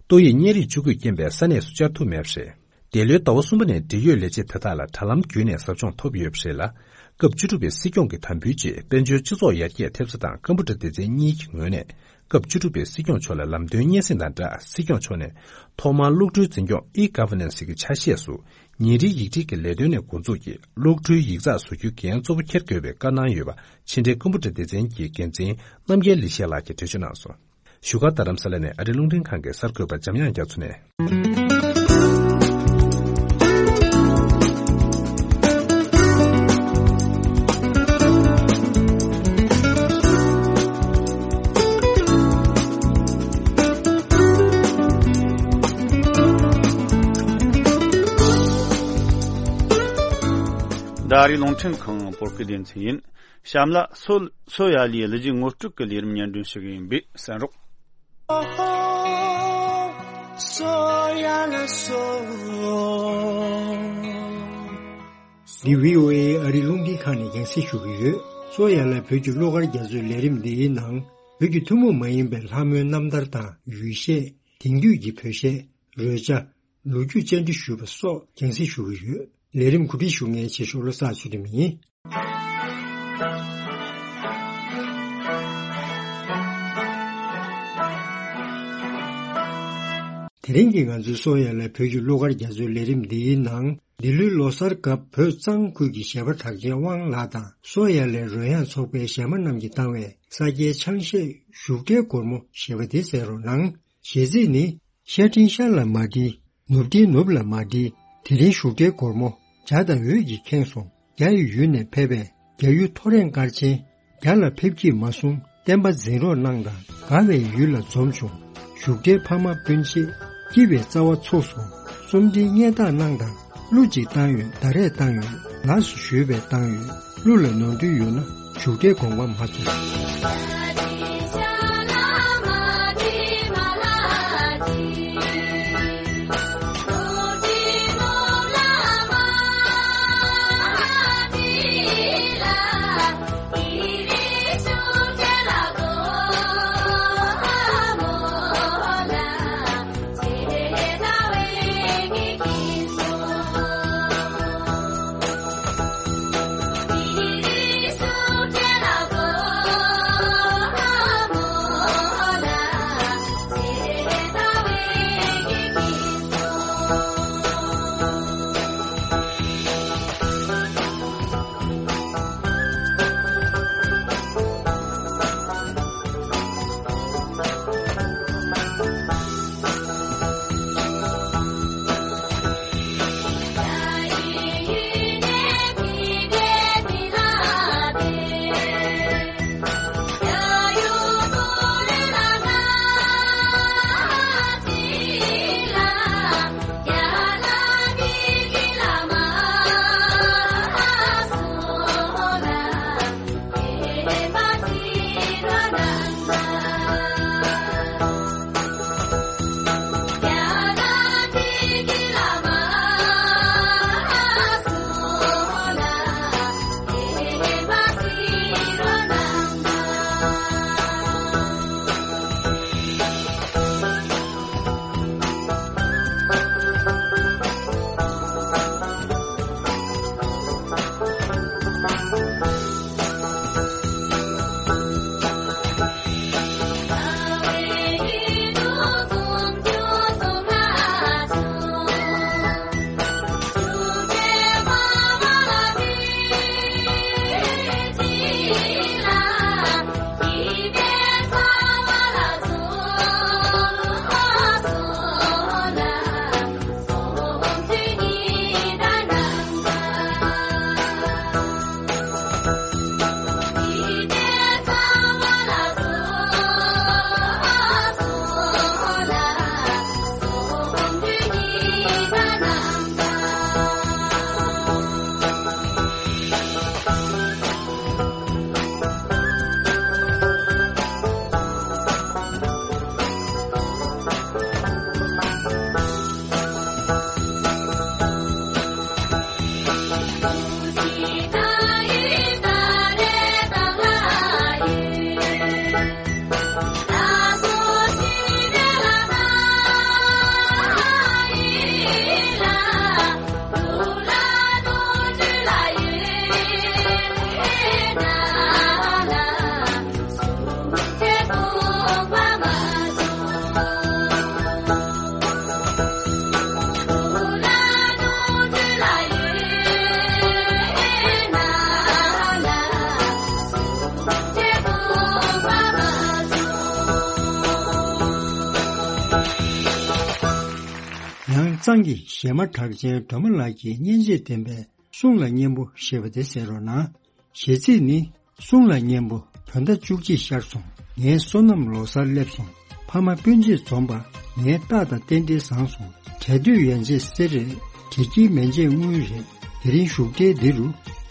ཏོག་དབྱིབས་གཉན་རིགས་བཅུ་དགུས་རྐྱེན་པས་ས་གནས་སུ་བཅར་ཐུབ་མེད་པ་རེད། འདས་ལོའི་ཟླ་བ་གསུམ་པ་ནས་འབྲེལ་ཡོད་ལས་བྱེད་དེ་དག་ལ་དྲ་ལམ་བརྒྱུད་ནས་ཟབ་སྦྱོང་ཐོབ་ཡོད་པ་རེད་ལ། སྐབས་བཅུ་དྲུག་པའི་སྲིད་སྐྱོང་གི་དམ་འབུལ་རྗེས་དཔལ་འབྱོར་སྤྱི་ཚོགས་ཡར་རྒྱས་ཐེབས་རྩ་དང་ཀམ་པུ་ཊར་སྡེ་ཚན་གཉིས་ཀྱི་ངོས་ནས་སྐབས་བཅུ་དྲུག་པའི་སྲིད་སྐྱོང་མཆོག་ལ་ལམ་སྟོན་སྙན་སེང་དང་སྦྲགས། སྲིད་སྐྱོང་མཆོག་ནས་ཐོག་མར་གློག་འཕྲུལ་འཛིན་སྐྱོང་ཨི་ག་ཝར་ནན་སི་གི་ཆ་ཤས་སུ་ཉིན་རེའི་ཡིག་སྒྲིལ་གྱི་ལས་དོན་ནས་འགོ་འཛུགས་ཀྱིས་གློག་འཕྲུལ་ཡིག་ཚགས་བཟོ་རྒྱུའི་འགན་གཙོ་བོ་འཁྱེར་དགོས་པའི་བཀའ་གནང་ཡོད་པ་ཕྱི་འབྲེལ་ཀམ་པུ་ཊར་སྡེ་ཚན་གྱི་འགན་འཛིན་རྣམ་རྒྱལ་ལི་ཤེ་ལགས་ཀྱིས་འགྲེལ་བརྗོད་གནང་སོང་། བཞུགས་སྒར་རྡ་རམ་ས་ལ་ནས་ཨ་རིའི་རླུང་འཕྲིན་ཁང་གི་གསར་འགོད་པ་འཇམ་དབྱངས་རྒྱ་མཚོ་ནས། འདི་ཨ་རིའི་རླུང་འཕྲིན་ཁང་བོད་སྐད་སྡེ་ཚན་ཡིན། གཤམ་ལ་སོ་སོ་ཡ་ལིའི་གླུ་གཞས་ངོ་སྤྲོད་ཀྱི་ལས་རིམ་སྙན་སྒྲོན་ཞུ་གི་ཡིན་པས་གསན་རོགས། འདི་བྷི་ཨོ་ཨེ་ཨ་རིའི་རླུང་འཕྲིན་ཁང་ནས་རྒྱང་སྲིང་ཞུ་གི་ཡོད། སོ་ཡ་ལ་བོད་ཀྱི་གླུ་གར་རྒྱ་མཚོའི་ལས་རིམ་འདིའི་ནང་བོད་ཀྱི་ཐུན་མོང་མ་ཡིན་པའི་ལྷ་མོའི་རྣམ་ཐར་དང་ཡུལ་གཞས། དེང་དུས་ཀྱི་བོད་གཞས། རོལ་ཆ། ལོ་རྒྱུས་བཅར་འདྲི་ཞུས་པ་སོགས་རྒྱང་སྲིང་ཞུ་གི་ཡོད། ལས་རིམ་གོ་སྒྲིག་ཞུ་མཁན་ཆེ་ཤོས་བློ་བཟང་ཚུལ་ཁྲིམས་ཡིན། དེ་རིང་གི་ང་ཚོའི་སོ་ཡ་ལ་བོད་ཀྱི་གླུ་གར་རྒྱ་མཚོའི་ལས་རིམ་འདིའི་ནང་འདི་ལོའི་ལོ་གསར་སྐབས་བོད་གཙང་ཁུལ་གྱི་གཞས་པ་གྲགས་ཅན་དབང་ལགས་དང་སོ་ཡ་ལའི་རོལ་དབྱངས་ཚོགས་པའི་གཞས་མ་རྣམས་ཀྱིས་བཏང་བའི་ས་སྐྱའི་ཆང་གཞས་བཞུགས་གྲལ་སྒོར་མོ་ཞེས་པ་འདི་གསན་རོགས་གནང་། གཞས་ཚིག་ནི། ཤར་སྤྲིན་ཤར་ལ་མ་འགྲིལ། ནུབ་སྤྲིན་ནུབ་ལ་མ་འགྲིལ། དེ་རིང་བཞུགས་གྲལ་སྒོར་མོ། བྱ་དང་འོད་ཀྱིས་ཁེངས་སོང་། རྒྱ་ཡི་ཡུལ་ནས་ཕེབས་པའི། རྒྱ་ཡུལ་ཐོ་རེངས་སྐར་ཆེན། རྒྱ་ལ་ཕེབས་ཀྱིས་མ་གསུངས། བསྟན་པ་འཛིན་རོགས་གནང་དང་། དགའ་བའི་ཡུལ་ལ་འཛོམས་བྱུང་། བཞུགས་གྲལ་ཕ་མ་སྤུན་མཆེད། སྐྱིད་པའི་རྩ་བ་ཚུགས་སོང་། རྩོམ་འབྲིའི་སྙན་གྲགས་གནང་དང་། གླུ་གཅིག་བཏང་ཡོད། ད་རེས་བཏང་ཡོད། ལགས་སོ་ཞུས་པས་བཏང་ཡོད། གླུ་ལ་ནོར་འཁྲུལ་ཡོད་ན་བཞུགས་གྲལ་དགོངས་པ་མ་ཚོམས། ཡང་གཙང་གི་གཞས་མ་གྲགས་ཅན་སྒྲོལ་མ་ལགས་ཀྱིས་སྙན་འཇེབས་ལྡན་པའི་གསུང་ལ་སྙན་པོ་ཞེས་པ་དེ་གསན་རོགས་གནང་། གཞས་ཚིག་ནི། གསུང་ལ་སྙན་པོ་བོད་ཟླ་བཅུ་གཅིག་ཤར་སོང་། ངའི་བསོད་ནམས་ལོ་གསར་སླེབས་སོང་། ཕ་མ་སྤུན་མཆེད་འཛོམས་པ། ངའི་རྟགས་དང་རྟེན་འབྲེལ་བཟང་སོང་། གྲལ་སྡོད་ཡན་ཆད་གསེར་རེད། དྲི་སྐྱིད་མན་ཆད་དངུལ་རེད། དེ་རིང་བཞུགས་གྲལ་འདི་རུ།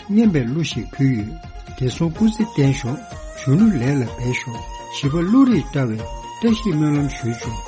སྙན་པའི་གླུ་ཞིག་ཕུལ་ཡོད། བདེ་སོང་སྐུ་ཚེ་བརྟན་ཤོག། གཞོན་ནུ་ལས་ལ་འབད་ཤོག། བྱིས་པ་བློ་རིག་བཀྲ་བའི་བཀྲ་ཤིས་སྨོན་ལམ་ཞུས་ཆོག།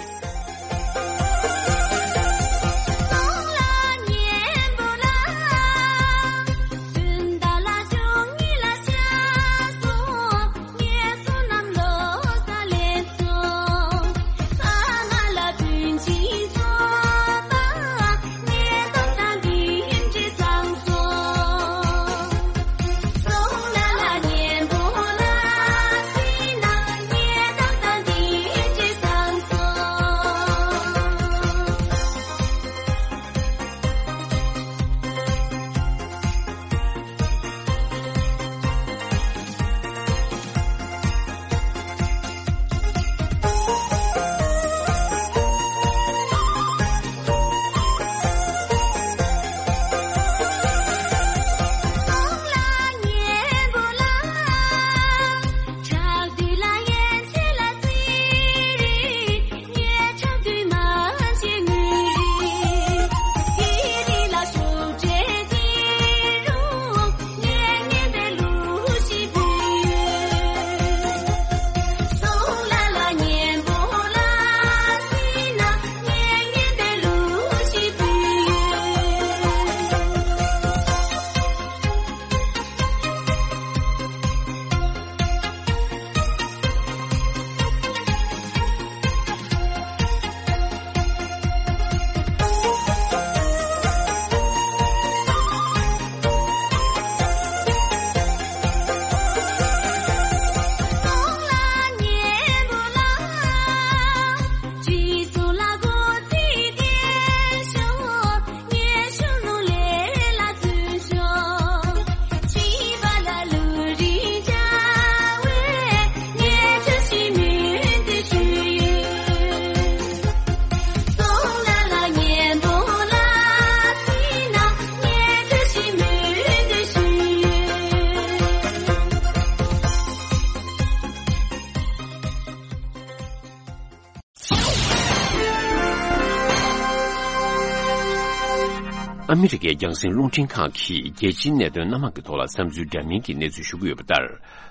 ཨ་མི་རི་ཀའི་རྒྱང་སྲིང་རླུང་འཕྲིན་ཁང་གིས་རྒྱལ་སྤྱིའི་གནད་དོན་སྣ་མང་གི་ཐོག་ལ་བསམ་ཚུལ་འདྲ་མིན་གྱི་གནས་ཚུལ་ཞུ་གི་ཡོད་པ་ལྟར།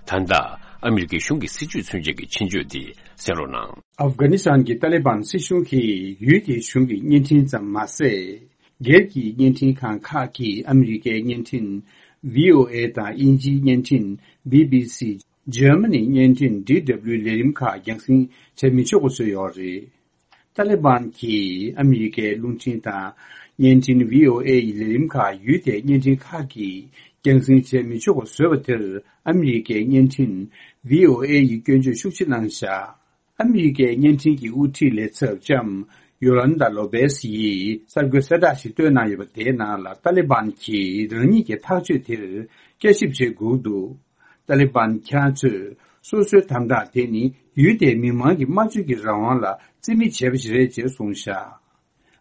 ད་ལྟ་ཨ་མི་རི་ཀའི་གཞུང་གི་སྲིད་བྱུས་མཚོན་ཆེད་ཀྱི་ཆེད་བརྗོད་འདི་གསན་རོགས་གནང་། ཨབ་གྷ་ནི་སི་ཐན་གྱི་ཏཱ་ལི་བན་སྲིད་གཞུང་གིས་ཡུལ་དེའི་གཞུང་གི་བརྙན་འཕྲིན་ཙམ་མ་ཟད། སྒེར་གྱི་བརྙན་འཕྲིན་ཁང་ཁག་གིས་ཨ་མི་རི་ཀའི་བརྙན་འཕྲིན་བྷི་ཨོ་ཨེ་དང་དབྱིན་ཇིའི་བརྙན་འཕྲིན་བྷི་བྷི་སི། འཇར་མ་ནིའི་བརྙན་འཕྲིན་ཌི་ཌབ་ལིའུ་ལས་རིམ་ཁག་རྒྱང་སྲིང་བྱེད་མི་ཆོག་པ་བཟོས་ཡོད་རེད། ཏཱ་ལི་བན་གྱིས་ཨ་མི་རི་ཀའི་རླུང་འཕྲིན་དང་བརྙན་འཕྲིན་བྷི་ཨོ་ཨེ་ཡི་ལས་རིམ་ཁག་ཡུལ་དེའི་བརྙན་འཕྲིན་ཁག་གིས་རྒྱང་སྲིང་བྱེད་མི་ཆོག་པ་བཟོས་པ་དེར་ཨ་མི་རི་ཀའི་བརྙན་འཕྲིན་བྷི་ཨོ་ཨེ་ཡི་སྐྱོན་བརྗོད་ཤུགས་ཆེ་གནང་བཞག། ཨ་མི་རི་ཀའི་བརྙན་འཕྲིན་གྱི་དབུ་ཁྲིད་ལས་ཚབ་ལྕམ་ཡོ་ལན་ད་ལོ་པེས་ཡིས་གསར་འགོད་གསལ་བསྒྲགས་ཤིག་བཏོན་གནང་ཡོད་པ་དེའི་ནང་ལ་ཏཱ་ལི་བན་གྱིས་རང་ཉིད་ཀྱི་ཐག་གཅོད་དེར་བསྐྱར་ཞིབ་བྱེད་དགོས་འདུག། ཏཱ་ལི་བན་ཁྱེད་རང་ཚོས་སོ་སོའི་དམ་དྲག་དེ་ནི་ཡུལ་དེའི་མི་མང་གི་སྨྲ་བརྗོད་ཀྱི་རང་དབང་ལ་རྩིས་མེད་བྱས་པ་ཞིག་རེད་ཅེས་གསུངས་བཞག།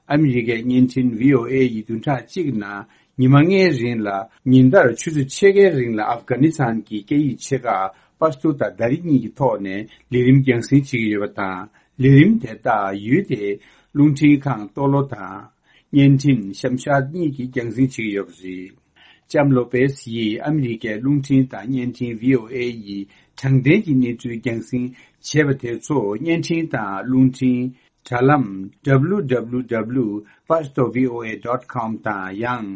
ཨ་མི་རི་ཀའི་བརྙན་འཕྲིན་བྷི་ཨོ་ཨེ་ཡི་བདུན་ཕྲག་གཅིག་ནང་ཉི་མ་ལྔའི་རིང་ལ་ཉིན་ལྟར་ཆུ་ཚོད་ཕྱེད་ཀའི་རིང་ལ་ཨབ་གྷ་ནི་སི་ཐན་གྱི་སྐད་ཡིག་ཆེ་ཁག་པ་ཤ་ཏུ་དང་དཱ་རི་གཉིས་ཀྱི་ཐོག་ནས་ལས་རིམ་རྒྱང་སྲིང་བྱེད་ཀྱི་ཡོད་པ་དང་། ལས་རིམ་དེ་དག་ཡུལ་དེའི་རླུང་འཕྲིན་ཁང་ཏོ་ལོ་དང་། བརྙན་འཕྲིན་ཤམ་ཤ་གཉིས་ཀྱིས་རྒྱང་སྲིང་བྱེད་ཀྱི་ཡོད་པ་རེད། ལྕམ་ལོ་པེས་ཡིས་ཨ་མི་རི་ཀའི་རླུང་འཕྲིན་དང་བརྙན་འཕྲིན་བྷི་ཨོ་ཨེ་ཡི་དྲང་བདེན་གྱི་གནས་ཚུལ་རྒྱང་སྲིང་བྱས་པ་དེ་ཚོ་བརྙན་འཕྲིན་དང་རླུང་འཕྲིན་དྲ་ལམ་ཌབ་ལིའུ་ཌབ་ལིའུ་ཌབ་ལིའུ་པ་ཤ་ཏོ་བྷི་ཨོ་ཨེ་ཌོཊ་ཀོམ་དང་ཡང་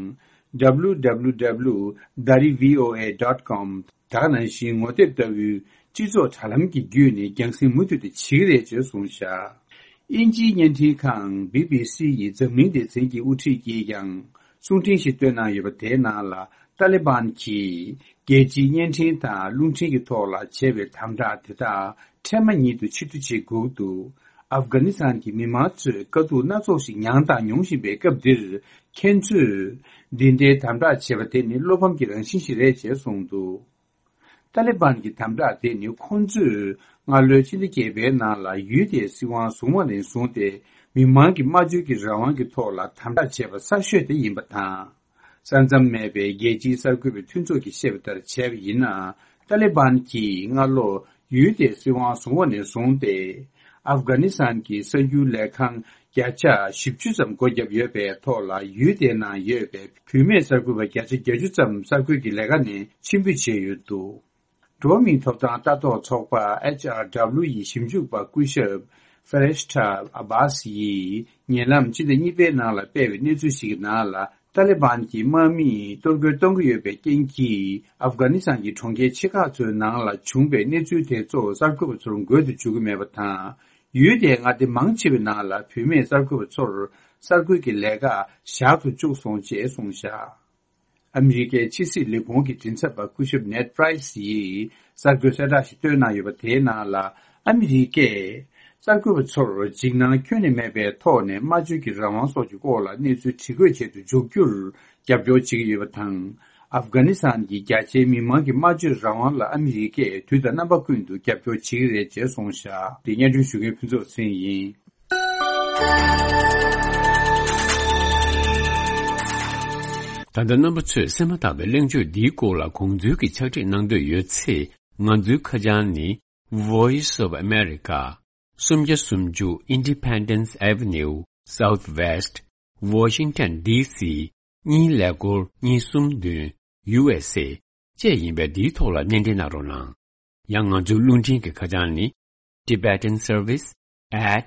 ཌབ་ལིའུ་ཌབ་ལིའུ་ཌབ་ལིའུ་དཱ་རི་བྷི་ཨོ་ཨེ་ཌོཊ་ཀོམ། ད་ག་ནང་བཞིན་ངོ་དེབ་ལྟ་བུའི་སྤྱི་ཚོགས་དྲ་ལམ་གྱི་བརྒྱུད་ནས་རྒྱང་སྲིང་མུ་མཐུད་དུ་བྱེད་ཀྱི་རེད་ཅེས་གསུངས་བཞག། དབྱིན་ཇིའི་བརྙན་འཕྲིན་ཁང་བྷི་བྷི་སི་ཡི་འཛམ་གླིང་སྡེ་ཚན་གྱི་དབུ་ཁྲིད་ཀྱིས་ཀྱང་གསུང་འཕྲིན་ཞིག་བཏོན་གནང་ཡོད་པ་དེའི་ནང་ལ་ཏཱ་ལི་བན་གྱིས་རྒྱལ་སྤྱིའི་བརྙན་འཕྲིན་དང་རླུང་འཕྲིན་གྱི་ཐོག་ལ་བྱས་པའི་དམ་དྲག་དེ་དག་ཁྲལ་མ་ཉིད་དུ་ཕྱིར་བསྡུ་བྱེད་དགོས་འདུག། ཨབ་གྷ་ནི་སི་ཐན་གྱི་མི་མང་ཚོས་དཀའ་སྡུག་སྣ་ཚོགས་ཤིག་མྱངས་དང་མྱོང་བཞིན་པའི་སྐབས་འདིར། ཁྱེད་ཚོས་འདི་འདྲའི་དམ་དྲག་བྱེད་པ་དེ་ནི་བློ་ཕམ་གྱི་རང་བཞིན་ཞིག་རེད་ཅེས་གསུངས་འདུག་ཏཱ་ལི་བན་གྱི་དམ་དྲག་དེ་ནི་ཁོང་ཚོས་སྔ་ལོའི་ཕྱི་ཟླ་བརྒྱད་པའི་ནང་ལ་ཡུལ་དེའི་སྲིད་དབང་བཟུང་བ་ནས་བཟུང་སྟེ། མི་མང་གི་སྨྲ་བརྗོད་ཀྱི་རང་དབང་གི་ཐོག་ལ་དམ་དྲག་བྱས་པ་གསར་ཤོས་དེ་ཡིན་པ་དང་། ས་མཚམས་མེད་པའི་རྒྱལ་སྤྱིའི་གསར་འགོད་པའི་མཐུན་ཚོགས་ཀྱིས་བཤད་པ་ལྟར་བྱས་པ་ཡིན་ན། ཏཱ་ལི་བན་གྱིས་སྔ་ལོ་ཡུལ་དེའི་སྲིད་དབང་བཟུང་བ་ནས་བཟུང་སྟེ། ཨབ་གྷ་ནི་སི་ཐན་གྱི་གསར་འགྱུར་ལས་ཁང་བརྒྱ་ཆ་བཞི་བཅུ་ཙམ་སྒོ་བརྒྱབ་ཡོད་པའི་ཐོག་ལ། ཡུལ་དེའི་ནང་ཡོད་པའི་བུད་མེད་གསར་འགོད་པ་བརྒྱ་ཆ་བརྒྱད་ཅུ་ཙམ་གསར་འགོད་ཀྱི་ལས་ཀ་ནས་ཕྱིར་འབུད་བྱས་ཡོད་འདུག་འགྲོ་བ་མིའི་ཐོབ་ཐང་ལྟ་རྟོག་ཚོགས་པ་ཨེཆ་ཨར་ཌབ་ལིའུ་ཡི་ཞིབ་འཇུག་པ་སྐུ་ཞབས་ཧྥེ་རེ་ཤ་ཏྲ་ཨ་བྷ་སི་ཡིས་ཉེ་ལམ་ཕྱི་ཟླ་གཉིས་པའི་ནང་ལ་སྤེལ་བའི་གནས་ཚུལ་ཞིག་གི་ནང་ལ། ཏཱ་ལི་བན་གྱིས་དམག་མིས་གཏོར་རྒོལ་གཏོང་གི་ཡོད་པའི་རྐྱེན་གྱིས། ཨབ་གྷ་ནི་སི་ཐན་གྱི་གྲོང་ཁྱེར་ཆེ་ཁག་ཚོའི་ནང་ལ་བྱུང་བའི་གནས་ཚུལ་དེ་ཚོ་གསར་འགོད་པ་ཚོར་འགོད་དུ་འཇུག་གི་མེད་པ་དང་། ཡུལ་དེའི་མངའ་སྡེ་མང་ཆེ་བའི་ནང་ལ་བུད་མེད་གསར་འགོད་པ་ཚོར་གསར་འགོད་ཀྱི་ལས་ཀ་བཞག་ཏུ་བཅུག་སོང་ཅེས་གསུངས་བཞག་ཨ་མི་རི་ཀའི་ཕྱི་སྲིད་ལས་ཁུངས་ཀྱི་མགྲིན་ཚབ་པ་སྐུ་ཞབས་ནེད་པ་རེས་ཡིས་གསར་འགོད་གསལ་བསྒྲགས་ཤིག་བཏོན་གནང་ཡོད་པ། དེའི་ནང་ལ་ཨ་མི་རི་ཀས་གསར་འགོད་པ་ཚོར་འཇིགས་སྣང་ཁྱོན་ནས་མེད་པའི་ཐོག་ནས་སྨྲ་བརྗོད་ཀྱི་རང་དབང་སོགས་ཀྱི་སྐོར་ལ་གནས་ཚུལ་དྲི་བཀོད་བྱེད་དུ་འཇུག་རྒྱུར་རྒྱབ་སྐྱོར་བྱེད་ཀྱི་ཡོད་པ་དང་། ཨབ་གྷ་ནི་སི་ཐན་གྱི་རྒྱ་ཆེའི་མི་མང་གི་སྨྲ་བརྗོད་རང་དབང་ལ་ཨ་མི་རི་ཀས་དུས་དང་རྣམ་པ་ཀུན་ཏུ་རྒྱབ་སྐྱོར་བྱེད་ཀྱི་རེད་ཅེས་གསུངས་བཞག་དེ་སྙན་སྒྲོན་ཞུ་མཁན་ཕུན་ཚོགས་ཚེ་རིང་ཡིན། ད་ལྟ་རྣམ་པ་ཚོས་གསན་མ་ཐག་པའི་གླེང་བརྗོད་འདིའི་སྐོར་ལ་དགོངས་ཚུལ་གྱི་ཕྱག་བྲིས་གནང་འདོད་ཡོད་ཚེ། ང་ཚོའི་ཁ་བྱང་ནི། Voice of America། སུམ་བརྒྱ་སུམ་ཅུ་Independence Avenue Southwest Washington DC གཉིས་ཀླད་ཀོར་གཉིས་གསུམ་བདུན། USA བཅས་ཡིན་པས། འདིའི་ཐོག་ལ་སྣེ་འདྲེན་གནང་རོགས་གནང་། ཡང་ང་ཚོའི་རླུང་འཕྲིན་གྱི་ཁ་བྱང་ནི། Tibetan Service at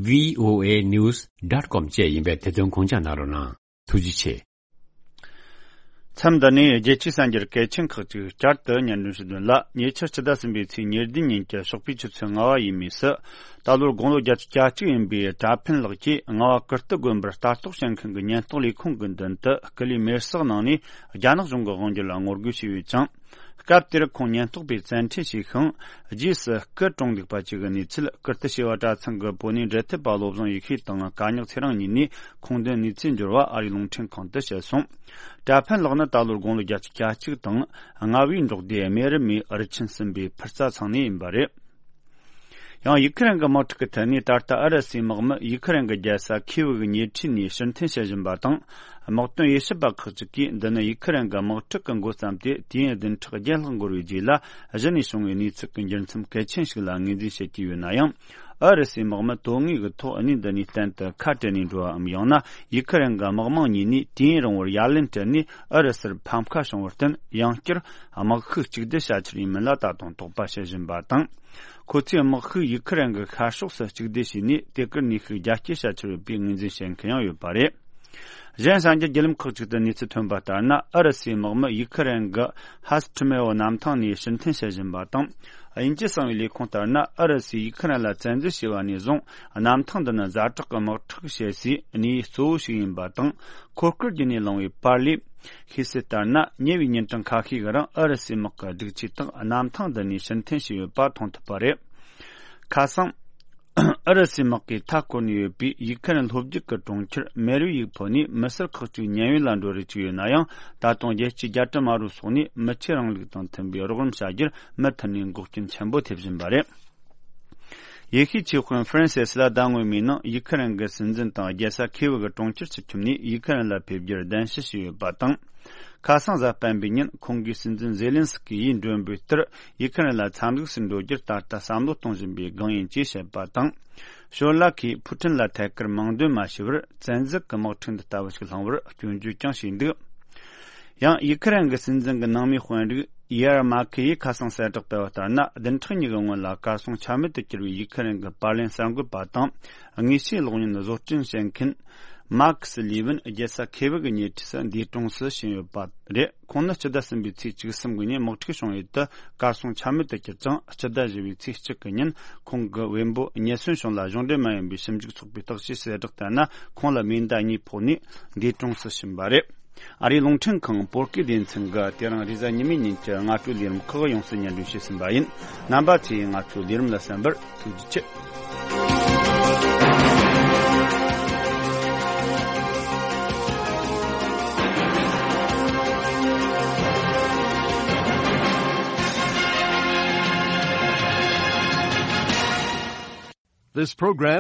voanews dot com བཅས་ཡིན་པས། དེ་དོན་དགོངས་འཇགས་གནང་རོགས་གནང་། ཐུགས་རྗེ་ཆེ། མཚམས་འདི་ནས་རྒྱལ་སྤྱིའི་གསར་འགྱུར་གལ་ཆེན་ཁག་ཅིག་བསྐྱར་དུ་སྙན་སྒྲོན་ཞུ་དོན་ལ། ཉེ་ཆར་ཕྱི་ཟླ་གསུམ་པའི་ཚེས་ཉེར་བདུན་ཉིན་གྱི་ཞོགས་པའི་ཆུ་ཚོད་ལྔ་པ་ཡས་མས་སུ། ད་ལོར་དགུང་ལོ་བརྒྱད་ཅུ་གྱ་གཅིག་ཡིན་པའི་གྲྭ་ཕན་ལགས་ཀྱིས་རྔ་བ་ཀིརྟི་དགོན་པར་ལྟ་རྟོག་བྱེད་མཁན་གྱི་ཉེན་རྟོག་ལས་ཁུངས་ཀྱི་མདུན་དུ་སྐུ་ལུས་མེར་བསྲེགས་གནང་ནས། རྒྱ་ནག་གཞུང་གི་དབང་སྒྱུར་ལ་ངོ་རྒོལ་བྱས་ཡོད་ཅིང་། སྐབས་དེར་ཁོང་ཉེན་རྟོག་པས་བཙན་ཁྲིད་བྱས་ཤིང་། རྗེས་སུ་སྐུ་གྲོངས་འདུག་པ་བཅས་ཀྱི་གནས་ཚུལ་ཀིརྟི་བྱེས་པ་གྲྭ་ཚང་གི་བོད་གནས་འབྲེལ་མཐུད་པ་བློ་བཟང་ཡེ་ཤེས་དང་། དཀའ་ཉག་ཚེ་རིང་གཉིས་ནས་ཁུངས་ལྡན་གནས་ཚུལ་འབྱོར་བ་ཨ་རིའི་རླུང་འཕྲིན་ཁང་དུ་བཤད་སོང་། གྲྭ་ཕན་ལགས་ནི་ད་ལོར་དགུང་ལོ་བརྒྱད་ཅུ་གྱ་གཅིག་དང་། རྔ་བའི་འབྲོག་སྡེ་རྨེ་རུ་མའི་རུ་ཆེན་གསུམ་པའི་ཕུར་རྩ་ཚང་ནས་ཡིན་པ་རེད། ཡང་ཡུ་ཁུ་རེན་གྱི་དམག་འཁྲུག་གི་ཐད་ནས། ད་ལྟ་ཨུ་རུ་སུའི་དམག་མི་ཡུ་ཁུ་རེན་གྱི་རྒྱལ་ས་ཁིའུ་གི་ཉེ་འཁྲིས་ནས་ཕྱིར་འཐེན་བྱེད་བཞིན་པ་དང་། དམག་དོན་དབྱེ་ཞིབ་པ་ཁག་ཅིག་གིས། འདི་ནི་ཡུ་ཁུ་རེན་གྱི་དམག་འཁྲུག་གི་འགོ་བརྩམས་ཏེ་དུས་ཡུན་བདུན་ཕྲག་བརྒྱད་ལྷག་འགོར་བའི་རྗེས་ལ། གཞི་ནས་བྱུང་བའི་གནས་ཚུལ་གྱི་འགྱུར་མཚམས་གལ་ཆེན་ཞིག་ལ་ངོས་འཛིན་བྱེད་ཀྱི་ཡོད་ན་ཡང་། ཨུ་རུ་སུའི་དམག་མི་དོན་དངོས་ཀྱི་ཐོག་གནས་འདི་ནས་གཏན་དུ་ཁ་བྲལ་ནས་འགྲོ་བའམ། ཡང་ན་ཡུ་ཁུ་རེན་གྱི་དམག་དམངས་གཉིས་ནས་དུས་ཡུན་རིང་བོར་ཡ་ལན་སྤྲད་ནས་ཨུ་རུ་སུར་ཕམ་ཁ་བྱུང་བར་བརྟེན། ཡང་བསྐྱར་དམག་ཤུགས་གཅིག་སྡུད་བྱ་འཆར་ཡིན་མིན་ལ་ད་དུང་དོགས་པ་བྱེད་བཞིན་པ་དང་། ཁོ་ཚོས་དམག་ཤུགས་ཡུ་ཁུ་རེན་གྱི་ཤར་ཕྱོགས་སུ་གཅིག་སྡུད་བྱས་ནས། དེ་གར་ནུས་ཤུགས་རྒྱ་སྐྱེད་བྱ་འཆར་ཡོད་པའི་ངོས་འཛིན་བྱེད་མཁན་ཡང་ཡོད་པ་རེད། གཞན་གསར་འགྱུར་བརྒྱུད་ལམ་ཁག་ཅིག་ཏུ་གནས་ཚུལ་ཐོན་པ་ལྟར་ན། ཨུ་རུ་སུའི་དམག་མི་ཡུ་ཁུ་རེན་གྱི་ཧ་སི་ཁྲི་མེ་འོ་གནམ་ཐང་ནས་ཕྱིར་འཐེན་བྱེད་བཞིན་པ་དང་། དབྱིན་ཇི་གསང་བའི་ལས་ཁུངས་ལྟར་ན། ཨུ་རུ་སུས་ཡུ་ཁུ་རེན་ལ་བཙན་འཛུལ་བྱས་པ་ནས་བཟུང་། གནམ་ཐང་འདི་ནི་ཛ་དྲག་གི་དམག་འཁྲུག་བྱེད་སའི་གནས་ཡུལ་གཙོ་བོ་ཞིག་ཡིན་པ་དང་། འཁོར་སྐར་བརྒྱུད་ནས་བླངས་པའི་པར་ལས་ཤེས་གསལ་ལྟར་ན། ཉེ་བའི་ཉིན་གྲངས་ཁ་ཤས་ཀྱི་རིང་ཨུ་རུ་སུའི་དམག་གི་སྒྲིག་ཆས་དག་གནམ་ཐང་འདི་ནས་ཕྱིར་འཐེན་བྱས་ཡོད་པ་མཐོང་ཐུབ་པ་རེད། ཁ་སང་། ཨུ་རུ་སུའི་དམག་གིས་མཐའ་བསྐོར་ནས་ཡོད་པའི་ཡུ་ཁུ་རེན་ལྷོ་རྒྱུད་ཀྱི་གྲོང་ཁྱེར་མེ་རུ་ཡིག་ཕོ་ནས་མི་སེར་ཁག་ཅིག་ཉེན་གཡོལ་ལ་འགྲོ་རེས་བྱས་ཡོད་ན་ཡང་། ད་དུང་རྒྱལ་སྤྱིའི་རྒྱལ་དྲུང་དམར་པོའི་ཚོགས་ནས་མི་ཆོས་རིང་ལུགས་དང་མཐུན་པའི་རོགས་རམ་བྱ་རྒྱུར་མུ་མཐུད་ནས་འགོག་རྐྱེན་ཆེན་པོ་ཐེབས་བཞིན་པ་རེད། ཡེ་ཤུའི་ཆོས་དཔོན་ཧྥ་རན་སི་སི་ལ་ཟླ་སྔོན་མའི་ནང་ཡུ་ཁུ་རེན་གྱི་སྲིད་འཛིན་དང་རྒྱལ་ས་ཁེ་བི་གི་གྲོང་ཁྱེར་སུ་འཁྱམས་ནས་ཡུ་ཁུ་རེན་ལ་ཕེབས་རྒྱུར་གདན་ཞུ་བྱས་ཡོད་པ་དང་། ཁ་སང་གཟའ་སྤེན་པའི་ཉིན་ཁོང་གིས་སྲིད་འཛིན་ཛེ་ལན་སི་ཀི་ཡིས་མགྲོན་འབོད་ལྟར་ཡུ་ཁུ་རེན་ལ་འཚམས་གཟིགས་སུ་འགྲོ་རྒྱུར་ད་ལྟ་བསམ་བློ་གཏོང་བཞིན་པའི་སྒང་ཡིན་ཅེས་བཤད་པ་དང་། ཞོར་ལ་ཁོས་ཕུ་ཁྲིན་ལ་ཐད་ཀར་མིང་འདོན་མ་བྱས་པར་བཙན་འཛུལ་གྱི་དམག་འཁྲུག་འདི་ལྟ་བུ་ཞིག་སློང་བར་སྐྱོན་བརྗོད་ཀྱང་བྱས་འདུག་ཡང་ཡུ་ཁུ་རེན་གྱི་སྲིད་འཛིན་གྱི་ནང་མིའི་དཔོན་རིགས་ཡེར་མ་ཁེ་ཡིས་ཁ་སང་གསལ་བསྒྲགས་བསྟར་བ་ལྟར་ན། བདུན་ཕྲག་གཉིས་ཀྱི་སྔོན་ལ་གར་སོང་ཆ་མེད་དུ་གྱུར་བའི་ཡུ་ཁུ་རེན་གྱི་པར་ལེན་གསར་འགོད་པ་དང་། དངོས་བཤེར་གློག་བརྙན་བཟོ་སྐྲུན་བྱེད་མཁན་མཱ་ཁི་སི་ལི་ཝིན་རྒྱལ་ས་ཁེ་བི་གི་ཉེ་འཁྲིས་སུ་འདས་གྲོངས་སུ་ཕྱིན་ཡོད་པ་རེད། ཁོང་ནི་སྤྱི་ཟླ་གསུམ་པའི་ཚེས་བཅུ་གསུམ་གྱི་ཉིན་དམག་འཁྲུག་བྱུང་ཡུལ་དུ་གར་སོང་ཆ་མེད་དུ་གྱུར་ཅིང་། སྤྱི་ཟླ་བཞི་པའི་ཚེས་གཅིག་གི་ཉིན་ཁོང་གི་བེམ་པོ་ཉེ་སོན་གཞུང་ལ་གཞུང་འབྲེལ་མ་ཡིན་པའི་ཞིབ་འཇུག་ཚོགས་པས་བརྟག་དཔྱད་གསལ་བསྒྲགས་བསྟན་ན། ཁོང་ལ་མེ་མདའ་གཉིས་ཕོག་ནས་འདས་གྲོངས་སུ་ཕྱིན་པ་རེད། ཨ་རིའི་རླུང་འཕྲིན་ཁང་བོད་སྐད་སྡེ་ཚན་གྱིས་དེ་རིང་རེས་གཟའ་ཉི་མའི་ཉིན་གྱི་སྔ་དྲོའི་ལས་རིམ་ཁག་ཡོངས་སུ་སྙན་སྒྲོན་ཞུས་ཟིན་པ་ཡིན། རྣམ་པ་ཚོས་ང་ཚོའི་ལས་རིམ་ལ་གསན་པར་ཐུགས་རྗེ་ཆེ། This program